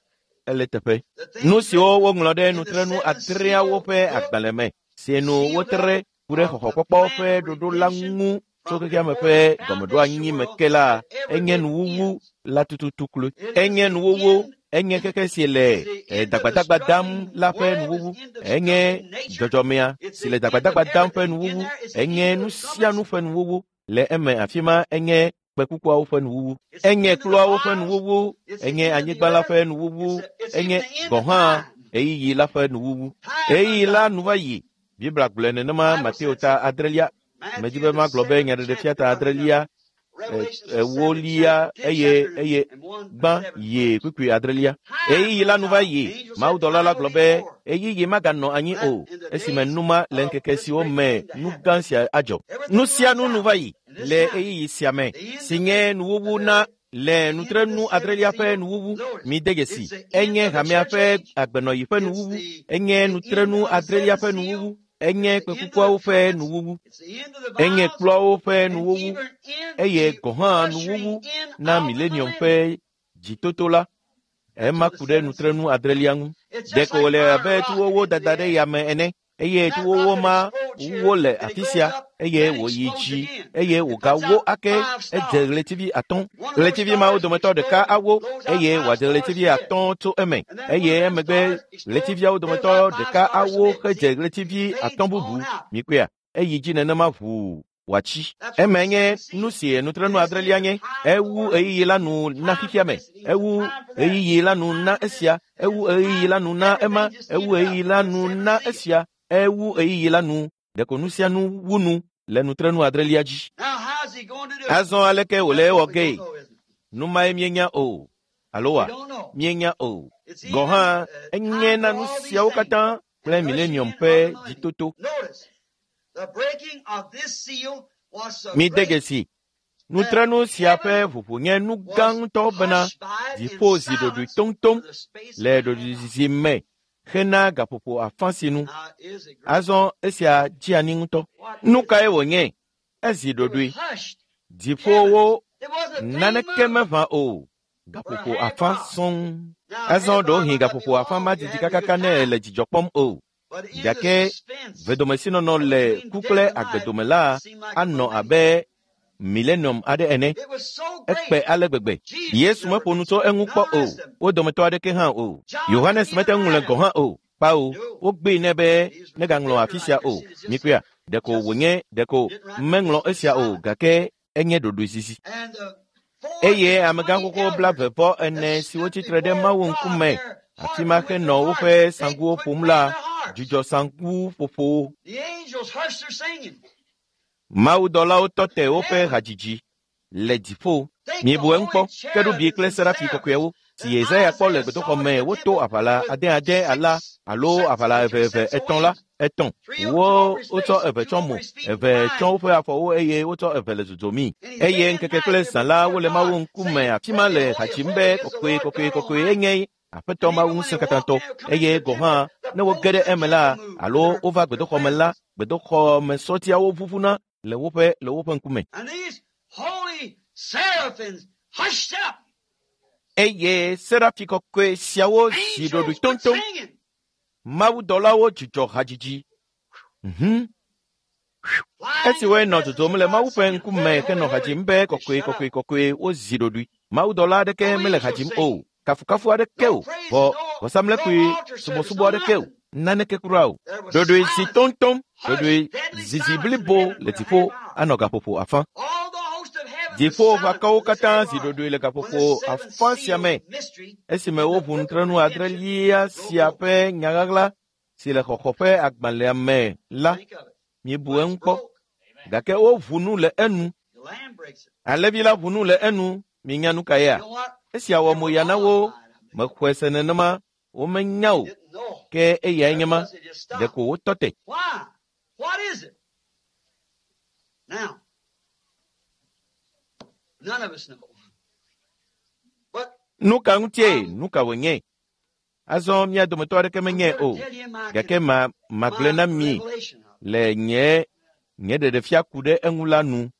ele teƒe. Nu siwo woŋlɔ ɖe nutrenu adreawo ƒe agbalẽ me si nu wotre ku ɖe xɔxɔkpɔkpɔ ƒe ɖoɖo la ŋu tso xexeame ƒe gɔmeɖoanyi me ke la, enye nuwuwu la tututu kloe. Enye nuwuwu, enye xexe si le dagbadagba dam la ƒe nuwuwu, enye dzɔdzɔmea si le dagbadagba dam ƒe nuwuwu, enye nu sia nu ƒe nuwuwu le eme afi ma enye kpekukuawo ƒe nuwuwu, enye kpluawo ƒe nuwuwu, enye anyigba la ƒe nuwuwu, enye gɔ̃ hã ɣeyiɣi la ƒe nuwuwu. Ɣeyiɣi la nu va yi. Biblia gblɔe nenema Mateo ta adrelia. Medi be magblɔ be nyaɖeɖefia ta adrelia, ewolia eye eye gbã yi kpukpui adrelia. Ɣeyiɣi la nu va yi. Mawudɔla la gblɔ be ɣeyiɣi maganɔ anyi o esime numa le ŋkeke siwo me nu gã sia adzɔ. Nu sia nu nu va yi le ɣeyiɣi sia me si nye nuwuwu na Le nutrenu adrelia ƒe nuwuwu, mide dzesi, enye hamea ƒe agbenɔɣi ƒe nuwuwu, enye nutrenu adrelia ƒe nuwuwu, enye kpekukuawo ƒe nuwuwu, enye kplɔawo ƒe nuwuwu, eye gɔ̃ hã nuwuwu na milenium ƒe dzitoto la. Ema ku ɖe nutrenu adrelia ŋu. Ɖeko wòle abe tuwowo dada ɖe yame ene, eye tuwowo ma wo le afi sia, eye wòyi dzi, eye wògawo ake edze ɣletivi atɔ̃. Ɣletivi mawo dometɔ ɖeka awo, eye wòadze ɣletivi atɔ̃ tso eme, eye emegbe ɣletiviawo dometɔ ɖeka awo hedze ɣletivi atɔ̃ bubu. Mikpɔea, eyi dzi nenema ʋuu wòatsi. Eme nye nu si nutrenu adrelia nye. Ewu ɣeyiɣi la nu na xexea me, ewu ɣeyiɣi la nu na esia, ewu ɣeyiɣi la nu na ema, ewu ɣeyiɣi la nu na esia, ewu ɣeyiɣi la nu. Ɖeko nu sia nu wu nu le nutrenu adrelia dzi. Azɔ aleke wòle ewɔ gee? Nu mae míenya o, alo wa? Míenya o. Gɔ̃ hã enye na nu siawo katã kple milenium ƒe dzitoto. Mide dzesi, nutrenu sia ƒe ʋuʋu nye nu gã ŋutɔ bena dziƒo zi ɖoɖoe toŋtoŋ le ɖoɖoezizi me hena gaƒoƒo afã si nu. Azɔ esia dzi anyi ŋutɔ. Nu kae wònye? Ezi ɖoɖoe. Dziƒowo naneke meʋã o. Gaƒoƒo afã sɔŋ. Azɔ ɖewohĩ gaƒoƒo afã ma didi kakaka ne ele dzidzɔ kpɔm o. Gake vedomesinɔnɔ le ku kple agbedome la anɔ abe milenium aɖe ene. Ekpe ale gbegbe. Yesu meƒo nu tso eŋu kpɔ o. Wo dometɔ aɖeke hã o. Yohanes mete ŋu le gɔ̃ hã o. Kpao, wogbee nɛ be negaŋlɔ afi sia o. Mikpɔea, ɖeko wònye ɖeko meŋlɔ esia o, gake enye ɖoɖoezizi. Eye amegã xoxo blaeve vɔ ene siwo tsitre ɖe Mawu ŋkume afi ma henɔ woƒe saŋkuwo ƒom la dzudzɔ saŋkuƒoƒowo. Mawudɔlawo tɔ te woƒe hadzidzi le dziƒo. Miebu eŋu kpɔ, kerubi kple serafi kɔkɔewo si Yesaya kpɔ le gbedoxɔ me woto aʋala ade ade ala alo aʋala eve eve etɔ̃ la etɔ̃. Wo wotsɔ eve tsɔ mo, eve tsɔ woƒe afɔwo eye wotsɔ eve le dzodzomii. Eye ŋkeke kple zã la wole Mawu ŋkume afi ma le ha dzim be kɔkɔe kɔkɔe kɔkɔe enye Aƒetɔ Mawu ŋusẽkatãtɔ. Eye gɔ̃ hã ne woge ɖe eme la alo wova gbedoxɔ me la, gbedoxɔmesɔtiawo ʋuʋuna le woƒe le woƒe ŋkume. Eye serafi kɔkɔe siawo zi ɖoɖoe toŋtoŋ. Mawudɔlawo dzudzɔ hadzidzi. Mhm. Esi woenɔ dzodzom le Mawu ƒe ŋkume henɔ ha dzim be kɔkɔe kɔkɔe kɔkɔe wozi ɖoɖoe. Mawudɔla aɖeke mele ha dzim o. Kafukafu aɖeke o. Vɔ vɔsamlekpui subɔsubɔ aɖeke o. Naneke kura o. Ɖoɖoe zi toŋtoŋ. Ɖoɖoe zizi blibo le dziƒo anɔ gaƒoƒo afã. Dziƒoʋakɔwo katã zi ɖoɖoe le gaƒoƒo afã sia me esime woʋu nutrenu adrelia sia ƒe nyaɣaɣla si le xɔxɔ ƒe agbalẽa me la. Miebu eŋu kpɔ. Gake woʋu nu le enu. Alẽvi la ʋu nu le enu. Minya nu ka yea? Esia wɔ moya na wo. Mexɔe se nenema. Womenya o. Ke eyae nye ma. Ɖeko wotɔ te. Nu ka ŋutie? Nu ka wònye? Azɔ mía dometɔ aɖeke menyae o. Gake ma magblɔe na mi le nye nye ɖeɖefia ku ɖe eŋu la nu.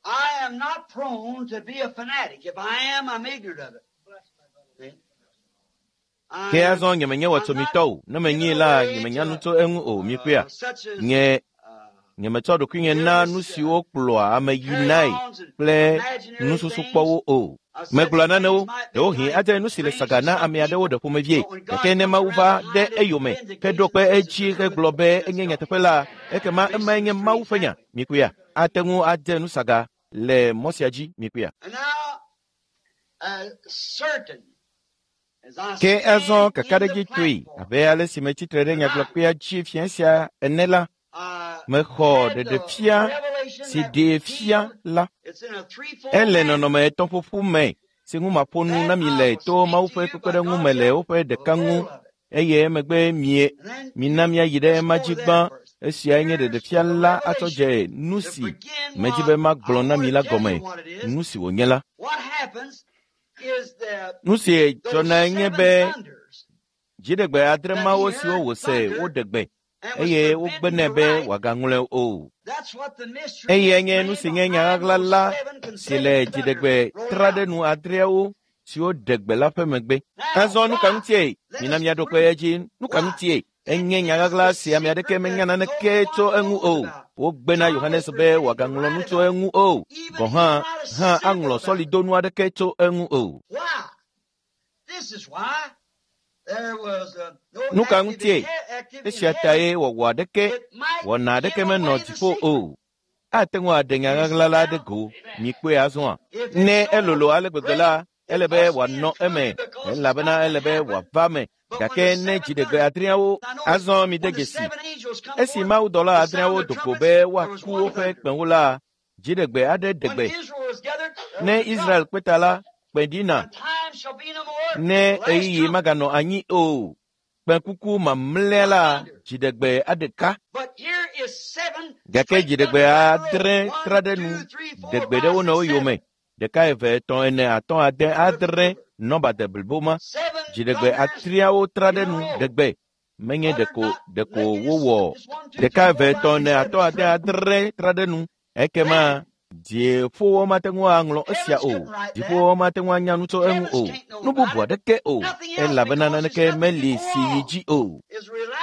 I am not prone to be a fanatic. If I am, I'm ignorant of it. Ke azɔ nyemenye wɔtsomitɔ o. Ne menyee la, nyemenya nu tso eŋu o. Mikpɔea, nye nyemetsɔ ɖokuinye na nu siwo kplɔa ame yinae kple nususukpɔwo o. Megblɔa nanewo, ɖewohĩ adze nu si le saga na ame aɖewo ɖe ƒomevie. Gake ne Mawu va ɖe eyome heɖo kpe edzi hegblɔ be enye nyateƒe la, ekema emae nye Mawu ƒe nya. Mikpɔea, ate ŋu adze nu saga le mɔ sia dzi. Mikpɔea. Ke azɔ kakaɖedzitɔe abe ale si metsitre ɖe nyagblɔkpea dzi fia sia ene la, mexɔ ɖeɖefia si ɖee fia la. Ele nɔnɔme etɔ̃ ƒoƒu me si ŋu maƒo nu na mi le to Mawu ƒe kpekpeɖeŋu me le woƒe ɖeka ŋu, eye emegbe mie mina míayi ɖe ema dzi gbã. Esiae nye ɖeɖefia la atsɔ dze nu si medzi be magblɔ na mi la gɔme, nu si wònye la. Nu si dzɔnae nye be dziɖegbe adre mawo siwo wòse woɖe gbe eye wogbe nɛ be wòagaŋlɔe o. Eyae nye nu si nye nya ɣaɣla la si le dziɖegbe traɖenu adreawo siwo ɖe gbe la ƒe megbe. Azɔ nu ka ŋutie? Mina míaɖo kpe edzi. Nu ka ŋutie? Enye nya ɣaɣla si ame aɖeke menya naneke tso eŋu o. Wogbe na Yohanes be wòagaŋlɔ nu tso eŋu o. Gɔ̃ hã hã aŋlɔ sɔlidonu aɖeke tso eŋu o. Nu ka ŋutie? Esia tae wɔwɔ aɖeke, wɔna aɖeke menɔ dziƒo o. Ate ŋu aɖe nya ɣaɣla la ɖe go. Mikpɔe azɔa? Ne elolo ale gbegbe la, ele be wòanɔ eme, elabena ele be wòava me. Gake ne dziɖegbe adreawo azɔ mide dzesi. Esi mawudɔla adreawo do go be woaku woƒe kpẽwo la, dziɖegbe aɖe ɖe gbe. Ne Israel kpe ta la, kpẽ ɖina. Ne ɣeyiɣi maganɔ anyi o, kpẽkuku mamlɛa la, dziɖegbe aɖeka. Gake dziɖegbe adre tra ɖe nu, ɖe gbe ɖe wo nɔewo yome. Ɖeka, eve, etɔ̃, ene, atɔ̃, ade, adre, nɔba de blibo ma. Dziɖegbe adreawo tra ɖe nu, ɖe gbe. Menye ɖeko ɖeko wowɔ ɖeka, eve, etɔ̃, ene, atɔ̃, ade, adre tra ɖe nu. Ekema dziƒowo mate ŋu aŋlɔ esia o. Dziƒowo mate ŋu anya nu tso eŋu o. Nu bubu aɖeke o, elabena naneke meli si yi dzi o.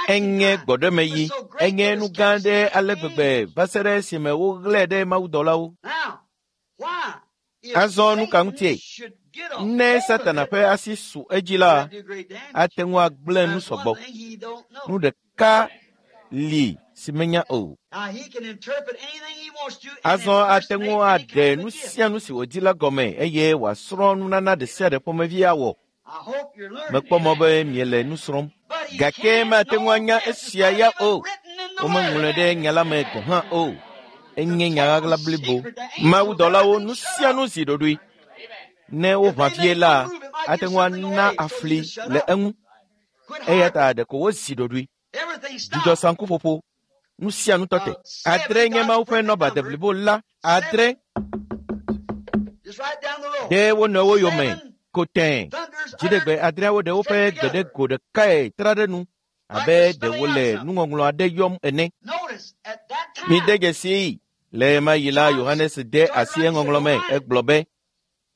Enye gbɔɖemeyi, enye nu gã aɖe ale gbegbe va se ɖe esime woɣlae ɖe mawudɔlawo. Azɔ nu ka ŋutie? Ne Satana ƒe asi su edzi la, ate ŋu agblẽ nu sɔgbɔ. Nu ɖeka li si menya o. Azɔ ate ŋu aɖe nu sia nu si wòdi la gɔme eye wòasrɔ̃ nunana ɖe sia ɖe ƒomevi awɔ. Mekpɔ mɔ be miele nu srɔ̃m. Gake mate ŋu anya esia ya o. Womeŋlɔe ɖe nya la me gɔ̃ hã o. Enye nya ɣaɣla blibo. Mawudɔlawo nu sia nu zi ɖoɖoe. Ne woʋã vie la, ate ŋu ana afli le eŋu. Eya ta ɖeko wozi ɖoɖoe. Dzudzɔ saŋkuƒoƒo. Nu sia nu tɔ te. Adre nye Mawu ƒe nɔba deblibo la. Adre ɖe wo nɔewo yome ko tẽe. Dziɖegbe adreawo ɖe woƒe gbe ɖe go ɖekae tra ɖe nu abe ɖe wole nuŋɔŋlɔ aɖe yɔm ene. Mide dzesii. Le ɣemaɣi la, Yohanes de asi eŋɔŋlɔ me. Egblɔ be,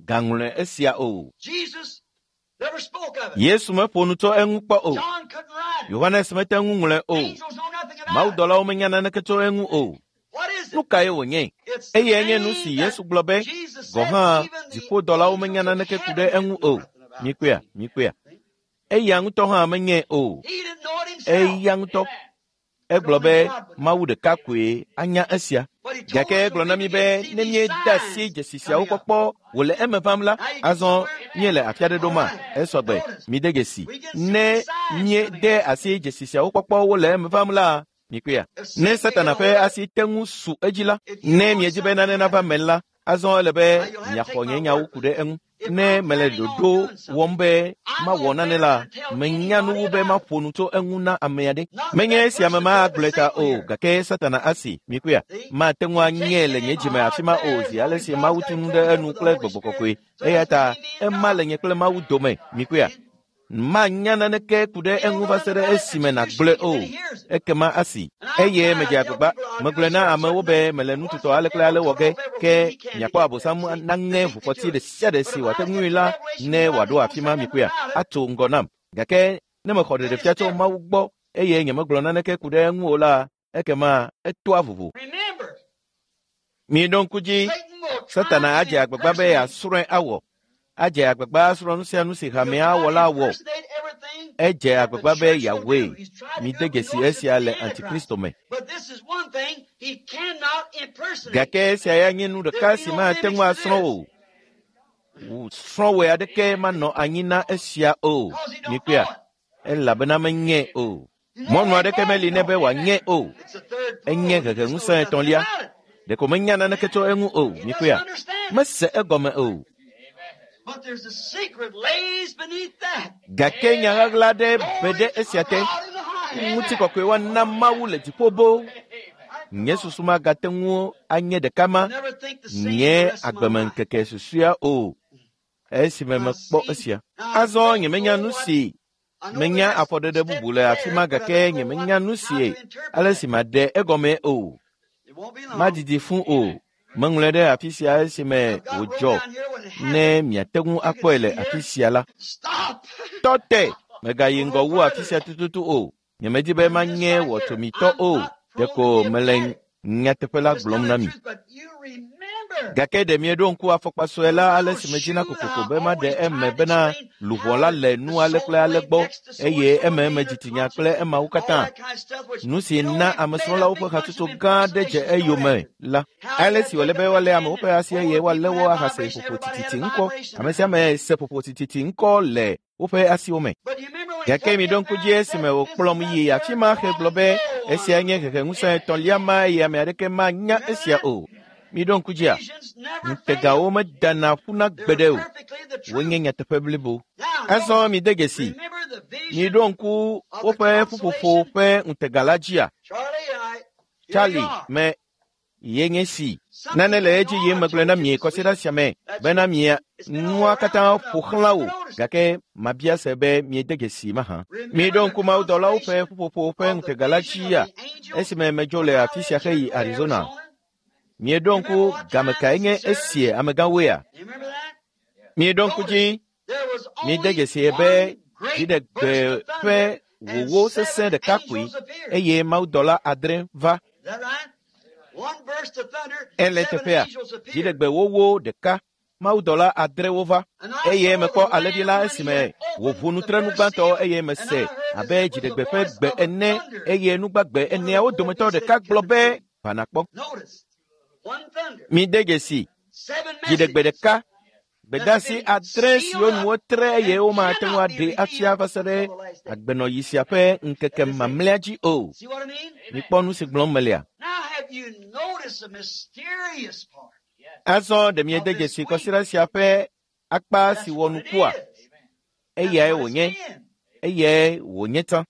gaŋlɔe esia o. Yesu meƒo nu tso eŋu kpɔ o. Yohanes mete ŋu ŋlɔe o. Mawudɔlawo menya naneke tso eŋu o. Nu kae wònye? Eyae nye nu si Yesu gblɔ be, gɔ̃ hã dziƒodɔlawo menya naneke ku ɖe eŋu o. Mikpɔea, mikpɔea. Eya ŋutɔ hã menyae o. Eya ŋutɔ. Egblɔ be Mawu ɖeka koe anya esia. Gake egblɔ na mí be ne míede asi dzesi siawo kpɔkpɔ wòle eme vam la, azɔ míele afi aɖe ɖoma? Esɔgbe, mide dzesi. Ne míede asi dzesi siawo kpɔkpɔ wole eme vam la, mikpɔea. Ne Satana ƒe asi te ŋu su edzi la, ne miedi be nane nava me la, azɔ ele be miaxɔ nye nyawo ku ɖe eŋu. Ne mele ɖoɖo wɔm be mawɔ nane la, menya nu wu be maƒo nu tso eŋu na ame aɖe. Menye esia me magblɔe ta o, gake Satana asi, mikpɔea, mate ŋu anyee le nye dzime afi ma o zi ale si Mawu tu nu ɖe enu kple gbɔgbɔ kɔkɔe. Eya ta ema le nye kple Mawu dome, mikpɔea. Manya naneke ku ɖe eŋu va se ɖe esime nàgblɔe o. Ekema asi. Eye medze agbagba. Megblɔe na amewo be mele nu tutɔ ale kple ale wɔ ge, ke miakpɔ Abosam naŋe ʋufɔti ɖe sia ɖe si wòate ŋui la ne wòaɖo afi ma mikpɔea, atso ŋgɔ nam. Gake ne mexɔ ɖeɖefia tso Mawu gbɔ eye nyemegblɔ naneke ku ɖe eŋu o la, ekema etoa vovo. Miɖo ŋku dzi, Satana adze agbagba be yeasrɔ̃e awɔ. Adze agbagba asrɔ̃ nu sia nu si hamea wɔ la wɔ. Edze agbagba be yeawɔe. Mide dzesi esia le Antikristo me. Gake esia ya nye nu ɖeka si mate ŋu asrɔ̃ o. Srɔ̃wɔe aɖeke manɔ anyi na esia o. Mikpɔea, elabena menyae o. Mɔnu aɖeke meli nɛ be wòanyae o. Enye heheŋusẽ etɔ̃lia. Ɖeko menya naneke tso eŋu o. Mikpɔea, mese egɔme o. Gake nya ɣaɣla aɖe be ɖe esia te. Ŋutikɔkɔe woana Mawu le dziƒo boo. Nye susu magate ŋu anye ɖeka ma nye agbemeŋkeke susɔea o. Esime mekpɔ esia. Azɔ nyemenya nu si menya afɔɖeɖe bubu le afi ma gake nyemenya nu si ale si maɖe egɔme o. Madidi fũ o. Meŋlɔe ɖe afi sia esime wòdzɔ ne miate ŋu akpɔe le afi sia la. Tɔ te, megayi ŋgɔ wu afi sia tututu o. Nyemedi be manye wɔtsomitɔ o. Ɖeko mele nyateƒe la gblɔm na mi. Gake ɖe mieɖo ŋku afɔkpa sue la ale si medzina kokoko be maɖe eme bena luʋɔ la le nu ale kple ale gbɔ eye ememe dzitsinya kple emawo katã. Nu si na amesrɔ̃lawo ƒe hatsotso gã aɖe dze eyome la. Ale si wòle be woalé amewo ƒe asi eye woalé wo ahase ƒoƒo tititi ŋkɔ. Ame sia ame se ƒoƒo tititi ŋkɔ le woƒe asiwo me. Gake miɖo ŋku dzi esime wòkplɔm yi afi ma hegblɔ be esia nye heheŋusẽ etɔ̃lia ma eye ame aɖeke manya esia o. Miɖo ŋku dzia, ŋutegawo medana ƒuna gbeɖe o. Wonye nyateƒe blibo. Azɔ mide dzesi, miɖo ŋku woƒe ƒuƒoƒo ƒe ŋutega la dzia. Charlie me ye nye si. Nane le edzi yim megblɔe na mi kɔsiɖa sia me bena mia nua katã ƒo xlã wò gake mabia se be miede dzesi mahã. Miɖo ŋku mawudɔlawo ƒe ƒuƒoƒo ƒe ŋutega la dzia esime medzo le afi sia heyi Arizona. Mieɖo ŋku game kae nye esie amegãwoea? Mieɖo ŋku dzi, miede dzesi be dziɖegbe ƒe wòwó sesẽ ɖeka koe eye mawudɔla adre va. Ele teƒea, dziɖegbe wòwó ɖeka, mawudɔla adrewo va eye mekpɔ alẽvi la esime wòʋu nutrenu gbãtɔ eye mese abe dziɖegbe ƒe gbe ene eye nugbagbe eneawo dometɔ ɖeka gblɔ be va nakpɔ. Mide dzesi, dziɖegbe ɖeka, gbedeasi adre siwo nu wotre eye womate ŋu aɖee afia va se ɖe agbenɔɣi sia ƒe ŋkeke mamlɛa dzi o. Mikpɔ nu si gblɔm melea. Azɔ ɖe miede dzesi kɔsiɖa sia ƒe akpa si wɔ nukua? Eyae wònye, eyae wònye tsã.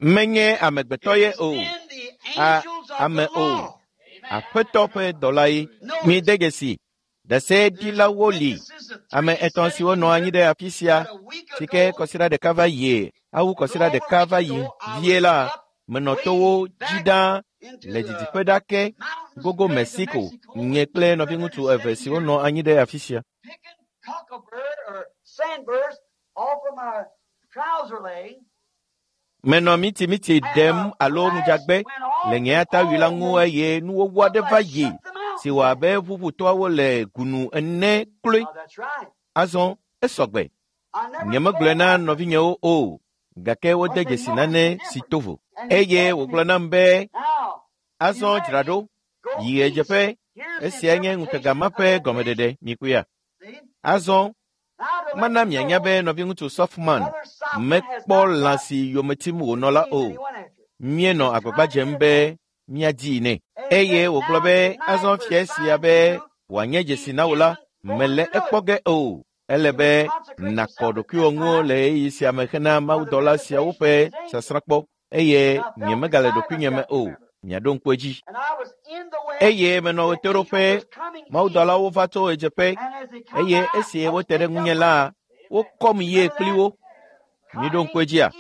Menye amegbetɔ ye o, a ame o, aƒetɔ ƒe dɔla ye. Mide dzesi, ɖaseɖilawo li, ame etɔ̃ siwo nɔ anyi ɖe afi sia si ke kɔsiɖa ɖeka va yie, awu kɔsiɖa ɖeka va yi vie la, menɔ towo dzi ɖaa le didiƒe ɖa ke gogo Mexico, nye kple nɔviŋutsu eve siwo nɔ anyi ɖe afi sia. Menɔ mitimiti ɖem alo ŋudzagbe le nye atawui la ŋu eye nuwɔwɔ aɖe va yi si wɔ abe ʋuʋutɔawo le gunu ene kloe. Azɔ esɔgbe. Nyemegblɔe na nɔvinyewo o, gake wode dzesi nane si to vo. Eye wògblɔ nam be, azɔ dzra ɖo, yi ɣedzeƒe, esia nye ŋutega ma ƒe gɔmeɖeɖe mikuya. Azɔ mana mianya be nɔviŋutsu Softman mekpɔ lã si yome tim wònɔ la o. Míenɔ agbagba dzem be míadii nɛ. Eye wògblɔ be azɔ fia sia be wòanye dzesi na wò la, mele ekpɔ ge o. Ele be nàkɔ ɖokuiwò ŋu le ɣeyiɣi sia me hena mawudɔla siawo ƒe sasrãkpɔ eye nyemegale ɖokuinye me o. Miaɖo ŋku edzi. Eye menɔ ɣetoɖoƒe, mawudɔlawo va tso ɣedzeƒe eye esi wote ɖe ŋunye la, wokɔm yie kpli wo. Miɖo ŋku edzia?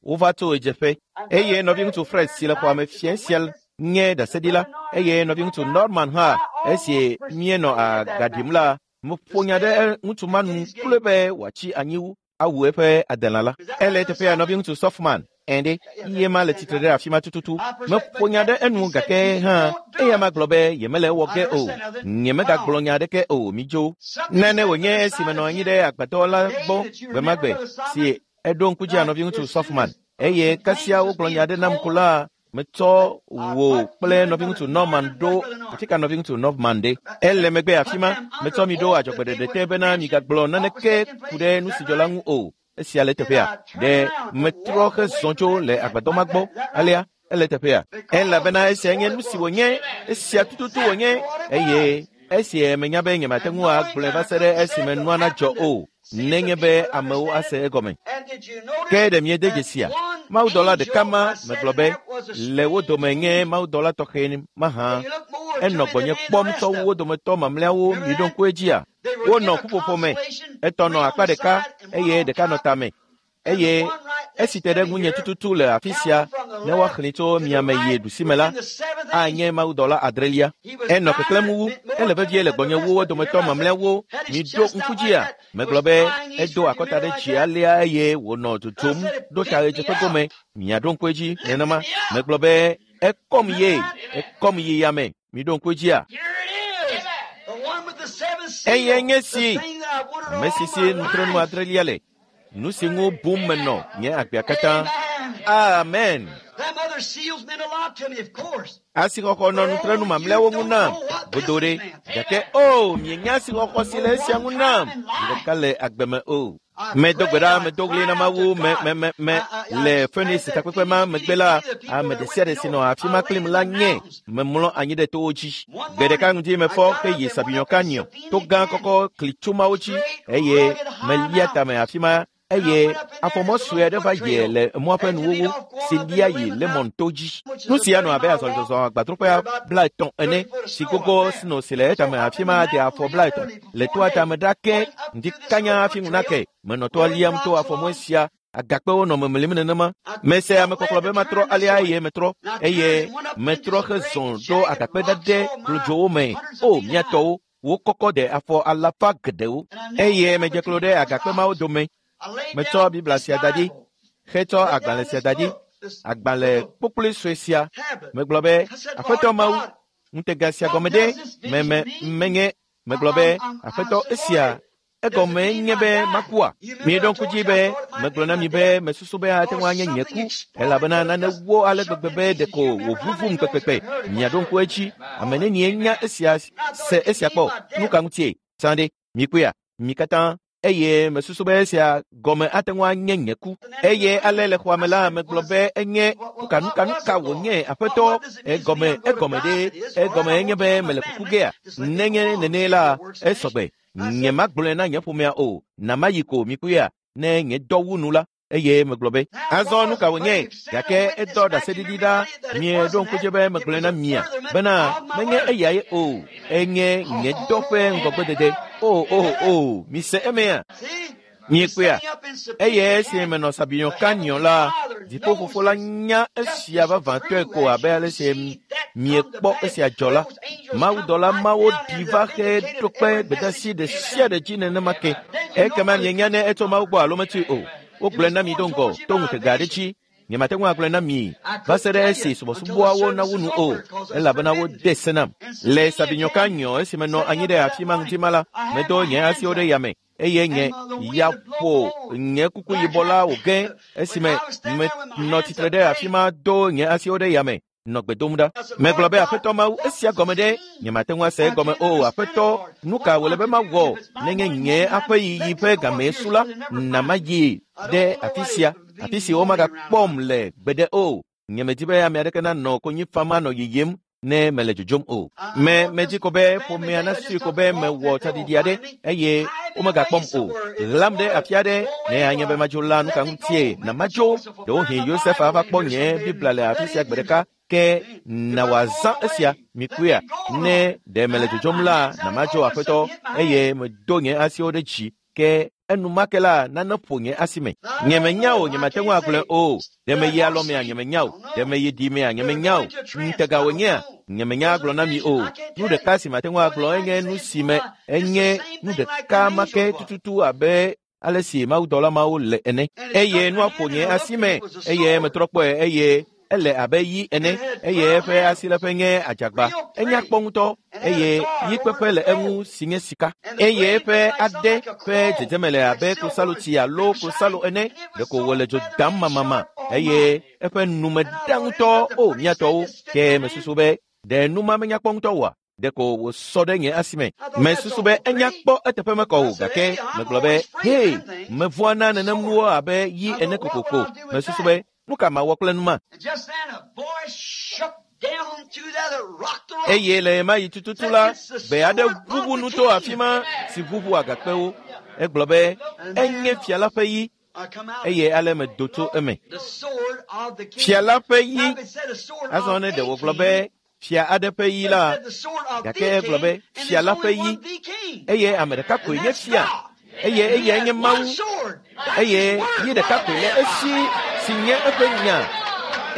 Wova tso ɣedzeƒe eye nɔviŋutsu Fred si le xɔa me fia sia nye ɖaseɖila eye nɔviŋutsu Norman hã esi míenɔ aga ɖim la, meƒo nya ɖe ŋutsu ma nu kloe be wòatsi anyi awu eƒe adelã la. Ele teƒea nɔviŋutsu Softman ende ye ma le tsitre ɖe afi ma tututu. Meƒo nya ɖe enu gake hã eya ma gblɔ be yemele ewɔ ge o. Nyemegagblɔ nya aɖeke o midzo. Nane wònye esi menɔ anyi ɖe agbadɔ la gbɔ gbe ma gbe si eɖo ŋku dzia nɔviŋutsu Softman eye kasia wogblɔ nya aɖe nam ko la metsɔ wò kple nɔviŋutsu Norman ɖo afi ka nɔviŋutsu Norman ɖe. Ele megbe afi ma metsɔ mi ɖo adzɔgbeɖeɖe te bena migagblɔ naneke ku ɖe nu si dzɔ la ŋu o. Esia le teƒea. Ɖe metrɔ hezɔ tso le agbadɔ ma gbɔ alea ele teƒea. Elabena esia nye nu si wònye, esia tututu wònye eye esie menya be nyemate ŋu agblɔe va se ɖe esime nua nadzɔ o nenye be amewo ase egɔme. Ke ɖe miede dzesia? Mawudɔla ɖeka ma megblɔ be le wo dome nye mawudɔla tɔxɛ mahã. Enɔ gbɔnye kpɔm tsɔ wu wo dometɔ mamlɛawo miɖo ŋku edzia. Wonɔ ƒuƒoƒo me. Etɔ nɔ akpa ɖeka eye ɖeka nɔ tame. Eye esi te ɖe ŋunye tututu le afi sia ne woaxlẽ tso miame yi ɖusime la, anye mawudɔla adrelia. Enɔ keklẽm wu, ele vevie le gbɔnye wu wo dometɔ mamlɛawo. Miɖo ŋku dzia. Megblɔ be edo akɔta ɖe dzi alea eye wònɔ dzodzom ɖo ta ɣedzeƒe gome. Miaɖo ŋku edzi nenema. Megblɔ be ekɔm ye, ekɔm yi yame. Miɖo ŋku edzia. Eye nye si ame si si nutrenu adrelia le. Nu si ŋu bum menɔ nye agbea katã. Amen. Asixɔxɔ nɔ nutrenu mamlɛawo ŋu nam godo ɖe. Gake o, mienya asixɔxɔ si le esia ŋu nam zi ɖeka le agbe me o. Medo gbe ɖa, medo ɣli na Mawu me me me me le Phoenix takpekpe ma megbe la, ame ɖe sia ɖe si nɔ afi ma kplim la nye memlɔ anyi ɖe towo dzi. Gbe ɖeka ŋdi mefɔ heyi Sabino Canyon, to gã kɔkɔ klitsumawo dzi eye melia tame afi ma eye afɔmɔ sue aɖe va yi le mɔa ƒe nuwuwu si lia yi Lemon to dzi. Nu sia nɔ abe azɔlizɔzɔ agbadroƒea blaetɔ̃ ene si gogo sno si le etame afi ma de afɔ blaetɔ̃ le toa tame ɖa ke ŋdi kanya hafi ŋu nake. Menɔ toa liam to afɔmɔ sia agakpewo nɔ memlim nenema. Mese amekɔklɔ be matrɔ alea eye metrɔ eye metrɔ hezɔ ɖo agakpe ɖaɖɛ glodzowo me. O mía tɔwo, wo kɔkɔ de afɔ alafa geɖewo eye medze klo ɖe agakpe mawo dome. Metsɔ Biblia sia da ɖi, hetsɔ agbalẽ sia da ɖi, agbalẽ kpokploe sue sia. Megblɔ be, Aƒetɔ Mawu, ŋutega sia gɔme ɖe me me menye. Megblɔ be, Aƒetɔ esia egɔme nye be makua. Mieɖo ŋku dzi be megblɔ na mi be mesusu be ate ŋu anye nye ku elabena nane wo ale gbegbe be ɖeko wòʋuʋum kpekpekpe. Miaɖo ŋku edzi. Ame nenie nya esia se esia kpɔ. Nu ka ŋutie? Sã ɖe, mikpɔea, mi katã. Eye mesusu be esia gɔme ate ŋu anye nye ku. Eye ale le xɔa me la, megblɔ be enye nuka nuka nuka wònye aƒetɔ egɔme egɔme ɖe egɔme enye be mele kuku gea. Nenye nene la esɔgbe. Nye magblɔe na nye ƒomea o. Na mayi ko mikpɔea ne nye dɔ wu nu la. Eye megblɔ be azɔ nu ka wònye gake edɔ ɖaseɖiɖi ɖa. Mieɖo ŋku dzi be megblɔe na mia bena menye eyae o. Enye nye dɔ ƒe ŋgɔgbedede. O o o, mise emea. Miekpɔea. Eye esi menɔ Sabino Canyon la, dziƒofofo la nya esia vavãtɔe ko abe ale si miekpɔ esia dzɔ la. Mawudɔla mawo ɖi va he ɖo kpe gbedeasi ɖe sia ɖe dzi nenema ke. Ekema mienya ne etso Mawu gbɔ alo metsoe o. Wogblɔe na mi do ŋgɔ to ŋutega aɖe dzi. Nyemate ŋu agblɔe na mi va se ɖe esi subɔsubɔawo nawu nu o, elabena wode se nam. Le Sabino Canyon esi menɔ anyi ɖe afi ma ŋdi ma la, medo nye asiwo ɖe yame eye nye ya ƒo nye kuku yibɔ la wòge esime menɔ tsitre ɖe afi ma do nye asiwo ɖe yame nɔ gbe dom ɖa. Megblɔ be Aƒetɔ Mawu, esia gɔme ɖe nyemate ŋu ase egɔme o. Aƒetɔ, nu ka wòle be mawɔ nenye nye aƒe yiyi ƒe game su la, na mayi ɖe afi sia, afi si womagakpɔm le gbeɖe o. Nyemedi be ame aɖeke nanɔ konyi fam anɔ yiyim ne mele dzodzom o. Me medzi ko be ƒomea nasui ko be mewɔ tsaɖiɖi aɖe eye womegakpɔm o. Ɣlam ɖe afi aɖe ne anye be madzo la nu ka ŋutie na madzo. Ɖewohĩ Yosef ava kpɔ nye Biblia le afi sia gbe ɖeka ke na wòazã esia. Mikpɔea, ne ɖe mele dzodzom la, na madzo Aƒetɔ eye medo nye asiwo ɖe dzi ke enumake la nane ƒo nye asi me. Nyemenya o, nyemate ŋu agblɔe o. Ɖe meyi alɔmea, nyemenya o. Ɖe meyi ɖimea, nyemenya o. Ŋutega wònyea, nyemenya agblɔ na mi o. Nu ɖeka si mate ŋu agblɔ enye nu si me enye nu ɖeka ma ke tututu abe ale si mawudɔla mawo le ene. Eye nua ƒo nye asi me eye metrɔ kpɔe eye ele abe yi ene eye eƒe asiléƒe nye adzagba. Enya kpɔ ŋutɔ eye yi kpeƒe le eŋu si nye sika eye eƒe ade ƒe dzedzeme le abe klosalotsi alo klosalo ene. Ɖeko wòle dzo dam mamama eye eƒe nume ɖa ŋutɔ o mía tɔwo. Ke mesusu be ɖe nu ma menya kpɔ ŋutɔ oa? Ɖeko wòsɔ ɖe nye asi me. Mesusu be enya kpɔ eteƒe mekɔ o gake megblɔ be hee, mevɔ̃a na nenem nuwo abe yi ene kokoko. Mesusu be nu ka mawɔ kple nu ma? Eye le ɣemaɣi tututu la, gbe aɖe ʋuʋu nu to afi ma si ʋuʋu agakpewo. Egblɔ be enye fia la ƒe yi eye ale medo tso eme. Fia la ƒe yi. Azɔ ne ɖe wògblɔ be Fia aɖe ƒe yi la, gake egblɔ be fia la ƒe yi, eye ame ɖeka koe nye fia, eye eyae nye Mawu, eye yi ɖeka koe le esi si nye eƒe nya,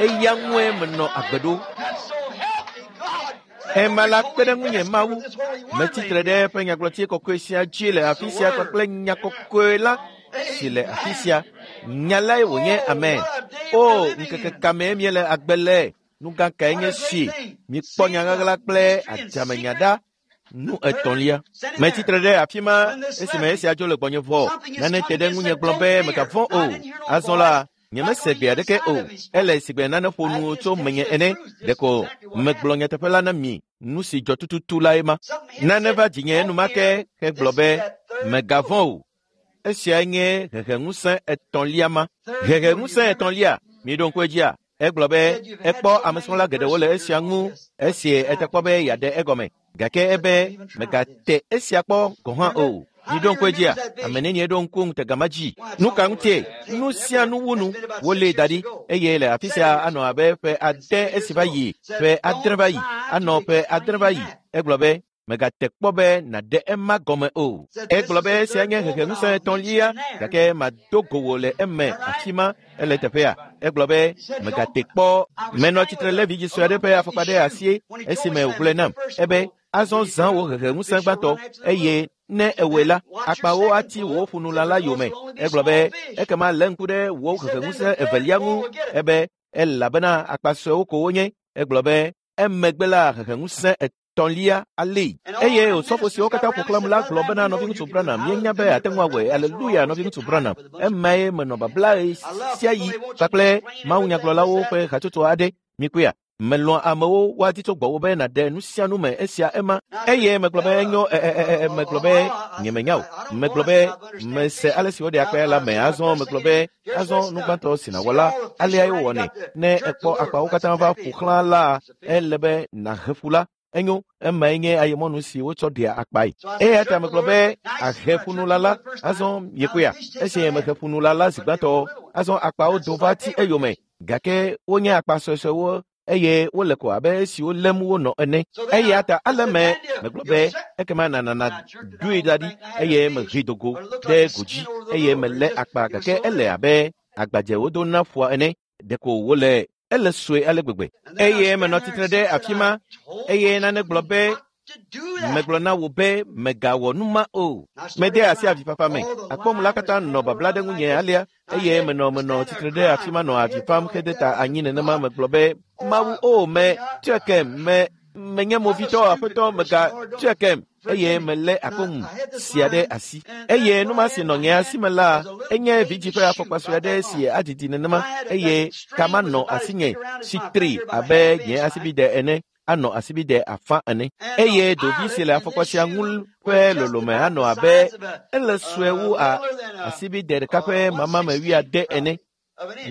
eya ŋue menɔ agbe ɖo. Ema la kpe ɖe ŋunye Mawu, metsitre ɖe eƒe nyagblɔti kɔkɔe sia dzi le afi sia kpakple nya kɔkɔe la si le afi sia. Nya lae wònye amen. O, ŋkeke ka mee míele agbe le? Nu gã kae nye si? Mikpɔ nya ɣaɣla kple adzamenya ɖa. Nu etɔ̃lia. Metsitre ɖe afi ma esime esia dzo le gbɔnye vɔ. Nane te ɖe ŋunye gblɔ be megavɔ̃ o. Azɔ la, nyemese gbe aɖeke o. Ele sigbe nane ƒo nu tso menye ene. Ɖeko megblɔ nyateƒe la na mi. Nu si dzɔ tututu lae ma. Nane va dzinye enumake hegblɔ be megavɔ̃ o. Esiae nye heheŋusẽ etɔ̃lia ma. Heheŋusẽ etɔ̃lia, miɖo ŋku edzia? Egblɔ be ekpɔ amesrɔ̃la geɖewo le esia ŋu esi etekpɔ be yeaɖe egɔme. Gake ebe megate esia kpɔ gɔ̃ hã o. Miɖo ŋku edzia? Ame nenie ɖo ŋku ŋutega ma dzi? Nu ka ŋutie? Nu sia nu wu nu. Wolée da ɖi eye le afi sia anɔ abe ƒe ade esi va yi, ƒe adre va yi, anɔ ƒe adre va yi. Egblɔ be megate kpɔ be nàɖe ema gɔme o. Egblɔ be esia nye heheŋusẽ etɔ̃lia, gake mado go wò le eme afi ma ele teƒea. Egblɔ be megate kpɔ. Menɔ tsitre le vidzĩ sue aɖe ƒe afɔkpa ɖe asi esime wògblɔe nam. Ebe azɔ zã wò heheŋusẽ gbãtɔ eye ne ewɔe la, akpawo ati wò ƒunula la yome. Egblɔ be ekema lé ŋku ɖe wò heheŋusẽ evelia ŋu. Ebe elabena akpa suewo ko wonye. Egblɔ be emegbe la heheŋusẽ etɔ̃lia alée. Eye osɔfo siwo katã ƒo xlãm la gblɔ bena nɔviŋutsu Branham, míenya be ate ŋu awɔe. Aleluya, nɔviŋutsu Branham. Emae menɔ babla sia yi kpakple mawunyagblɔlawo ƒe hatsotso aɖe. Mikpɔea? Melɔ̃a amewo woadi tso gbɔwò be nàɖe nu sia nu me esia ema. Eye megblɔ be enyo e e e megblɔ be nyemenya o. Megblɔ be mese ale si woɖe akpaya la me. Azɔ megblɔ be azɔ nu gbãtɔ si nàwɔ la, aleae wowɔnɛ. Ne ekpɔ akpawo katã va ƒo xlã la, ele be nàhe ƒu la. Enyo, emae nye ayemɔnu si wotsɔ ɖea akpae. Eya ta megblɔ be ahe ƒunula la, azɔ miekpɔea? Esi mehe ƒunula la zi gbãtɔ, azɔ akpawo do va ti eyome. Gake wonye akpa suesuewo eye wole ko abe esiwo lém wonɔ ene. Eya ta ale me megblɔ be ekema nanana ɖoe da ɖi eye mehe do go ɖe godzi eye melé akpa gake ele abe agbadze wodo na ƒua ene. Ɖeko wole ele sue ale gbegbe. Eye menɔ tsitre ɖe afi ma eye nane gblɔ be megblɔ na wò be megawɔ nu ma o. Mede asi avifafa me. Akpɔmu la katã nɔ babla ɖe ŋunye alea eye menɔ menɔ tsitre ɖe afi ma nɔ avi fam hede ta anyi nenema. Megblɔ be Mawu o me tsɔe me menye movitɔ aƒetɔ mega tsɔe eye melé akɔŋu sia ɖe asi. Eye nu ma si nɔ nye asi me la enye vidzĩ ƒe afɔkpa sue aɖe si adidi nenema eye kama nɔ asinye si tri abe nye asibide ene anɔ asibide afã ene. Eye dovi si le afɔkpa sia ŋu ƒe lolome anɔ abe ele sue wu a asibide ɖeka ƒe mamame wuiade ene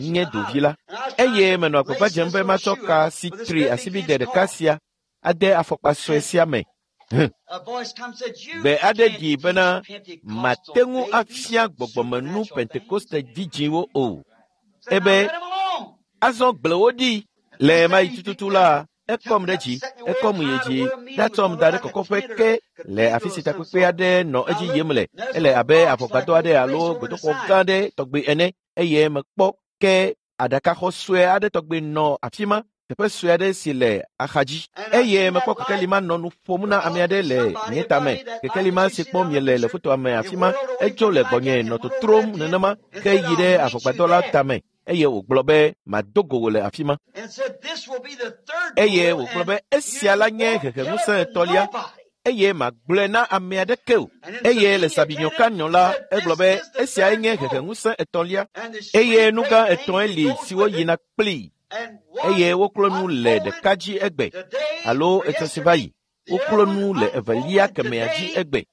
nye dovi la. Eye menɔ agbagba dzem be matsɔ ka si tri asibide ɖeka sia ade afɔkpa sue sia me. Gbe aɖe ɖi bena mate ŋu afia gbɔgbɔmenu Pentekoste vidzĩwo o. Ebe azɔ gblẽ wo ɖi. Le ɣemaɣi tututu la, ekɔm ɖe dzi, ekɔm yi dzi, ɖatsɔm da ɖe kɔkɔƒe ke le afi si takpekpe aɖe nɔ edzi yim le. Ele abe avɔgbadɔ aɖe alo gbedoxɔ gã aɖe tɔgbi ene eye mekpɔ ke aɖakaxɔ sue aɖe tɔgbi nɔ afi ma, teƒe sue aɖe si le axadzi. Eye mekpɔ kekeli ma nɔ nu ƒom na ame aɖe le nye tame. Kekeli ma si kpɔm miele le fotoa me afi ma, etso le gbɔnye nɔ totrom nenema ke yi ɖe avɔgbadɔ la tame. Eye wògblɔ be mado go wò le afi ma. Eye wògblɔ be esia la nye heheŋusẽ etɔ̃lia eye magblɔe na ame aɖeke o. Eye le Sabinyoka nyɔ la, egblɔ be esiae nye heheŋusẽ etɔ̃lia eye nu gã etɔ̃e li siwo yina kplii eye woklo nu le ɖeka dzi egbe alo etsɔ si va yi. Woklo nu le evelia kemɛa dzi egbe.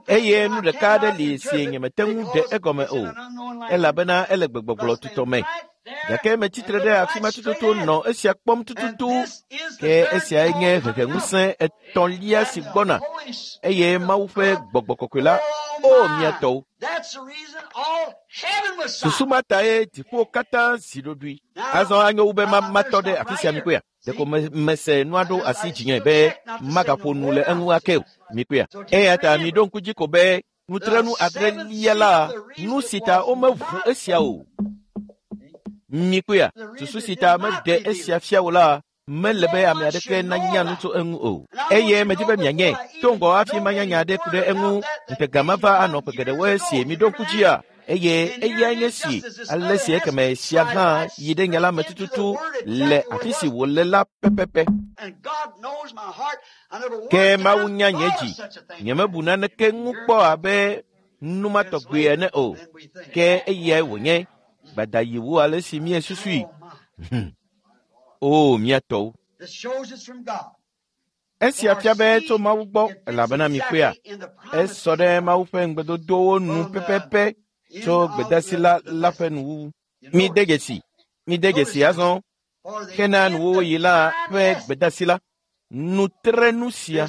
Eye nu ɖeka aɖe li si nyemete ŋu ɖe egɔme o, elabena ele gbegbɔgblɔ tutɔ me. Gake metsitre ɖe afi ma tututu nɔ esia kpɔm tututu. Ke esiae nye heheŋusẽ etɔ̃lia si gbɔna eye Mawu ƒe gbɔgbɔ kɔkɔe la, o mia tɔwo. Susu ma tae dziƒo katã zi ɖoɖoe. Azɔ anyo wu be matɔ ɖe afi sia mikpɔea? Ɖeko mese nua ɖo asi dzinye be magaƒo nu le eŋu ake o. Mikpɔea? Eya ta miɖo ŋku dzi ko be nutrenu adrelia la, nu si ta womeʋu esia o. Mikpɔea? Susu si ta meɖe esia fia o la, mele be ame aɖeke nanya nu tso eŋu o. Eye medi be mianye to ŋgɔ hafi manya nya aɖe ku ɖe eŋu. Ŋutega ma va anɔ ƒe geɖewo esi miɖo ŋku dzia. Eye eyae nye si ale si ekeme sia hã yi ɖe nya la me tututu le afi si wòle la pɛpɛpɛ. Ke Mawu nya nye dzi. Nyemebu naneke ŋu kpɔ abe nu ma tɔgbi ene o. Ke eyae wònye. Gbada yi wu ale si míesusui. O, mía tɔwo. Esia fia be tso Mawu gbɔ elabena mikpɔea, esɔ ɖe Mawu ƒe ŋugbedodowo nu pɛpɛpɛ tso gbedasi la la ƒe nuwuwu. Mide dzesi, mide dzesi azɔ hena nuwuwuɣi la ƒe gbedasi la. Nutrenu sia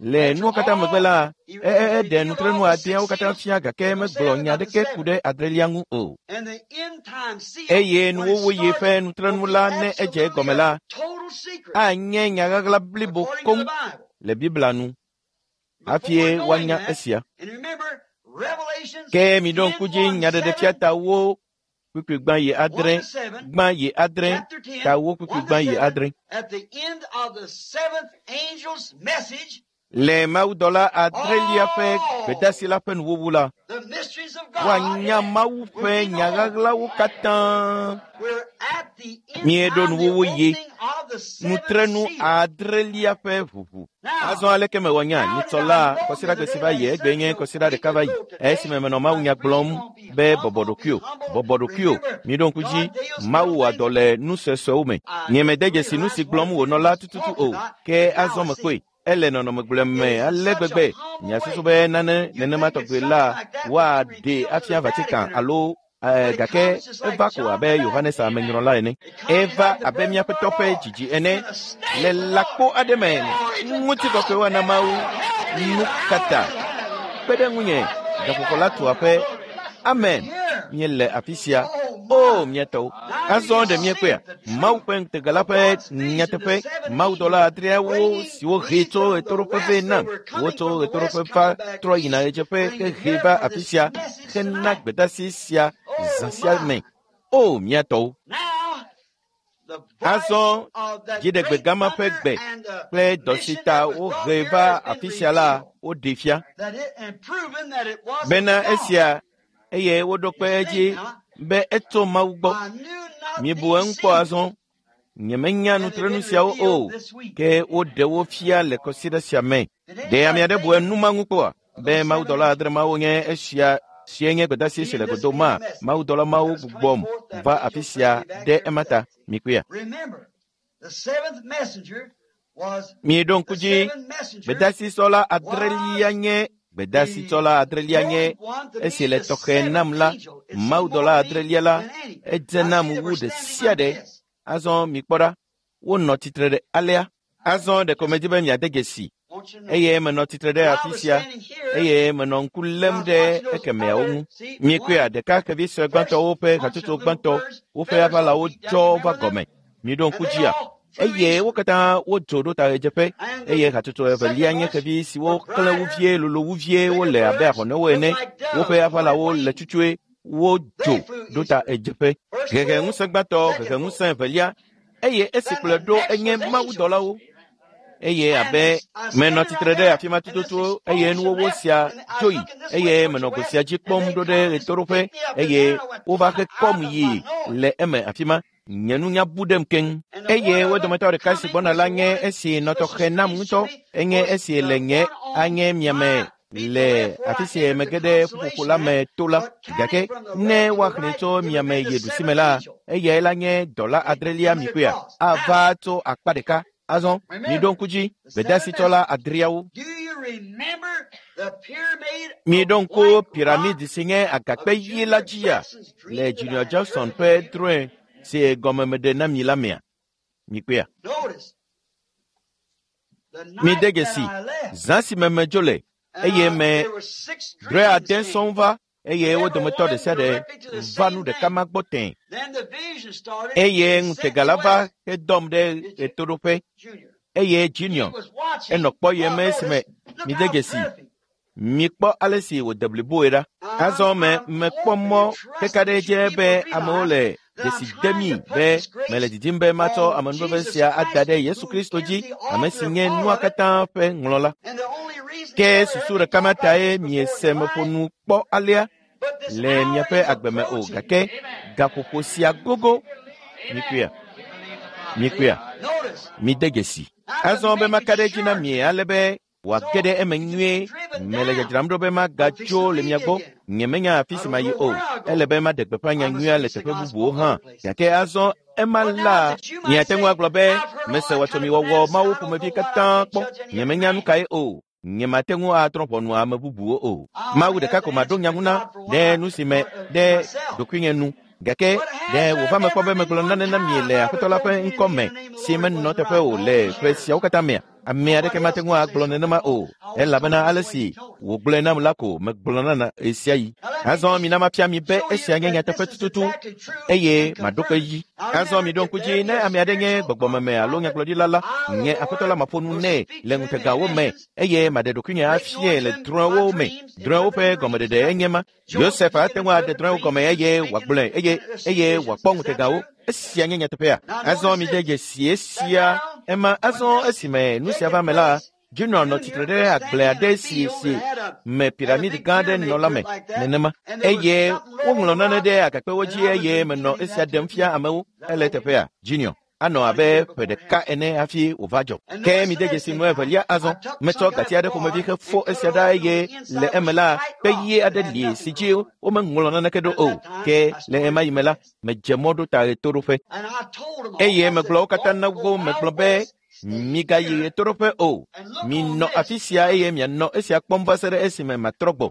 le nuwo katã megbe la, eɖe nutrenu adeawo katã fia gake megblɔ nya aɖeke ku ɖe adrelia ŋu o. Eye nuwuwuɣi ƒe nutrenu la ne edze egɔme la, anye nya ɣaɣla blibo koŋ le Biblia nu hafi woanya esia. Ke miɖo ŋku dzi nyaɖeɖefia tawo kpukpui gbã yi adre, gbã yi adre, tawo kpukpui gbã yi adre. Le mawudɔla adrelia ƒe gbedasi la ƒe nuwuwu la, woanya Mawu ƒe nya ɣaɣlawo katã. Míeɖo nuwuwu yi nutrenu adrelia ƒe ʋuʋu. Azɔ aleke mewɔ nya nyitsɔ la kɔsiɖagbe si va yi egbe nye kɔsiɖa ɖeka va yi esime menɔ Mawu nya gblɔm be bɔbɔ ɖokuiwò, bɔbɔ ɖokuiwò. Miɖo ŋku dzi, Mawu wɔ dɔ le nu suesuewo me. Nyemede dzesi nu si gblɔm wònɔ la tututu o, ke azɔ mekpɔe. Ele nɔnɔme gblẽ me ale gbegbe. Miasusu be nane nenema tɔgbi la woaɖe afia Vatican alo gake eva ko abe Yohanes Amenyrɔla ene. Eva abe míaƒe tɔ ƒe dzidzi ene le lãkpo aɖe me. Ŋutikɔkɔe woana Mawu. Nu katã kpe ɖe ŋunye gaƒoƒo la tu aƒe. Amen. Míele afi sia. O, mía tɔwo. Azɔ ɖe míekpɔea? Mawu ƒe ŋutega la ƒe nyateƒe. Mawudɔla adreawo siwo hee tso ɣetoɖoƒe vɛ nam. Wotso ɣetoɖoƒe va trɔ yina ɣedzeƒe hehe va afi sia hena gbedasi sia zã sia me. O, mía tɔwo. Azɔ dziɖegbe gama ƒe gbe kple dɔ si ta wohe va afi sia la woɖee fia bena esia eye woɖo kpe edzi be etso Mawu gbɔ. Mibu eŋu kpɔ azɔ. Nyemenya nutrenu siawo o, ke woɖe wo fia le kɔsiɖa sia me. Ɖe ame aɖe bu enu ma ŋu kpɔa? Be mawudɔla adre mawo nye esia sie nye gbedasi si le godo ma. Mawudɔla mawo gbugbɔm va afi sia ɖe ema ta. Mikpɔea? Miɖo ŋku dzi, gbedasisɔla adrelia nye gbedasitsɔla adrelia nye esi le tɔxɛ nam la. Mawudɔla adrelia la edze nam wu ɖe sia ɖe. Azɔ mikpɔ ɖa, wonɔ tsitre ɖe alea. Azɔ ɖeko medi be miade dzesi eye menɔ tsitre ɖe afi sia eye menɔ ŋku lém ɖe ekemeawo ŋu. Mikpɔea, ɖeka xevi sue gbãtɔwo ƒe hatsotso gbãtɔ woƒe aʋalawo dzɔ va gɔme. Miɖo ŋku dzia? Eye wo katã wodzo ɖo ta ɣedzeƒe eye hatsotso evelia nye xevi siwo klẽ wu vie, lolo wu vie, wole abe ahɔnewo ene. Woƒe aʋalawo le tsutsue, wodzo ɖo ta ɣedzeƒe. Hehe ŋusẽ gbãtɔ, hehe ŋusẽ evelia eye esi kplɔe ɖo enye mawudɔlawo. Eye abe menɔ tsitre ɖe afi ma tututu eye nuwɔwɔ sia dzo yi eye menɔ go sia dzi kpɔm ɖo ɖe ɣetoɖoƒe eye wova he kɔm yi le eme afi ma. Nye nunya bu ɖem keŋ. Eye wo dometɔ ɖeka si gbɔna la nye esi nɔ tɔxɛ nam ŋutɔ. Enye esi le nye anye miame le afi si mege ɖe ƒuƒoƒo la me to la. Gake ne woaxlẽe tso miame yi ɖusime la, eyae la nye dɔla adrelia mikpɔea? Ava tso akpa ɖeka. Azɔ miɖo ŋku dzi gbedasitsɔla adreawo. Miɖo ŋku piramidi si nye agakpe ɣi la dzia le Junior Jackson ƒe drɔ̃e si gɔme meɖe na mi la mea? Mikpɔea? Mide dzesi zã si me medzo le eye me drɔ̃e ade sɔŋ va eye wo dometɔ ɖe sia ɖe va nu ɖeka ma gbɔ tẽ. Eye ŋutega la va hedɔm ɖe ɣetoɖoƒe eye Junior enɔ kpɔyem esime mide dzesi. Mikpɔ ale si wòde bliboe ɖa. Azɔ me mekpɔ mɔ keka ɖe edzi be amewo le dzesi demi be mele didim be matsɔ amenuveve sia ada ɖe Yesu Kristo dzi, ame si nye nua katã ƒe ŋlɔla. Ke susu ɖeka ma tae miese meƒo nu kpɔ alea le miaƒe agbe me o, gake gaƒoƒo sia gogo. Mikpɔea? Mikpɔea? Mide dzesi. Azɔ be maka ɖe edzi na mi ale be wòage ɖe eme nyuie. Mele dzadzram ɖo be magatso le mia gbɔ. Nyemenya afi si mayi o. Ele be maɖe gbeƒã nya nyuia le teƒe bubuwo hã. Gake azɔ ema la, miate ŋu agblɔ be mese wɔtsɔmiwɔwɔ mawo ƒomevi katã kpɔ. Nyemenya nu kae o. Nyemate ŋu atrɔ ʋɔnu ame bubuwo o. Mawu ɖeka ko maɖo nya ŋu na ɖe nu si me ɖe ɖokuinye nu. Gake ɖe wòva me kpɔ be megblɔ nane na mi le Aƒetɔ la ƒe ŋkɔ me si menɔ teƒe o le ƒe siawo katã mea? Ame aɖeke mate ŋu agblɔ nenema o, elabena ale si wògblɔe nam la ko megblɔna na ɣe sia ɣi. Azɔ mina mafia mi be esia nye nyateƒe tututu eye maɖo kpe edzi. Azɔ miɖo ŋku dzi ne ame aɖe nye gbɔgbɔmeme alo nyagblɔɖila la, nye Aƒetɔ la maƒo nu nɛ le ŋutegawo me eye maɖe ɖokuinye afiae le drɔ̃ewo me. Drɔ̃ewo ƒe gɔmeɖeɖe enye ma. Yosef ate ŋu aɖe drɔ̃ewo gɔme eye wòagblɔe eye eye wòakpɔ ŋutegawo. Esia nye nyateƒea. Azɔ mide dzesi esia ema azɔ esime nu sia va me la, Junior nɔ tsitre ɖe agble aɖe si si me piramidi gã aɖe nɔ la me nenema eye woŋlɔ nane ɖe agakpewo dzi eye menɔ esia ɖem fia amewo. Ele teƒea, Junior. Anɔ abe ƒe ɖeka ene hafi wòva dzɔ. Ke mide dzesi nu evelia azɔ. Metsɔ gati aɖe ƒomevi hefo esia ɖa eye le eme la, kpe ɣi aɖe li si dzi womeŋlɔ naneke ɖo o. Ke le ema yi me la, medze mɔ ɖo ta ɣetoɖoƒe. Eye megblɔ wo katã na wo megblɔ be migayi ɣetoɖoƒe o. Minɔ afi sia eye mianɔ esia kpɔm va se ɖe esime matrɔ gbɔ.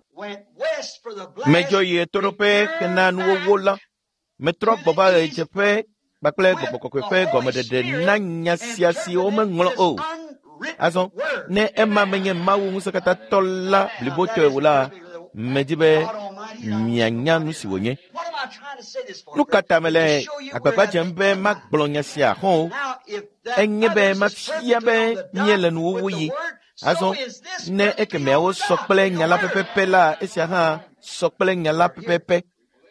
Medzo yi ɣetoɖoƒe hena nuwɔwɔ la. Metrɔ gbɔ va ɣedzeƒe kpakple gbɔgbɔ kɔkɔe ƒe gɔmeɖeɖe na nya sia si womeŋlɔ o. Azɔ ne ema menye Mawu ŋusẽkatãtɔ la blibotɔe o la, medi be mianya nu si wònye. Nu ka ta mele agbagba dzem be magblɔ nya sia hã o? Enye be mafia be míele nuwuwu yi. Azɔ ne ekemeawo sɔ kple nya la pɛpɛpɛ la, esia hã sɔ kple nya la pɛpɛpɛ.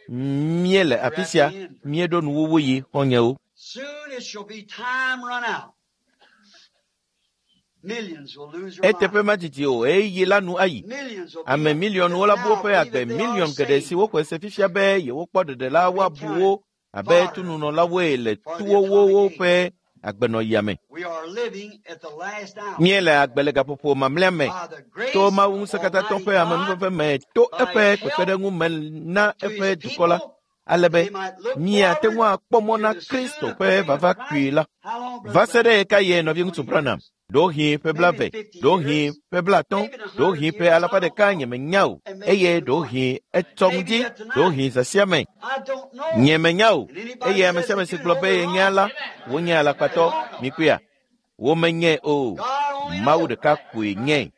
Míele afi sia, míeɖo nuwuwu yi xɔ̃nyewo. Eteƒe madidi o, ɣeyiɣi la nu ayi. Ame miliɔnwo la bu woƒe agbe miliɔn geɖe si woxɔe se fifia be yewokpɔ ɖeɖe la woabu wo abe tununɔlawoe le tuwowo ƒe agbenɔɣia me. Míele agbe le gaƒoƒo mamlɛa me to Mawu ŋusẽkatãtɔ ƒe amenuveve me to eƒe kpekpeɖeŋu me na eƒe dukɔ la, ale be míate ŋu akpɔ mɔ na Kristo ƒe vava kpuie la. Va se ɖe ɣekaɣie nɔviŋutsu Branham? Ɖewohĩ ƒe blaeve, ɖewohĩ ƒe blaatɔ̃, ɖewohĩ ƒe alafa ɖeka nyemenya o, eye ɖewohĩ etsɔ ŋdi, ɖewohĩ zã sia me. Nyemenya o, eye ame sia ame si gblɔ be yenya la, wonye alakpatɔ. Mikpɔea? Womenyae o. Mawu ɖeka koe nyae.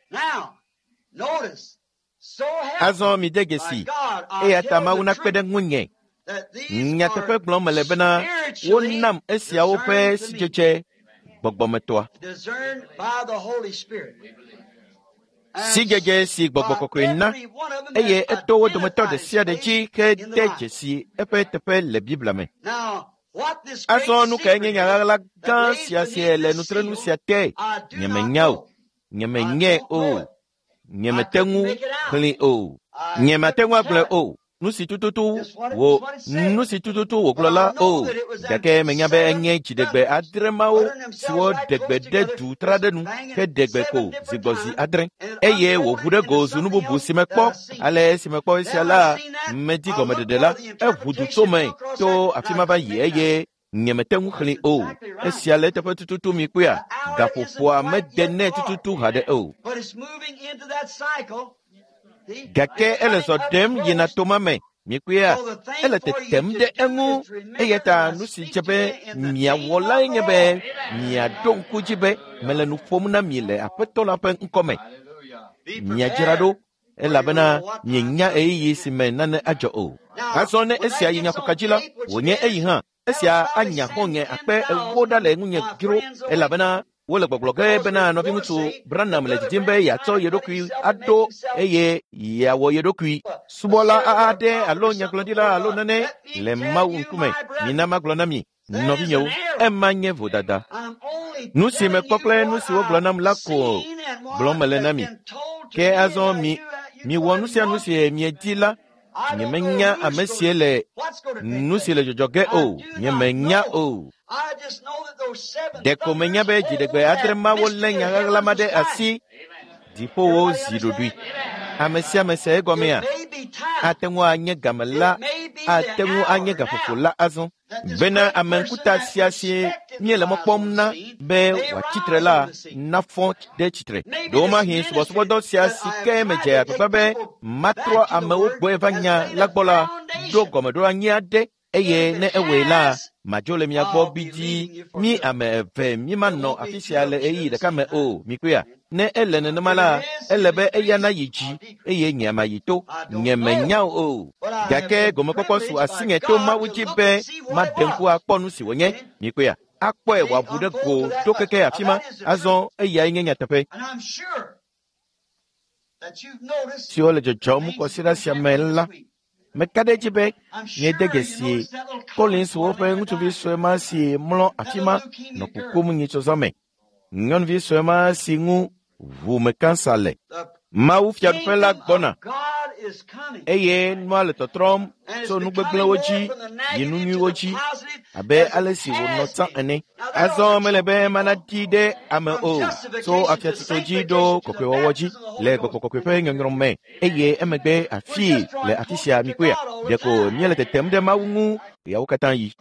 Azɔ mide dzesi, eya ta Mawu nakpe ɖe ŋunye. Nyateƒe gblɔm mele bena wonam esiawo ƒe sidzedze gbɔgbɔmetɔa. Sidzedze si gbɔgbɔ kɔkɔe na eye eto wo dometɔ ɖe sia ɖe dzi hede dzesi eƒe teƒe le Biblia me. Azɔ nu kae nye nya ɣaɣla gã sia si le nutrenu sia te? Nyemenya o. Nyemenyae o. Nyemete ŋu xlẽe o. Nyemate ŋu agblɔe o. Nu si tututu wò nu si tututu wògblɔ la o. Gake menya be enye dziɖegbe adre mawo siwo ɖe gbe ɖe du tra ɖe nu heɖe gbe ko zi gbɔ zi adre eye wòʋu ɖe go zu nu bubu si mekpɔ. Ale esi mekpɔ esia la, medi gɔmeɖeɖe la, eʋu du tso me to afi ma va yi eye nyemete ŋu xlẽe o. Esia le eteƒe tututu mi kpɔea, gaƒoƒoa mede nɛ tututu haɖe o. Gake ele zɔ ɖem yina toma me. Mikpɔea, ele tetem ɖe eŋu. Eya ta nu si dze be miawɔ lae nye be miaɖo ŋku dzi be mele nu ƒom na mi le Aƒetɔ la ƒe ŋkɔme. Miadzra ɖo Elabena mienya ɣeyiɣi si me nane adzɔ o. Azɔ ne esia yi nyaƒoka dzi la, wònye eyi hã. Esia anya xɔ̃nye akpe ewo ɖa le ŋunye dzro elabena wole gbɔgblɔ ge bena nɔviŋutsu Branham le didim be yeatsɔ ye ɖokui aɖo eye yeawɔ ye ɖokui subɔla aɖe alo nyagblɔɖila alo nane le Mawu ŋkume. Mina magblɔ na mi, nɔvinyewo, ema nye vodada. Nu si mekpɔ kple nu si wogblɔ nam la ko gblɔm mele na mi. Ke azɔ mi miwɔ nu sia nu si miedi la, nyemenya ame sie le nu si le dzɔdzɔ ge o. Nyemenya o. Ɖeko menya be dziɖegbe adre mawo lé nya ɣaɣla ma ɖe asi dziƒowo zi ɖoɖoe. Ame sia ame se egɔmea? Ate ŋu anye game la, ate ŋu anye gaƒoƒo la azɔ. Bena ame ŋkuta sia si míele mɔ kpɔm na be wòatsi tre la nafɔ ɖe tsitre. Ɖewomahi subɔsubɔdɔ sia si ke medze agbagba be matrɔ amewo gbɔe va nya la gbɔ la ɖo gɔmeɖoanyi aɖe eye ne ewɔe la, madzo le mia gbɔ gbidii. Mi ame eve mímanɔ afi sia le ɣeyiɣi ɖeka me o. Mikpɔea? Ne ele nenema la, ele be eya nayi dzi eye nye mayi to. Nye menya o. Gake gomekpɔkpɔ su asinye to Mawu dzi be maɖe ŋku akpɔ nu si wònye. Mikpɔea? Akpɔe wòaʋu ɖe go to keke afi ma. Azɔ eyae nye nyateƒe. Siwo le dzɔdzɔm kɔsiɖa sia me la, meka ɖe edzi be miede dzesi Collins woƒe ŋutsuvi sue ma si mlɔ afi ma nɔ kukum nyitsɔzɔ me. Nyɔnuvi sue ma si ŋu ʋumekansa le. Mawu fiaɖuƒe la gbɔna eye nua le tɔtrɔm tso nu gbegblẽwo dzi yi nu nyuiwo dzi abe ale si wònɔ tsã ene. Azɔ mele be mana ɖi ɖe ame o tso afiatsotso dzi ɖo kɔkɔewɔwɔ dzi le gbɔgbɔ kɔkɔe ƒe nyɔnyrɔ me eye emegbe afii le afi sia mikpɔea. Ɖeko míele tetem ɖe Mawu ŋu ɣeawo katã yi.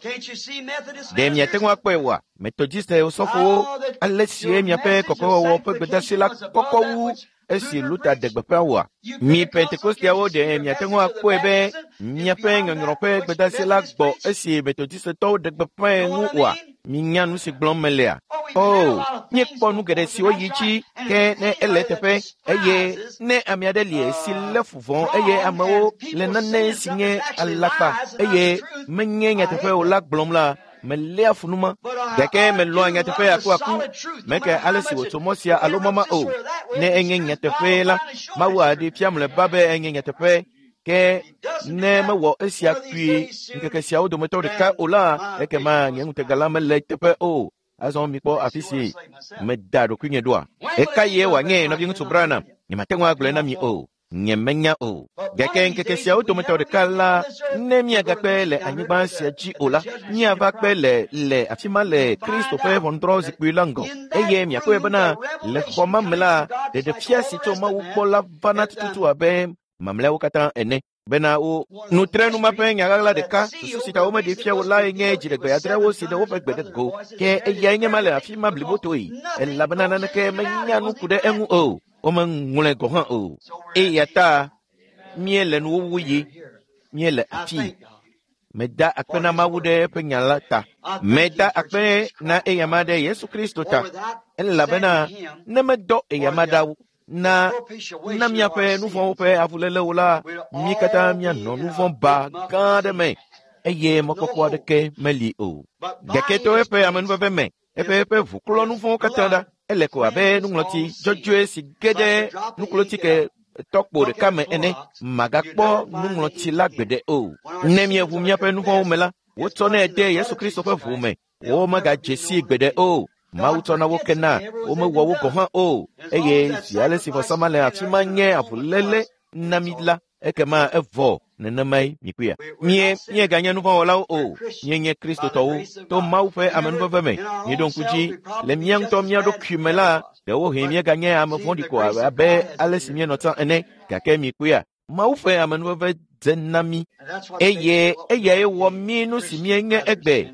Ɖe miate ŋu akpɔe oa? Metodiste sɔfowo, ale sie miaƒe kɔkɔewɔwɔ ƒe gbedeasi la kɔkɔ wu esi Luther ɖe gbeƒã oa? Mi Pentekosteawo ɖe miate ŋu akpɔe be miaƒe nyɔnyrɔ ƒe gbedeasi la gbɔ esi Metodistetɔwo ɖe gbeƒãe ŋu oa? Minya nu si gblɔm melea? O, míekpɔ nu geɖe siwo yi dzi ke ne ele eteƒe eye ne ame aɖe li si lé fu vɔ̃ eye amewo le nane si nye alakpa eye menye nyateƒe o la gblɔm la, meléa fu nu ma. Gake melɔ̃a nyateƒe akuaku. Meke ale si wòtso mɔ sia alo mɔ ma o. Ne enye nyateƒe la, Mawu aɖee fia mlɔeba be enye nyateƒe. Ke ne mewɔ esia kpuie ŋkeke siawo dometɔ ɖeka o la, ekema nye ŋutega la mele eteƒe o. Azɔ mikpɔ afi si meda ɖokuinye ɖoa. Ɣeka ye wòanye nɔviŋutsu Branham? Nyemate ŋu agblɔe na mi o. Nye menya o. Gake ŋkeke siawo dometɔ ɖeka la, ne míagakpe le anyigba sia dzi o la, míava kpe le le afi ma le Kristo ƒe ʋɔnudrɔ̃zikpui la ŋgɔ. Eye miakpɔe bena le xɔ ma me la, ɖeɖefia si tso Mawu gbɔ la vana tututu abe mamlɛawo katã ene. Bena wo nutrenu ma ƒe nya ɣaɣla ɖeka susu si ta womeɖe fia wo lae nye dziɖegbe adreawo si ɖe woƒe gbe ɖe go. Ke eyae nye ma le afi ma blibotoe elabena naneke menya nu ku ɖe eŋu o. Womeŋlɔe gɔ̃ hã o. Eya ta míele nuwuwu yi, míele afii. Meda akpe na Mawu ɖe eƒe nya la ta. Meda akpe na eyama ɖe Yesu Kristo ta. Elabena ne medɔ eyama ɖa na na míaƒe nu vɔ̃wo ƒe avulélewo la, mí katã míanɔ nu vɔ̃ ba gã aɖe me eye mɔkpɔkpɔ aɖeke meli o. Gake to eƒe amenuveve me, eƒe eƒe ʋu klɔ nu vɔ̃wo katã ɖa. Ele ko abe nuŋlɔti dzɔdzɔe si ge ɖe nuklotike tɔkpo ɖeka me ene. Magakpɔ nuŋlɔti la gbeɖe o. Ne míeʋu míaƒe nu vɔ̃wo me la, wotsɔnɛ de Yesu Kristo ƒe ʋu me. Womegadze sii gbeɖe o. Mawu tsɔna wo kena, womewɔ wo gɔ̃ hã o. Eye zi ale si vɔsama le afi ma nye avuléle na mi la, ekema evɔ nenemae mikpɔea. Mie míeganye nu vɔ̃wɔlawo o. Míenye Kristotɔwo to Mawu ƒe amenuveve me. Míeɖo ŋku dzi le mía ŋutɔ mía ɖokui me la, ɖewohĩ míeganye ame vɔ̃ɖi ko abe ale si míenɔ tsã ene. Gake mikpɔea, Mawu ƒe amenuveve dze na mí eye eyae wɔ mí nu si míenye egbe.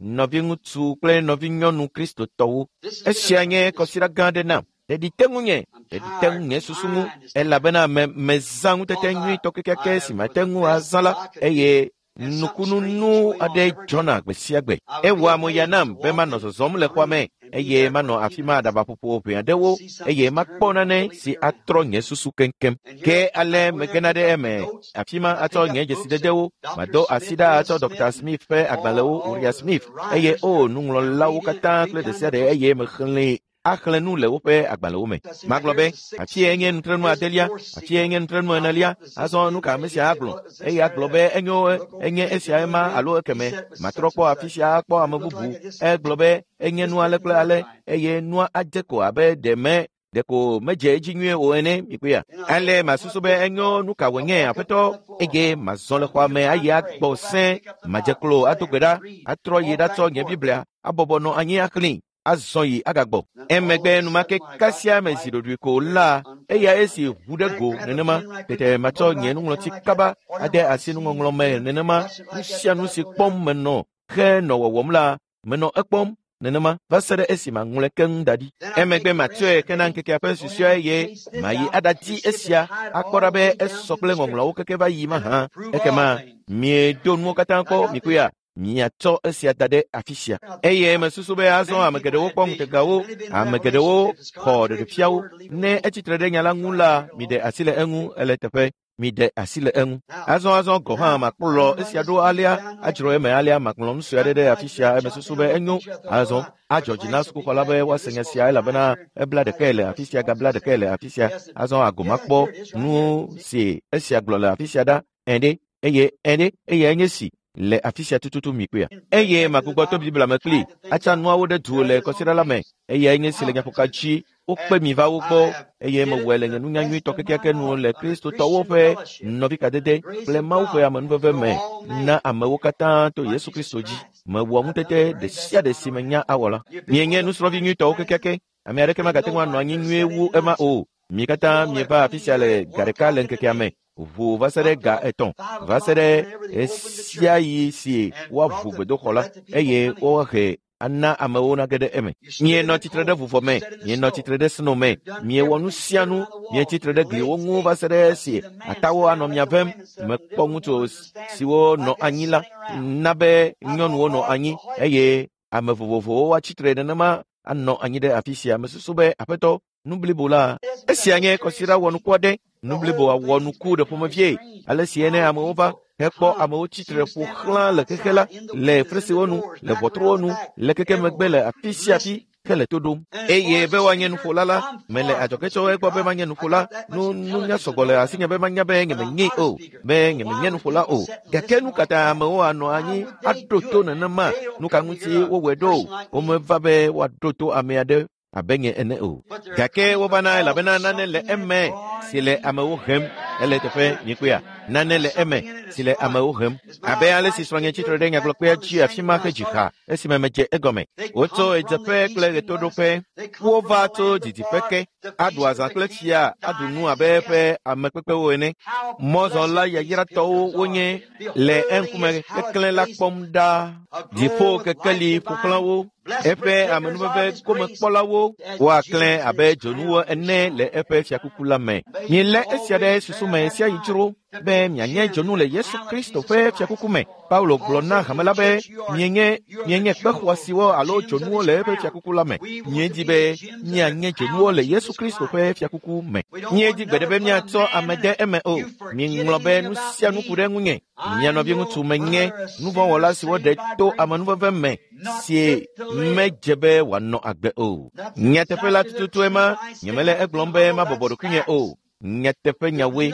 Nɔviŋutsu kple nɔvinyɔnu Kristotɔwo. Esia nye kɔsiɖa gã aɖe nam. Ɖeɖi te ŋunye, ɖeɖi te ŋu nye susu ŋu elabena me mezã ŋutete nyuitɔ kekeake si mate ŋu azã la eye Nukununu aɖe dzɔna gbe sia gbe. Ewɔa mo ya nam be manɔ zɔzɔm le xɔa me eye manɔ afi ma aɖabaƒoƒo ʋɛ aɖewo eye makpɔ nane si atrɔ nye susu keŋkeŋ. Ke ale megena ɖe eme afi ma atsɔ nye dzesidedewo, mado asi ɖa atsɔ Dr. Smith ƒe agbalẽwo, Uriah Smith, eye o nuŋlɔlawo katã kple ɖe sia ɖe eye mexlẽe axlẽ nu le woƒe agbalẽwo me. Magblɔ be, afie nye nutrenu adelia, afie nye nutrenu enelia, azɔ nu ka ame sia agblɔ? Eye agblɔ be enyo enye esia ema alo ekeme. Matrɔ kpɔ afi sia akpɔ ame bubu. Egblɔ be enye nu ale kple ale eye nua adze ko abe ɖe me ɖeko medze edzi nyuie o ene mikpɔea. Ale masusu be enyo nu ka wònye aƒetɔ eye mazɔ le xɔa me ayi agbɔ sẽ, madze klo ado gbe ɖa, atrɔ yi ɖatsɔ nye Biblia abɔbɔ nɔ anyi axlẽe. Azɔ yi agagbɔ. Emegbe enumake kasia me zi ɖoɖoe ko la, eya esi ʋu ɖe go nenema, tete matsɔ nye nuŋlɔti kaba ade asi nuŋɔŋlɔ me nenema, nu sia nu si kpɔm menɔ henɔ wɔwɔm la, menɔ ekpɔm nenema va se ɖe esi maŋlɔe keŋ da ɖi. Emegbe matsɔe kena ŋkekea ƒe susɔe eye mayi aɖadi esia akpɔ ɖa be esɔ kple ŋɔŋlɔawo keke va yi mahã. Ekema miedo nuwo katã kpɔ mikpɔea. Miatsɔ esia da ɖe afi sia. Eye mesusu be azɔ ame geɖewo kpɔ ŋutegawo, ame geɖewo xɔ ɖeɖefiawo. Ne etsitre ɖe nya la ŋu la, miɖe asi le eŋu ele teƒe. Miɖe asi le eŋu. Azɔ azɔ gɔ̃ hã makplɔ esia ɖo alea, adzro eme alea, magblɔ nu sue aɖe ɖe afi sia. Eme susu be enyo. Azɔ adzɔ dzi na sukuxɔla be woase nya sia elabena ebla ɖekae le afi sia, gabla ɖekae le afi sia. Azɔ agomakpɔ nu si esia gblɔ le afi sia ɖa. Ɛ̃ eye ɛ̃ eye enye si le afi sia tututu mikpɔea. Eye magbugbɔ to Biblia me kpli atsa nuawo ɖe du le kɔsiɖa la me. Eye enye si le nyaƒoka dzi wokpe mi va wo gbɔ eye mewɔe le nye nunya nyuitɔ kekeake nu le Kristotɔwo ƒe nɔvikadede kple Mawu ƒe amenuveve me na amewo katã to Yesu Kristo dzi. Mewɔ ŋutete ɖe sia ɖe si menya awɔ la. Mienye nusrɔ̃vi nyuitɔwo kekeake. Ame aɖeke magate ŋu anɔ anyi nyuie wu ema o. Mi katã mieva afi sia le ga ɖeka le ŋkekea me. Ʋu va se ɖe ga etɔ̃, va se ɖe esia yi si woaʋu gbedoxɔ la eye woahe ana amewo nage ɖe eme. Mienɔ tsitre ɖe vuvɔ me, mienɔ tsitre ɖe sno me, miewɔ nu sia nu, mietsitre ɖe gliwo ŋu va se ɖe esi atawo anɔ mia vem. Mekpɔ ŋutsu siwo nɔ anyi la na be nyɔnuwo nɔ anyi eye ame vovovowo atsitre nenema anɔ anyi ɖe afi sia. Mesusu be aƒetɔ nu blibo la, esia nye kɔsiɖa wɔnuku aɖe. Nu blibo awɔ nuku ɖe ƒomevie ale si ene amewo va hekpɔ amewo tsitre ƒo xlã le xexe la, le fresiwo nu, le ʋɔtruwo nu, le keke megbe le afi sia afi hele to ɖom. Eye be woanye nuƒola la, mele adzɔge tso egbɔ be manye nuƒola. Nu nunya sɔgbɔ le asinye be manya be nyemenye o, be nyemenye nuƒola o. Gake nu katã amewo anɔ anyi aɖo to nenema. Nu ka ŋuti wowɔe ɖo? Womeva be woaɖo to ame aɖe abe nye ene o. Gake wovana elabena nane le eme si le amewo hem. Ele teƒe mikpɔea. Nane le eme si le amewo hem. Abe ale si srɔ̃nye tsitre ɖe nyagblɔkpea dzi afi ma hedzi ha esime medze egɔme. Wotso ɣedzeƒe kple ɣetoɖoƒe. Wova tso didiƒe ke. Aɖu azã kple fia, aɖu nu abe eƒe amekpekpewo ene. Mɔzɔla yayratɔwo wonye le eŋkume keklẽ la kpɔm ɖa. Dziƒo kekeli ƒo xlã wo. Eƒe amenuveve gomekpɔlawo woaklẽ abe dzonuwo ene le eƒe fiakuku la me. Mielé esia ɖe susu me sia yi dzro be mianye dzonu le Yesu Kristo ƒe fiakuku me. Paulo gblɔ na hame la be mienye mienye kpe xɔasiwo alo dzonuwo le eƒe fiakuku la me. Miedi be mianye dzonuwo le Yesu Kristo ƒe fiakuku me. Miedi gbeɖe be miatsɔ ame de eme o. Miŋlɔ be nu sia nu ku ɖe ŋunye. Mia nɔviŋutsu menye nuvɔ̃wɔla siwo ɖe to amenuveve me si medze be wòanɔ agbe o. Nyateƒe la tututu ema, nyemele egblɔm be mabɔbɔ ɖokuinye o. Nyateƒe nyawoe,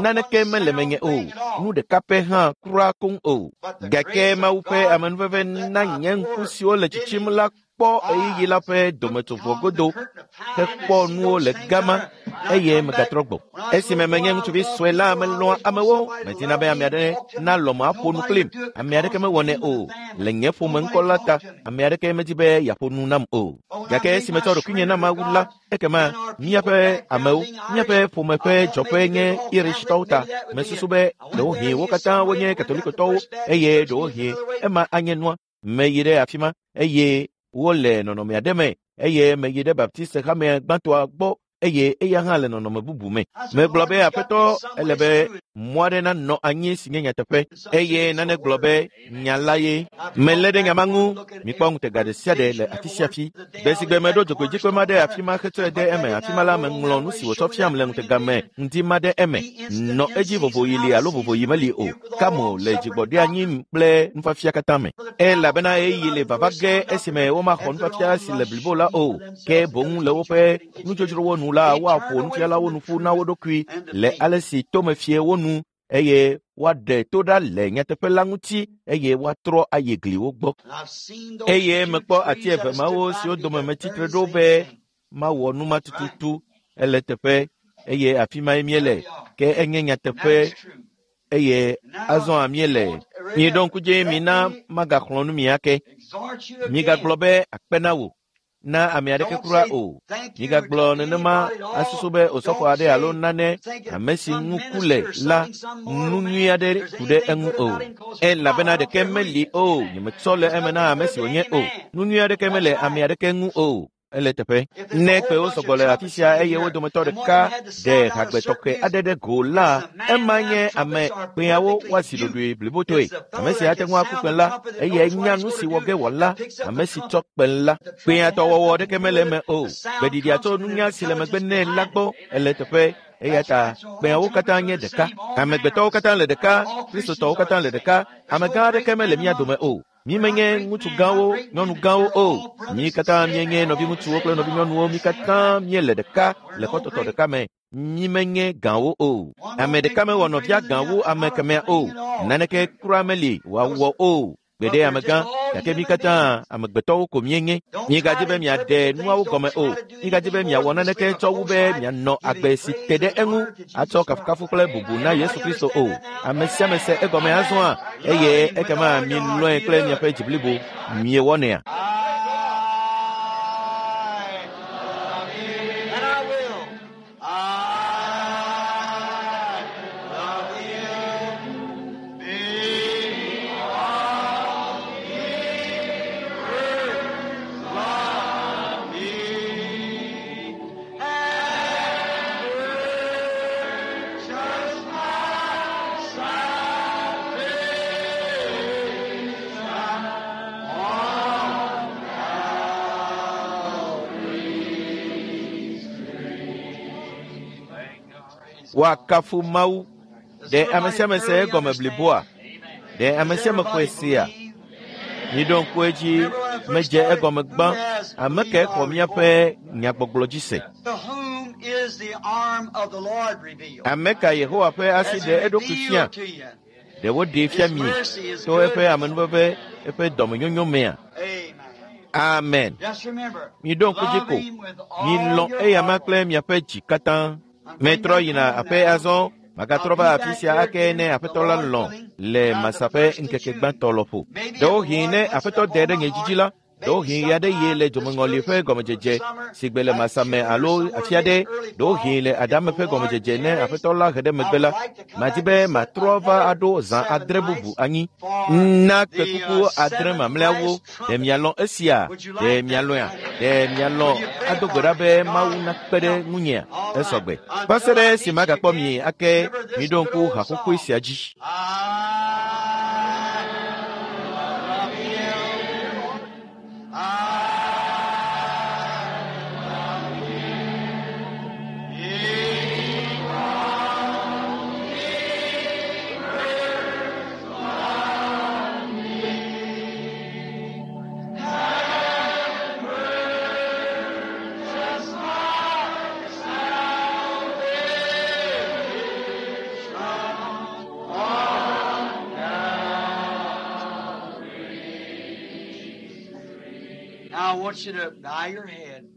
naneke mele menye o. Nu ɖeka pɛ hã kura koŋ o. Gake Mawu ƒe amenuveve na nye ŋku siwo le tsitsim la kpɔ ɣeyiɣi la ƒe dometsoʋɔ godo hekpɔ nuwo le gama eye megatrɔ gbɔ. Esime menye ŋutsuvi sue la, melɔ̃a amewo. Medina be ame aɖe nalɔ̃m aƒo nu kplim. Ame aɖeke mewɔnɛ o. Le nye ƒome ŋkɔ la ta, ame aɖeke medi be yeaƒo nu nam o. Gake esi metsɔ ɖokuinye na Mawu la, ekema míaƒe amewo, míaƒe ƒome ƒe dzɔƒe nye Irishtɔwo ta. Mesusu be ɖewohĩ wo katã wonye Katolikotɔwo eye ɖewohĩ ema anye nua. Meyi ɖe afi ma eye wole nɔnɔme aɖe me eye meyi ɖe Baptist hame gbãtɔa gbɔ eye eya hã le nɔnɔme bubu me. Megblɔ be aƒetɔ ele be mɔ aɖe nanɔ anyi si nye nyateƒe eye nane gblɔ be nya la ye. Melé ɖe nya ma ŋu. Mikpɔ ŋutega ɖe sia ɖe le afi sia afi. Gbe si gbe meɖo dzogoedzikpe ma ɖe afi ma hetsɔe de eme afi ma la meŋlɔ nu si wòtsɔ fiam le ŋutega me ŋdi ma ɖe eme. Nɔ edzi vovoɣi li alo vovoɣi meli o. Kamo le dzigbɔɖeanyi kple nufiafia katã me. Elabena ɣeyiɣi le vava ge esime womaxɔ nufiafia si le blibo la o. Ke boŋ le woƒe nudzodzrowo nu la woaƒo nufialawo nu ƒu na wo ɖokui le ale si tome fie wo nu eye woaɖe to ɖa le nyateƒe la ŋuti eye woatrɔ ayi gliwo gbɔ. Eye mekpɔ ati eve mawo siwo dome metsitre ɖo be mawɔ nu ma tututu ele teƒe eye afi mae míele ke enye nyateƒe eye azɔ míele. Miɖo ŋku dzi mina magaxlɔ̃ nu mi ake. Migagblɔ be akpe na wò na ame aɖeke kura o. Migagblɔ nenema asusu be osɔfo aɖe alo nane ame si ŋu ku le la nu nyui aɖe ku ɖe eŋu o. Elabena ɖeke meli o. Nyemetsɔ le eme na ame si wònye o. Nu nyui aɖeke mele ame aɖeke ŋu o. Ele teƒe. Ne kpewo sɔgbɔ le afi sia eye wo dometɔ ɖeka ɖe hagbe tɔxɛ aɖe ɖe go la, ema nye ame kpeawo woasi ɖoɖoe blibotɔe. Ame si ate ŋu aku kpẽ la, eye nya nu si wɔ ge wòala, ame si tsɔ kpẽ la. Kpẽa tɔ wɔwɔ ɖeke mele eme o. Gbeɖiɖia tso nunya si le megbe nɛ la gbɔ ele teƒe. Eya ta kpẽawo katã nye ɖeka. Amegbetɔwo katã le ɖeka, Kristotɔwo katã le ɖeka. Amegã aɖeke mele mía dome o. Mi menye ŋutsu gãwo, nyɔnu gãwo o. Mi katã míenye nɔviŋutsuwo kple nɔvinyɔnuwo. Mi katã míele ɖeka le kɔtɔtɔ ɖeka me. Mi menye gãwo o. Ame ɖeka mewɔ nɔvia gã wu ame kemɛa o. Naneke kura meli wòawɔ o. Gbeɖe amegã, gake mi katã amegbetɔwo ko míenye. Migadzi be miaɖe nuawo gɔme o. Migadzi be miawɔ naneke tsɔ wu be mianɔ agbe si te ɖe eŋu atsɔ kafukafu kple bubu na Yesu Kristo o. Ame sia ame se egɔme azɔa eye ekema milɔ̃e kple miaƒe dzi blibo. Miewɔnɛa? Woakafu Mawu. Ɖe ame sia ame se egɔme bliboa? Ɖe ame sia ame xɔe sea? Miɖo ŋku edzi medze egɔme gbã. Ame kae xɔ míaƒe nyagbɔgblɔ dzi se? Ame ka Yehowa ƒe asi ɖe eɖokui fia? Ɖe woɖee fia mi to eƒe amenuveve, eƒe dɔmenyonyo mea? Amen. Miɖo ŋku dzi ko. Milɔ̃ eyama kple miaƒe dzi katã. Metrɔ yina aƒe azɔ. Magatrɔ va afi sia ake ne aƒetɔ la lɔ̃ le Masa ƒe ŋkeke gbãtɔ lɔƒo. Ɖewohĩ ne aƒetɔ de ɖe nye dzidzi la, ɖewohĩ ɣe aɖe ye le dzomeŋɔli ƒe gɔmedzedze si gbe le Masa me alo afi aɖe, ɖewohĩ le Adame ƒe gɔmedzedze ne aƒetɔ la he ɖe megbe la, madi be matrɔ va aɖo zã adre bubu anyi na kpekuku adre mamlɛawo. Ɖe mialɔ̃ esia? Ɖe mialɔ̃ea? Ɖe mialɔ̃ ado gbe ɖa be Mawu nakpe ɖe ŋunyea? Esɔgbe. Va se ɖe esi magakpɔ mi ake, miɖo ŋku haxoxoe sia dzi.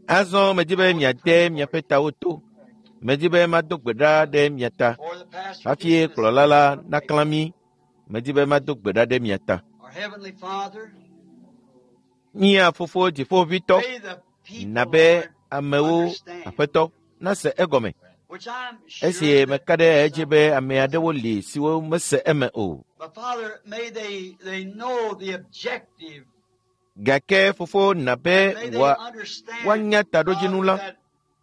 Azɔ medi be miade miaƒe tawo to. Medi be mado gbe ɖa ɖe mia ta. Hafi kplɔla la naklã mí. Medi be mado gbe ɖa ɖe mia ta. Mía fofo dziƒoʋĩtɔ, na be amewo aƒetɔ nase egɔme. Esi meka ɖe edzi be ame aɖewo li siwo mese eme o. Gake fofo na be woanya taɖodzinu la,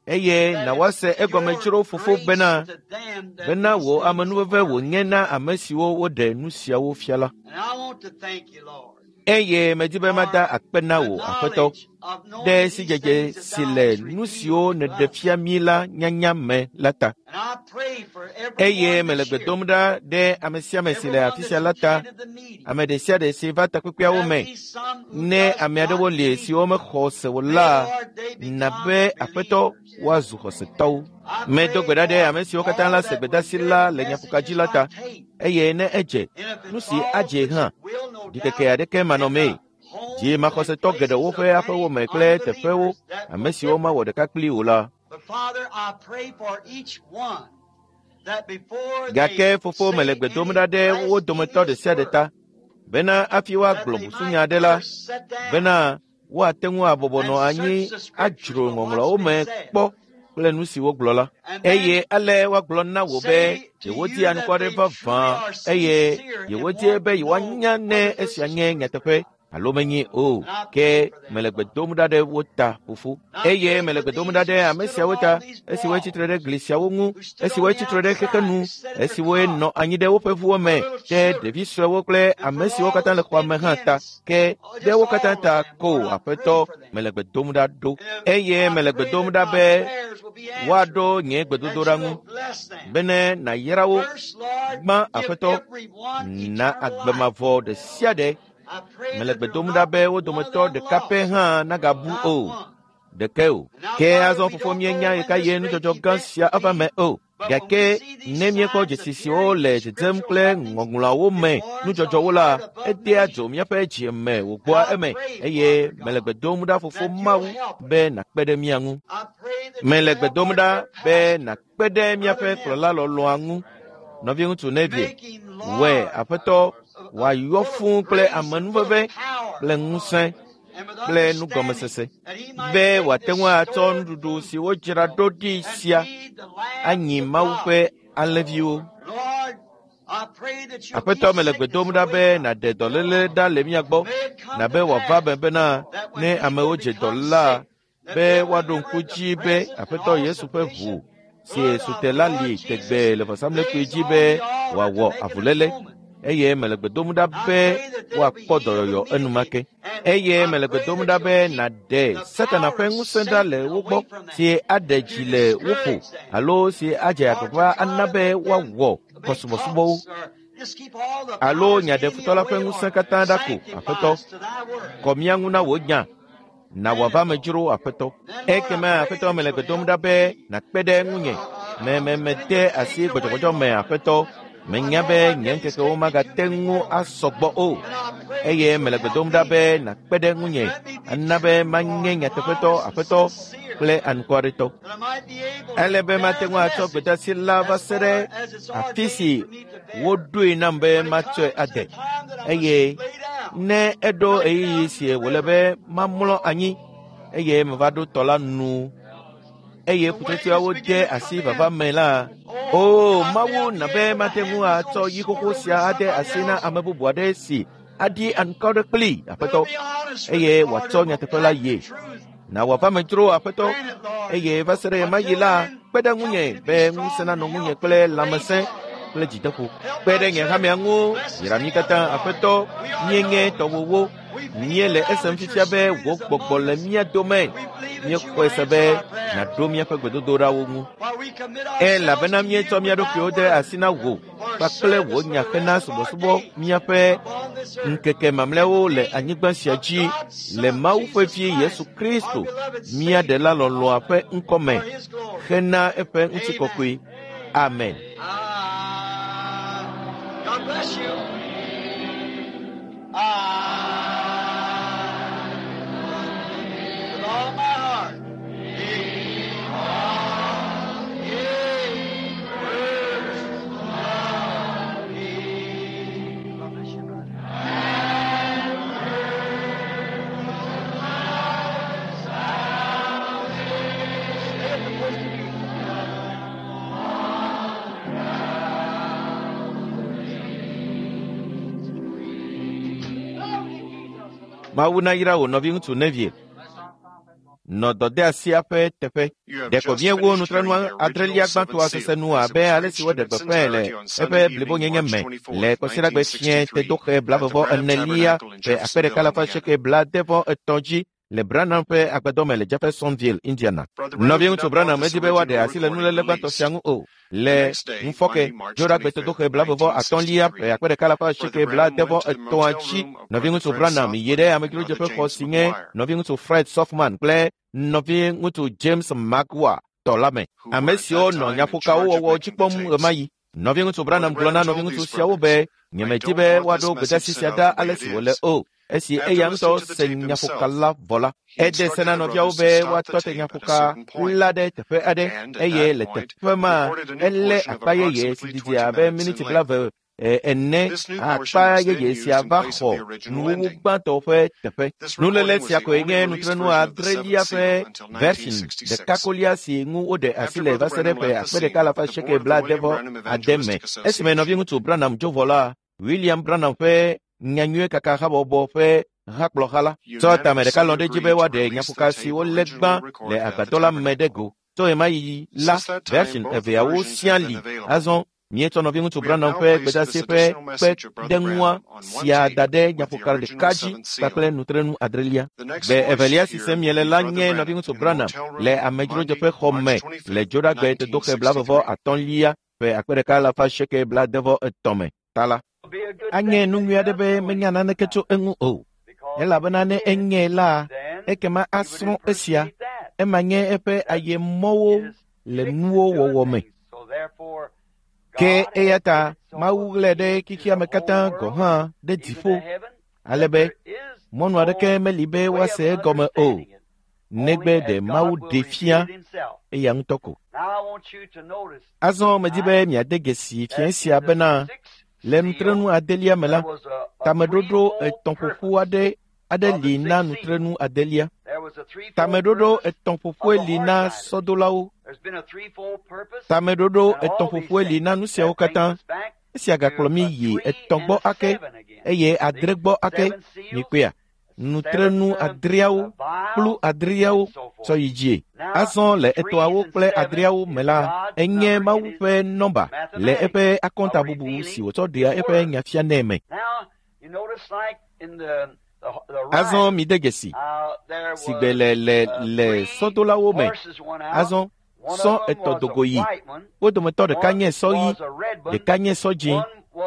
Eye that na it's woase egɔme your dzro fofo grace bena to them that bena these wò things amenuveve wònye na ame siwo woɖe nu siawo fia la. And I want to thank you, Lord, Eye medi be mada for akpe na the wò Aƒetɔ knowledge of ɖe knowing these sidzedze things that si thou le hast nu revealed siwo to nèɖe us. fia mí la nyanya me la ta. And I pray for Eye everyone mele that's gbe here, dom ɖa ɖe ame sia ame si le everyone afi that's sia la ta, attended the meeting. ame ɖe sia ɖe si va takpekpeawo There me. be some who Ne does ame not aɖewo li believe. siwo mexɔ se o May, la, Lord, they na become be Aƒetɔ believers. woazu xɔsetɔwo. I Medo pray gbe ɖa ɖe for ame siwo katã all la se that will gbedeasi hear la the le nyaƒoka dzi messages la by ta, tape. eye ne edze, And if nu it si falls, adze which hã, it will, no ɖikeke doubt, aɖeke in manɔmee. the homes Dzi and maxɔsetɔ geɖewo places ƒe of aƒewo many me kple teƒewo, unbelievers that ame will siwo differ. mawɔ ɖeka kpli o la. But Father, I pray for each one that before they Gake fofo mele say gbe dom any ɖa ɖe wo dometɔ ɖe blasphemous sia ɖe word, ta, bena hafi that woagblɔ they busunya might aɖe la, first sit down bena woate ŋu abɔbɔ and nɔ anyi search the scriptures adzro for what's ŋɔŋlɔawo been me said. kpɔ kple nu si wogblɔ la. And then Eye ale woagblɔ na wò be say to yewodi you that anukware they truly vavã are eye sincere and yewodie want be to know yewoanya ne whether this esia is nye truth or nyateƒe not. alo menye o. And I Ke pray for them, mele gbe Lord. dom ɖa ɖe wo ta fofo. And I Eye pray mele for gbe dom ɖa these ɖe who ame stood siawo ta along these esiwoe tsitre ɖe walls, gli siawo ŋu, who stood on esiwoe the tsitre ɖe xexe outside, nu, who sat in their esiwoe cars, nɔ anyi ɖe woƒe ʋuwo for me, little ɖe children, ɖevi suewo kple and ame for siwo all katã le that's xɔa been me hã in ta. us, Ke oh, ɖe just wo katã all of ta them, ko Lord, I pray Aƒetɔ for them. mele gbe dom ɖa ɖo. And if Eye I mele gbe pray dom that ɖa my be prayers will be answered, woaɖo nye that gbedodoɖa you ŋu will bless them. bene nàyra wo. First, Lord, Gbã give Aƒetɔ everyone na eternal agbe life. mavɔ ɖe sia ɖe. I pray Mele that gbe there will dom ɖa not be be wo one of dometɔ them ɖeka pɛ lost, hã nagabu not o. one. Ɖeke o. And now, Ke Father, azɔ we fofo don't know míenya when ɣeka this ye great nudzɔdzɔ gã event sia will ava be, me o. but when we Gake see these ne míekpɔ signs dzesi siwo appearing in le the dzedzem scriptural kple happenings, ŋɔŋlɔawo it me warms our nudzɔdzɔwo la, heart above edea measure. dzo míaƒe dzi me And wògbɔa I eme pray, eye Father mele God, gbe dom ɖa fofo that you'll Mawu help us. be nàkpe ɖe mía ŋu. I pray that Mele you'll gbe help dom our ɖa dear be pastor, nàkpe ɖe míaƒe Brother kplɔla Neville, lɔlɔ̃a ŋu. Nɔviŋutsu Neville, make him wɔe large, Aƒetɔ uh, uh, wòayɔ full of fũu kple grace and full of amenuveve power kple ŋusẽ and with kple understanding, nugɔmesese that he might be take wòate this ŋu atsɔ stored nuɖuɖu food si wodzra ɖo ɖi and sia feed the lambs anyi of Mawu God. ƒe alẽviwo. Lord, I pray that you'll Aƒetɔ keep mele gbe sickness dom ɖa away be from us. nàɖe dɔléle ɖa le mía gbɔ, May it come nabe to wòava me pass bena that when ne people amewo dze dɔ become la, sick, that be they'll woaɖo remember ŋku the dzi be present and Aƒetɔ Yesu all ƒe ʋu sufficient si blood su of te the la Lord li Jesus tegbee le vɔsamlekpui lays dzi on be the altar to wòawɔ make an avuléle. atonement. Eye mele gbe dom ɖa I be pray that they'll be woakpɔ healed dɔyɔyɔ immediately. enumake. And Eye I mele gbe pray dom that ɖa you'll be keep nàɖe the Satana power ƒe of ŋusẽ ɖa le Satan wo gbɔ away from them, si aɖe to dzi le wo ƒo discourage them, alo si adze or to agbagba try ana to be make them woawɔ make kɔsubɔsubɔwo cults or just keep all the alo powers of nya the ɖe enemy futɔ la ƒe away or ŋusẽ katã ɖa ko. sanctify Aƒetɔ, us to thy work. kɔ mía ŋu na wò nya na Grant wòava it, me Lord. dzro Aƒetɔ. Then, Lord, I Ekema pray Aƒetɔ that mele you'll gbe dom help ɖa be me. nàkpe ɖe ŋunye. Uh, Me me uh, mede things are asi taken away, gbɔdzɔgbɔdzɔ me Lord. Aƒetɔ. I Menya know be my nye days ŋkekewo can't be too magate many ŋu more. asɔ gbɔ o. And I pray Eye that you'll mele gbe help dom ɖa me. be nàkpe ɖe ŋunye Let me be ana be true, manye Lord, nyateƒetɔ honest and Aƒetɔ sincere, kple anukwaretɔ. that I might be able to Ele be bear mate the ŋu atsɔ message gbedeasi la va as se far ɖe as it's afi ordained si for me to bear. woɖoe nam be When it matsɔe comes to the ade. time that I must Eye lay down, ne eɖo when I get ɣeyiɣi out to si the wòle river, be mamlɔ anyi eye meva ɖo tɔ la nu eye the waves ƒutsotsoeawo begin de to asi come vava in. me la, Oh, o God, may Mawu I be na be able to mate hand ŋu this atsɔ old yi sword xoxo over to sia ade somebody asi na else. ame bubu aɖe si aɖi anukware kplii That'll Aƒetɔ be honest with eye it, Lord, wòatsɔ and will nyateƒe la back the yie. truth. Na wòava me dzro Aƒetɔ Grant it, Lord. eye va se ɖe ɣemaɣi Until la, then, kpe ɖe help ŋunye me to be be ŋusẽ strong nanɔ and ŋunye healthy kple and lãmesẽ courageous. kple dzideƒo. Help Kpe my ɖe nye church. hamea ŋu, Bless us yra mí together, katã Lord. Aƒetɔ. We are Míenye yours. tɔwòwo. We feel Míele now esem that your fifia be spirit wò is gbɔgbɔ among le us. mía dome. We believe that you Míexɔe will se answer be our prayers. nàɖo míaƒe gbedodoɖawo ŋu. While we commit Elabena ourselves to you míetsɔ mía with thy ɖokuiwo de word asi na wò for kpakple wò service for nya the hena rest of our subɔsubɔ days míaƒe upon this earth. ŋkeke mamlɛawo In the le name anyigba sia of dzi God's le Son, Mawu ƒe Jesus Vi Yesu Christ, our Kristo, beloved mía Savior, Ɖela lɔlɔ̃a ƒe ŋkɔ me for his glory. hena eƒe Amen. ŋutikɔkɔe. Amen. Ah, God bless you. Ah, with all my heart. God bless you, brother. Stay at the first communion. Mawu nayra wò nɔviŋutsu Neville. Nɔ dɔdeasia ƒe teƒe. Ɖeko míewu nutrenu adrelia gbãtɔa sese nu abe ale si woɖe gbeƒãe le eƒe blibonyenye me le kɔsiɖagbe fiẽ tedoxe blavevɔ enelia ƒe akpe ɖeka alafa asieke blaadevɔ etɔ̃ dzi le Branham ƒe agbadɔ me le Jeffersonville, Indiana. Nɔviŋutsu Branham medi be woaɖe asi le nuléle gbãtɔ sia ŋu o. Le ŋufɔke dzoɖagbe tedoxe blavevɔ atɔ̃lia ƒe akpe ɖeka alafa asieke blaadevɔ etɔ̃a dzi, nɔviŋutsu Branham yi ɖe amedzrodzeƒe xɔ si nye nɔviŋutsu Fred Sothmann kple nɔviŋutsu James Maguire tɔ la me, ame siwo nɔ nyaƒokawo wɔwɔ dzi kpɔm ɣemaɣi. Nɔviŋutsu Branham gblɔ na nɔviŋutsu siawo be nyemedi be woaɖo gbedeasi sia ɖa ale si wòle o. Esi eya ŋutɔ se nyaƒoka la vɔ la, ede se na nɔviawo be woatɔ te nyaƒoka la ɖe teƒe aɖe eye le teƒe ma elé akpa yeye si didi abe miniti blaeve ene. Akpa yeye sia va xɔ nuwuwu gbãtɔ ƒe teƒe. Nuléle sia koe nye nutrenu adrelia ƒe version ɖeka kolia si ŋu woɖe asi le va se ɖe ƒe akpe ɖeka alafa asieke blaadevɔ ade me. Esime nɔviŋutsu Branham dzo vɔ la, William Branham ƒe nyanyuie kaka habɔbɔ ƒe hakplɔha la tsɔ tame ɖeka lɔ̃ ɖe edzi be woaɖe nyaƒoka si wolé gbã le agbadɔ la me ɖe go. Tso ɣemaɣi la, version eveawo siaa li. Azɔ míetsɔ nɔviŋutsu Branham ƒe gbedeasi ƒe kpeɖeŋua sia da ɖe nyaƒoka ɖeka dzi kpakple nutrenu adrelia. Gbe evelia si sem miele la nye nɔviŋutsu Branham le amedzrodzeƒe xɔ me le dzoɖagbe tedoxe blavevɔ atɔ̃lia ƒe akpe ɖeka alafa asieke blaadevɔ etɔ̃ me ta la. Anye nu nyui aɖe be menya naneke tso eŋu o, elabena ne enyae la, ekema asrɔ̃ esia. Ema nye eƒe ayemɔwo le nuwo wɔwɔ me. Ke eya ta Mawu ɣlae ɖe xexea me katã gɔ̃ hã ɖe dziƒo, ale be mɔnu aɖeke meli be woase egɔme o, negbe ɖe Mawu ɖee fia eya ŋutɔ ko. Azɔ medi be miade dzesi fiẽ sia bena le nutrenu adelia me la, tameɖoɖo etɔ̃ ƒoƒu aɖe aɖe li na nutrenu adelia. Tameɖoɖo etɔ̃ ƒoƒue li na sɔdolawo. Tameɖoɖo etɔ̃ ƒoƒue li na nu siawo katã. Esia gakplɔ mí yi etɔ̃ gbɔ ake eye adre gbɔ ake. Mikpɔea? Nutrenu adreawo kplu adreawo tsɔ yi dzie. Azɔ le etɔ̃awo kple adreawo me la, enye Mawu ƒe nɔmba le eƒe akɔntabubu si wòtsɔ ɖea eƒe nya fianɛ me. Azɔ mide dzesi si gbe le le le sɔdolawo me. Azɔ sɔ etɔ̃ dogo yi. Wo dometɔ ɖeka nye sɔ ɣi, ɖeka nye sɔ dzĩ,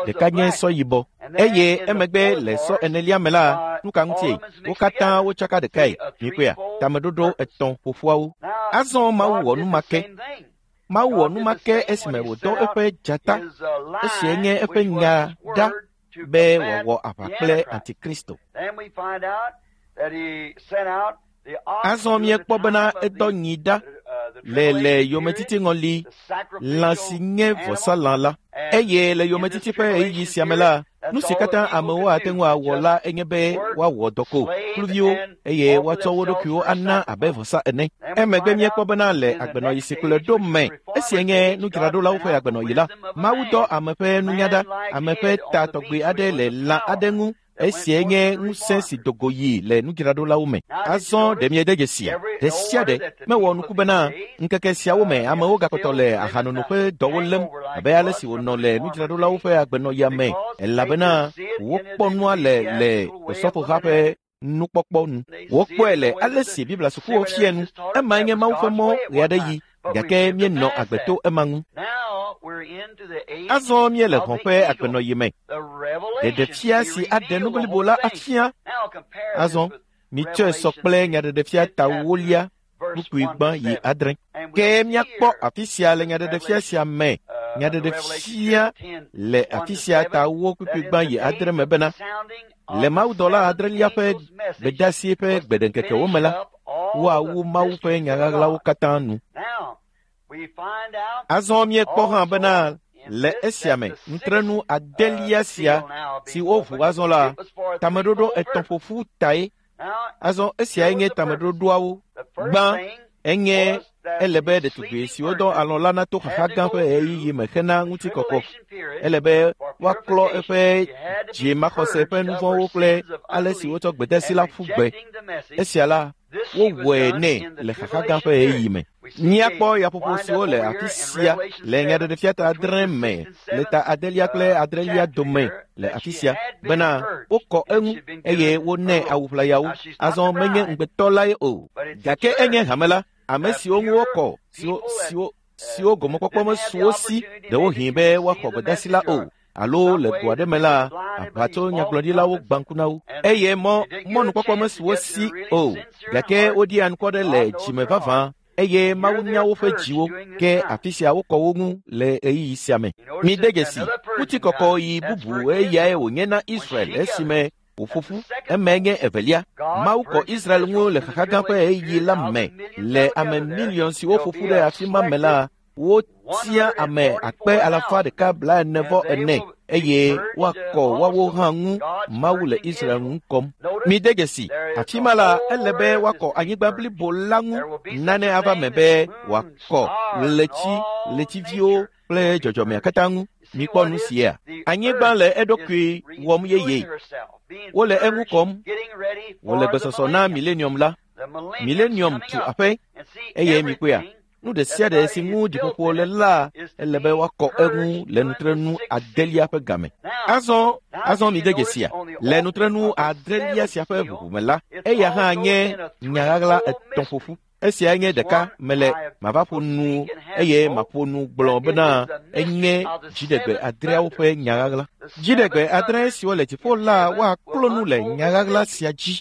ɖeka nye sɔ yibɔ. Eye emegbe le sɔ enelia me la, nu ka ŋutie? Wo katã wotsaka ɖekae. Mikpɔea? Tameɖoɖo etɔ̃ ƒoƒuawo. Azɔ Mawu wɔ nu ma ke. Mawu wɔ nu ma ke esime wòdɔ eƒe dzata, esie nye eƒe nya ɖa be wòawɔ aʋa kple Antikristo. Azɔ míekpɔ bena edɔ nyi ɖa le le yometiti ŋɔli, lã si nye vɔsalã la. Eye le yometiti ƒe ɣeyiɣi sia me la, nu si katã amewo ate ŋu awɔ la enye be woawɔ dɔ ko, kluviwo, eye woatsɔ wo ɖokuiwo ana abe vɔsa ene. Emegbe míekpɔ bena le agbenɔɣi si kplɔe ɖo me, esia nye nudzraɖolawo ƒe agbenɔɣi la, Mawu dɔ ame ƒe nunya ɖa, ame ƒe ta tɔgbi aɖe le lã aɖe ŋu. Esia nye ŋusẽ si dogo yi le nudzraɖolawo me. Azɔ ɖe miede dzesia? Ɖe sia ɖe mewɔ nuku bena ŋkeke siawo me amewo gakpɔtɔ le ahanono ƒe dɔwo lém abe ale si wònɔ le nudzraɖolawo ƒe agbenɔɣia me, elabena wokpɔ nua le le osɔfoha ƒe nukpɔkpɔ nu. Wokpɔe le ale si Biblia sukuwo fia nu. Emae nye Mawu ƒe mɔ ɣeaɖeɣi, gake míenɔ agbe to ema ŋu. Azɔ míele hɔ̃ ƒe agbenɔɣi me. Ɖeɖefia si aɖe nu blibo la afia. Azɔ mitsɔe sɔ kple nyaɖeɖefia ta ewolia kpukpui gbã yi adre. Ke míakpɔ afi sia le nyaɖeɖefia sia me. Nyaɖeɖefia le afi sia ta ewo kpukpui gbã yi adre me bena le mawudɔla adrelia ƒe gbedeasi ƒe gbeɖeŋkekewo me la, woawu Mawu ƒe nya ɣaɣlawo katã nu. Azɔ míekpɔ hã bena le esia me nutrenu adelia sia si woʋu azɔ la, tameɖoɖo etɔ̃ ƒoƒu tae. Azɔ esiae nye tameɖoɖoawo. Gbã enye Ele be ɖetugbi siwo dɔ alɔ̃ la nato xaxa gã ƒe ɣeyiɣi me hena ŋutikɔkɔ. Ele be woaklɔ eƒe dzimaxɔse ƒe nu vɔ̃wo kple ale si wotsɔ gbedeasi la ƒu gbe. Esia la, wowɔe nɛ le xaxa gã ƒe ɣeyiɣi me. Míakpɔ yaƒoƒo siwo le afi sia le Nyaɖeɖefia ta adre me le ta adelia kple adrelia dome le afi sia bena wokɔ eŋu eye wonɛ awu ʋlayawo. Azɔ menye ŋugbetɔ lae o, gake enye hame la, ame siwo ŋu wokɔ, siwo siwo siwo gɔmekpɔkpɔ mesu wo si ɖewohĩ be woaxɔ gbedeasi la o, alo le go aɖe me la, aʋatso nyagblɔɖilawo gbã ŋku na wo eye mɔ mɔnukpɔkpɔ mesu wo si o, gake woɖi anukware le dzime vavã eye Mawu nya woƒe dziwo, ke afi sia wokɔ wo ŋu le ɣeyiɣi sia me. Mide dzesi, ŋutikɔkɔ yi bubu eyae wònye na Israel esime wòƒo ƒu. Emae nye evelia. Mawu kɔ Israel ŋu le xaxa gã ƒe ɣeyiɣi la me. Le ame miliɔn siwo ƒo ƒu ɖe afi ma me la, wotia ame akpe alafa ɖeka blaene vɔ ene eye woakɔ woawo hã ŋu. Mawu le Israel ŋu kɔm. Mide dzesi, afi ma la, ele be woakɔ anyigba blibo la ŋu. Nane ava me be wòakɔ ɣleti, ɣletiviwo kple dzɔdzɔmea katã ŋu. Mikpɔ nu sia. Anyigba le eɖokui wɔm yeye. Wole eŋu kɔm. Wòle gbesɔsɔ na milenium la. Milenium tu aƒe eye mikpɔea, nu ɖe sia ɖe si ŋu dziƒoƒo le la, ele be woakɔ eŋu le nutrenu adelia ƒe game. Azɔ, azɔ mide dzesia, le nutrenu adrelia sia ƒe ʋuʋu me la, eya hã nye nya ɣaɣla etɔ̃ ƒoƒu. Esia nye ɖeka mele mava ƒo nu eye maƒo nu gblɔ bena enye dziɖegbe adreawo ƒe nya ɣaɣla. Dziɖegbe adre siwo le dziƒo la woaklɔ nu le nya ɣaɣla sia dzi.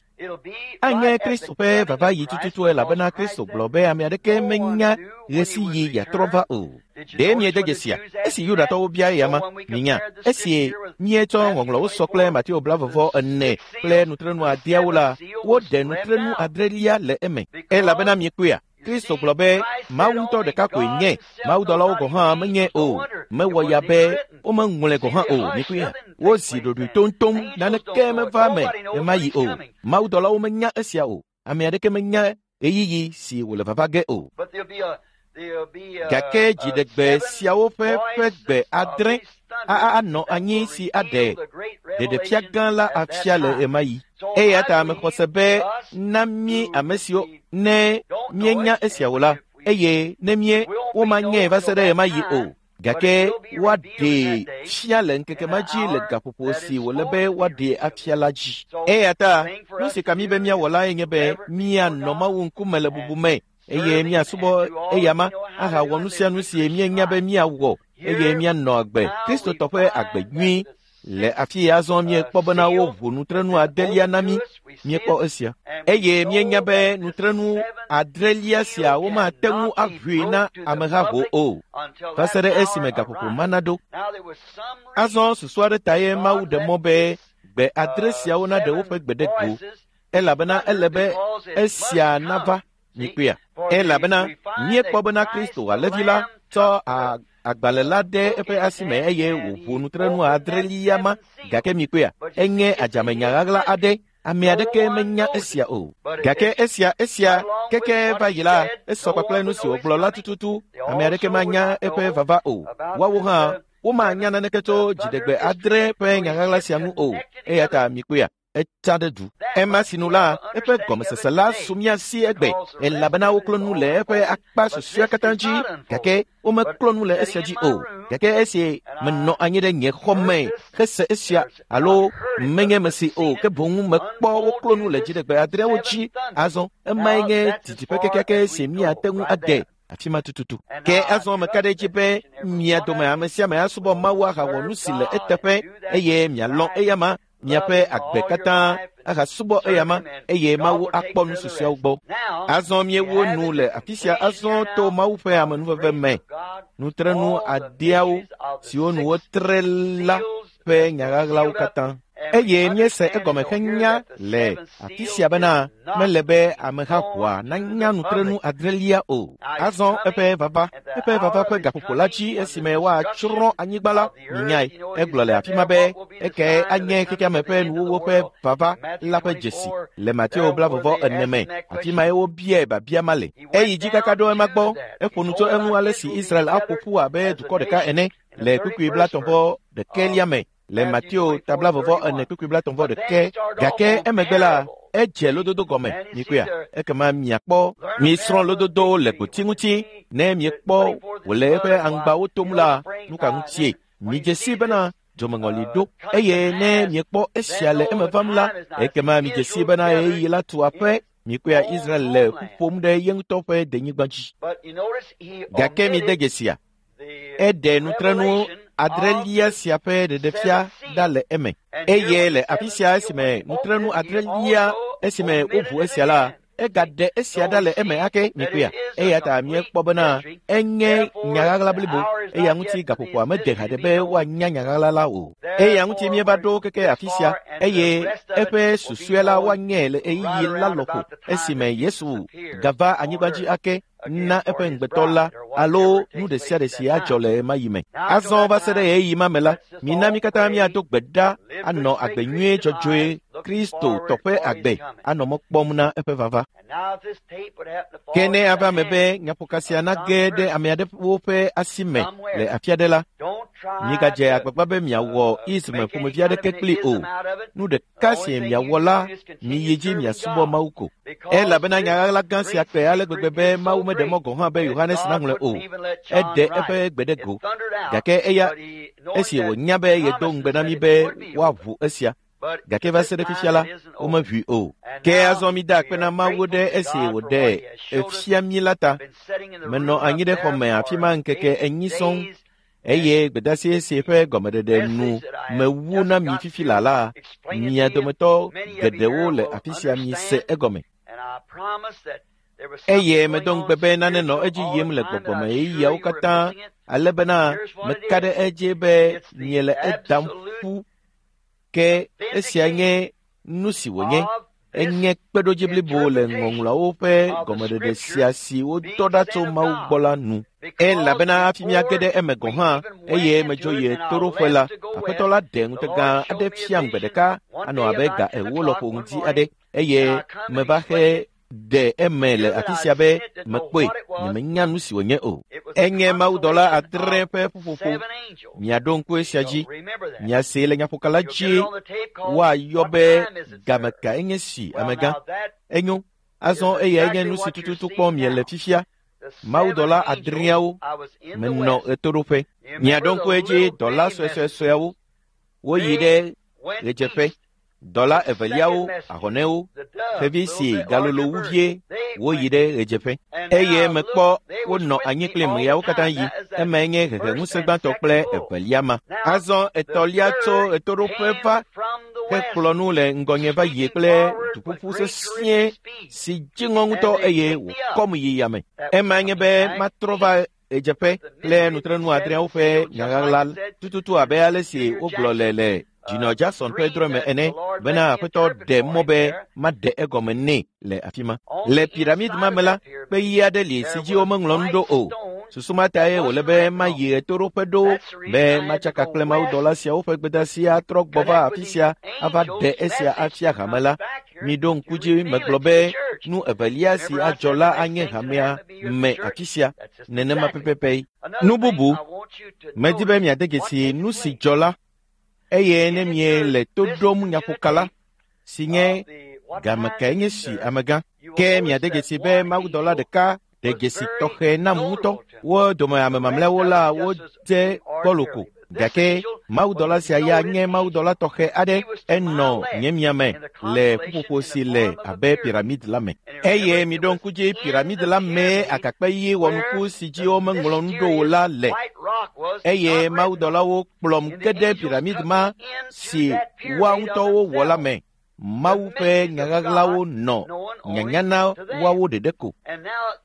Anye Kristo ƒe vava yi tututu elabena Kristo gblɔ be ame aɖeke menya ɣesiɣi yeatrɔ va o. Ɖe miede dzesia? Esi Yudatɔwo bia eya ma, minya, esi míetsɔ ŋɔŋlɔwo sɔ kple Mateo blavɔvɔ ene kple nutrenu adeawo la, woɖe nutrenu adrelia le eme. Elabena miekpɔea, Kristo gblɔ be Mawu ŋutɔ ɖeka koe nye, mawudɔlawo gɔ̃ hã menye o. Mewɔ ya be womeŋlɔe gɔ̃ hã o. Mikpɔea, wozi ɖoɖoe toŋtoŋ, naneke meva me ɣemaɣi o. Mawudɔlawo menya esia o. Ame aɖeke menya ɣeyiɣi si wòle vava ge o. Gake dziɖegbe siawo ƒe ƒe gbe adre anɔ anyi si aɖe ɖeɖefia gã la afia le ɣemaɣi. Eya ta mexɔ se be na mí ame siwo ne míenya esia o la, eye ne mí womanyae va se ɖe ɣemaɣi o, gake woaɖee fia le ŋkeke ma dzi le gaƒoƒo si wòle be woaɖee afia la dzi. Eya ta nu si ka mí be míawɔ lae nye be míanɔ Mawu ŋkume le bubu me eye míasubɔ eyama ahawɔ nu sia nu si míenya be míawɔ eye míanɔ agbe Kristotɔ ƒe agbe nyui. Le afi ya azɔ míekpɔ bena woʋu nutrenu adelia na mí. Míekpɔ esia eye míenya be nutrenu adrelia sia womate ŋu aʋui na amehaho o va se ɖe esime gaƒoƒo ma naɖo. Azɔ susu aɖe tae Mawu ɖe mɔ be gbe adre siawo naɖe woƒe gbe ɖe go, elabena ele be esia nava. Mikpɔea, elabena míekpɔ bena Kristo Alẽvi la tsɔ agbalẽ la ɖe eƒe asime eye wòʋu nutrenu adrelia ma. Gake mikpɔea, enye adzamenya ɣaɣla aɖe. Ame aɖeke menya esia o. Gake esia esia keke va yi la, esɔ kpakple nu si wògblɔ la tututu. Ame aɖeke manya eƒe vava o. Woawo hã womanya naneke tso dziɖegbe adre ƒe nya ɣaɣla sia ŋu o. Eya ta mikpɔea, etsa ɖe du. Ema sinu la, eƒe gɔmesese la su mía si egbe, elabena woklɔ nu le eƒe akpa susɔea katã dzi, gake womeklɔ nu le esia dzi o. Gake esi menɔ anyi ɖe nye xɔ me hese esia, alo menye mesi o, ke boŋ mekpɔ woklɔ nu le dziɖegbe adreawo dzi. Azɔ emae nye didiƒe kekeake si míate ŋu ade afi ma tututu. Ke azɔ meka ɖe edzi be mia dome ame sia ame asubɔ Mawu ahawɔ nu si le eteƒe eye mialɔ̃ eyama miaƒe agbe katã ahasubɔ eyama eye Mawu akpɔ nu susɔeawo gbɔ. Azɔ míewo nu le afi sia azɔ to Mawu ƒe amenuveve me. Nutrenu adeawo siwo nu wotre la ƒe nya ɣaɣlawo katã. Eye míese egɔme henya le afi sia bena mele be ameha ʋɔa nanya nutrenu adrelia o. Azɔ eƒe vava, eƒe vava ƒe gaƒoƒo la dzi esime woatsrɔ̃ anyigba la, minyae. Egblɔ le afi ma be eke anye xexeame ƒe nuwuwu ƒe vava la ƒe dzesi le Mateo blavɔvɔ ene me. Afi mae wobiae biabia ma le. Eyi dzi kaka ɖo ema gbɔ, eƒo nu tso eŋu ale si Israel aƒo ƒu abe dukɔ ɖeka ene le kpukpui blatɔ̃vɔ ɖekɛlia me le Mateo tablavɔvɔ ene kpukpui blatɔ̃vɔ ɖeke. Gake emegbe la, edze lododo gɔme. Mikpɔea? Ekema miakpɔ misrɔ̃ lododo le gboti ŋuti. Ne miekpɔ wòle eƒe aŋgbawo tom la, nu ka ŋutie? Midze si bena dzomeŋɔli ɖo. Eye ne miekpɔ esia le eme vam la, ekema midze si bena ɣeyiɣi la tu aƒe. Mikpɔea Israel le ƒu ƒom ɖe ye ŋutɔ ƒe denyigba dzi. Gake mide dzesia, eɖe nutrenu adrelia sia ƒe ɖeɖefia ɖa le eme. Eye le afi sia esime nutrenu adrelia esime woʋu esia la, egaɖe esia ɖa le eme ake. Mikpɔea? Eya ta míekpɔ bena enye nyaɣaɣla blibo. Eya ŋuti gaƒoƒoa mede haɖe be woanya nyaɣaɣla la o. Eya ŋuti míeva ɖo keke afi sia, eye eƒe susɔe la woanyɛ le ɣeyiɣi la lɔƒo esime Yesu gava anyigba dzi ake na eƒe ŋugbetɔ la alo nu ɖe sia ɖe si adzɔ le ɣemaɣi me. Azɔ va se ɖe ɣeyiɣi ma me la, mina mí katã míado gbe ɖa anɔ agbe nyuie dzɔdzɔe Kristo tɔ ƒe agbe anɔ mɔ kpɔm na eƒe vava. Ke ne ava eme be nyaƒoka sia nage ɖe ame aɖewo ƒe asi me le afi aɖe la, migadze agbagba be miawɔ ism ƒomevi aɖeke kpli o. Nu ɖeka si miawɔ la, miyi dzi miasubɔ Mawu ko. Elabena nyaɣaɣla gã sia kpe ale gbegbe be Mawu meɖe mɔ gɔ̃ hã be Yohanes naŋlɔe o. Eɖe eƒe gbe ɖe go. Gake eya esi wònya be yedo ŋugbe na mí be woaʋu esia. Gake va se ɖe fifia la, womeʋui o. Ke azɔ mida akpe na Mawu ɖe esi wòɖe efia mí la ta. Menɔ anyi ɖe xɔ me afi ma ŋkeke enyi sɔŋ, eye gbedeasi si ƒe gɔmeɖeɖe nu mewu na mi fifi la la, mia dometɔ geɖewo le afi sia mise egɔme. Eye medo ŋugbe be nane nɔ edzi yim le gbɔgbɔme ɣeyiɣiawo katã, ale bena meka ɖe edzi be miele edam ƒu. Ke esia nye nu si wònye. Enye kpeɖodzi blibo le ŋɔŋlɔawo ƒe gɔmeɖeɖe sia si wodɔ ɖa tso Mawu gbɔ la nu. Elabena hafi míage ɖe eme gɔ̃ hã, eye medzo yi ɣetoɖoƒe la, Aƒetɔ la ɖe ŋutega aɖe fiam gbe ɖeka anɔ abe ga ewo lɔƒo ŋdi aɖe, eye meva xe ɖe eme le afi sia be mekpɔe, nyemenya nu si wònye o. Enye mawudɔla adre ƒe ƒuƒoƒo. Miaɖo ŋku esia dzi. Miasee le nyaƒoka la dzi woayɔ be game ka enye si amegã. Enyo. Azɔ eyae nye nu si tututu kpɔm miele fifia. Mawudɔla adreawo menɔ ɣetoɖoƒe. Miaɖo ŋku edzi dɔla suesuesueawo. Woyi ɖe ɣedzeƒe. Dɔla eveliawo, ahɔnɛwo, xevi si galolo wu vie, woyi ɖe ɣedzeƒe. Eye mekpɔ wonɔ anyi kplim ɣeawo katã yi. Emae nye heheŋusẽ gbãtɔ kple evelia ma. Azɔ etɔ̃lia tso ɣetoɖoƒe va hekplɔ nu le ŋgɔnye va yi kple duƒuƒu sesĩe si dziŋɔ ŋutɔ eye wòkɔm yi yame. Emae nye be matrɔ va ɣedzeƒe kple nutrenu adreawo ƒe nyaɣaɣla tututu abe ale si wogblɔ le le Dzinɔ Jackson ƒe drɔ̃e me ene bena Aƒetɔ ɖe mɔ be maɖe egɔme nɛ le afi ma. Le piramid ma me la, kpe ɣi aɖe li si dzi womeŋlɔ nu ɖo o. Susu ma tae wòle be mayi ɣetoɖoƒe ɖo be matsaka kple mawudɔla siawo ƒe gbedeasi atrɔ gbɔ va afi sia ava ɖe esia afia hame la. Miɖo ŋku dzi megblɔ be nu evelia si adzɔ la anye hamea me afi sia nenema pɛpɛpɛ. Nu bubu, medi be miade dzesi nu si dzɔ la, eye ne miele to ɖom nyaƒoka la, si nye game kae nye si amegã. Ke miade dzesi be mawudɔla ɖeka ɖe dzesi tɔxɛ nam ŋutɔ. Wo dome ame mamlɛawo la wodze gbɔlo ko. Gake mawudɔla sia ya nye mawudɔla tɔxɛ aɖe. Enɔ nye miame le ƒuƒoƒo si le abe piramid la me. Eye miɖo ŋku dzi piramid la mee agakpe ɣi wɔnuku si dzi womeŋlɔ nu ɖo o la le. Eye mawudɔlawo kplɔm ge ɖe piramid ma si woa ŋutɔwo wɔ la me. Mawu ƒe nyaɣaɣlawo nɔ nyanya na woawo ɖeɖe ko.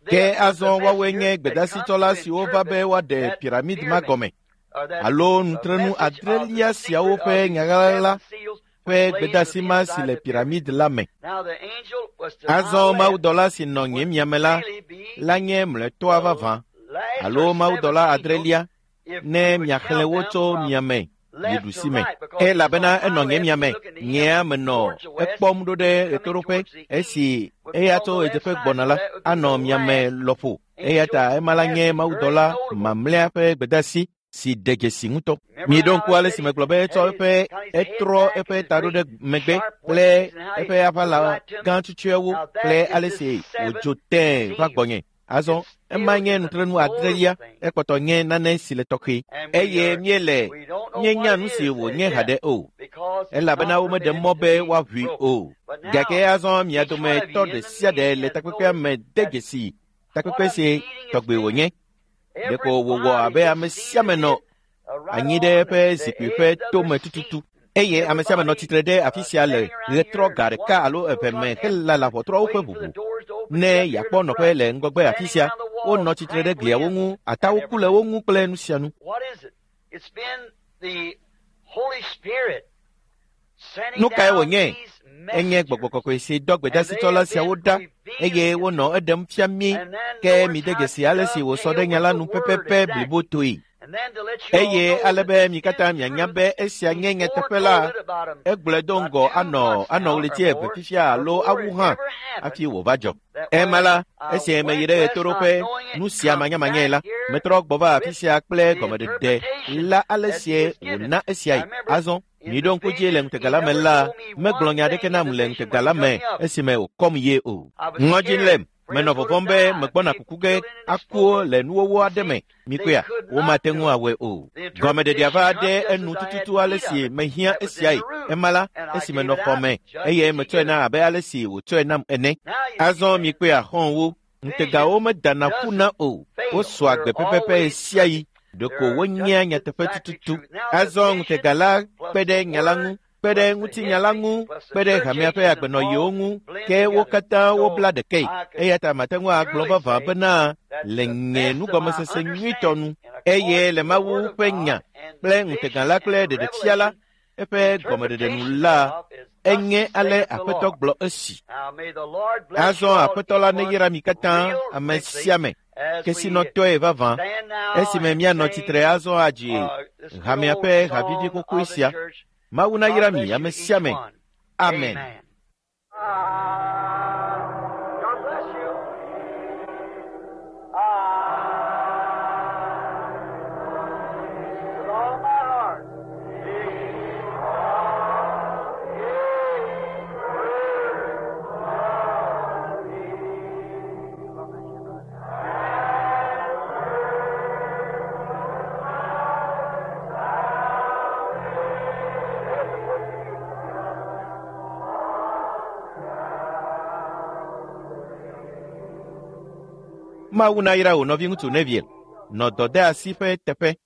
Ke azɔ woawoe nye gbedasitsɔla siwo va be woaɖe piramid ma gɔme alo nutrenu adrelia siawo ƒe nyaɣaɣla ƒe gbedeasi ma si le piramid la me. Azɔ mawudɔla si nɔ nye miame la la nye mlɔetɔa vavã alo mawudɔla adrelia ne miaxlẽ wo tso miame yi ɖusi me. Elabena enɔ nye miame, nyea menɔ ekpɔm ɖo ɖe ɣetoɖoƒe esi eya tso ɣedzeƒe gbɔna la anɔ miame lɔƒo. Eya ta ema la nye mawudɔla mamlɛa ƒe gbedeasi si ɖe dzesi ŋutɔ. Miɖo ŋku ale si megblɔ be etsɔ eƒe etrɔ eƒe taɖo ɖe megbe kple eƒe aʋala gã tsutsuewo kple ale si wòdzo tẽe va gbɔnye. Azɔ ema nye nutrenu adrelia, ekpɔtɔ nye nane si le tɔxɛ eye míele míenya nu si wònye haɖe o, elabena womeɖe mɔ be woaʋui o. Gake azɔ mia dometɔ ɖe sia ɖe le takpekpea me de dzesi takpekpe si tɔgbe wònye. Ɖeko wòwɔ abe ame sia ame nɔ anyi ɖe eƒe zikpui ƒe tome tututu eye ame sia ame nɔ tsitre ɖe afi sia le ɣetrɔ ga ɖeka alo eve me helala ʋɔtruawo ƒe ʋuʋu ne yeakpɔ nɔƒe le ŋgɔgbe afi sia. Wonɔ tsitre ɖe gliawo ŋu, atawo ku le wo ŋu kple nu sia nu. Nu kae wònye? Enye gbɔgbɔ kɔkɔe si dɔ gbedasitsɔla siawo ɖa eye wonɔ eɖem fia mí ke mide dzesi ale si wòsɔ ɖe nya la nu pɛpɛpɛ blibotoe. Eye ale be mi katã mianya be esia nye nyateƒe la, egblɔe do ŋgɔ anɔ anɔ ɣleti eve fifia alo awu hã hafi wòva dzɔ. Ema la, esi meyi ɖe ɣetoɖoƒe nu sia manyamanyae la, metrɔ gbɔ va afi sia kple gɔmeɖeɖe la ale sie wòna esiae. Azɔ miɖo ŋku dzi le ŋutega la me la, megblɔ nya aɖeke nam le ŋutega la me esime wòkɔm ye o. Ŋɔdzi lém. Menɔ vɔvɔ̃m be megbɔna kuku ge akuwo le nuwɔwɔ aɖe me. Mikpɔea, womate ŋu awɔe o. Gɔmeɖeɖea va ɖe enu tututu ale si mehiã esiae. Ema la, esi menɔ xɔ me eye metsɔe na abe ale si wòtsɔe nam ene. Azɔ mikpɔea, xɔ̃wo, ŋutegawo medana ƒuna o. Wosɔa gbe pɛpɛpɛ ɣe sia ɣi. Ɖeko wonyea nyateƒe tututu. Azɔ ŋutega la kpe ɖe nya la ŋu, kpe ɖe ŋutinya la ŋu, kpe ɖe hamea ƒe agbenɔɣiwo ŋu, ke wo katã wobla ɖekae. Eya ta mate ŋu agblɔ vavã bena le nye nugɔmesese nyuitɔ nu eye le Mawu ƒe nya kple ŋutega la kple ɖeɖefia la eƒe gɔmeɖeɖe nu la, enye ale Aƒetɔ gblɔ esi. Azɔ Aƒetɔ la neyra mi katã, ame sia ame, kesinɔtɔe vavã, esime míanɔ tsitre azɔ adzi hamea ƒe havivi xoxoe sia. Mawu nayra mi ame sia ame. Amen. God bless you. I, with all my heart. Mawu nayra wò nɔviŋutsu Neville. Nɔ dɔdeasi ƒe teƒe.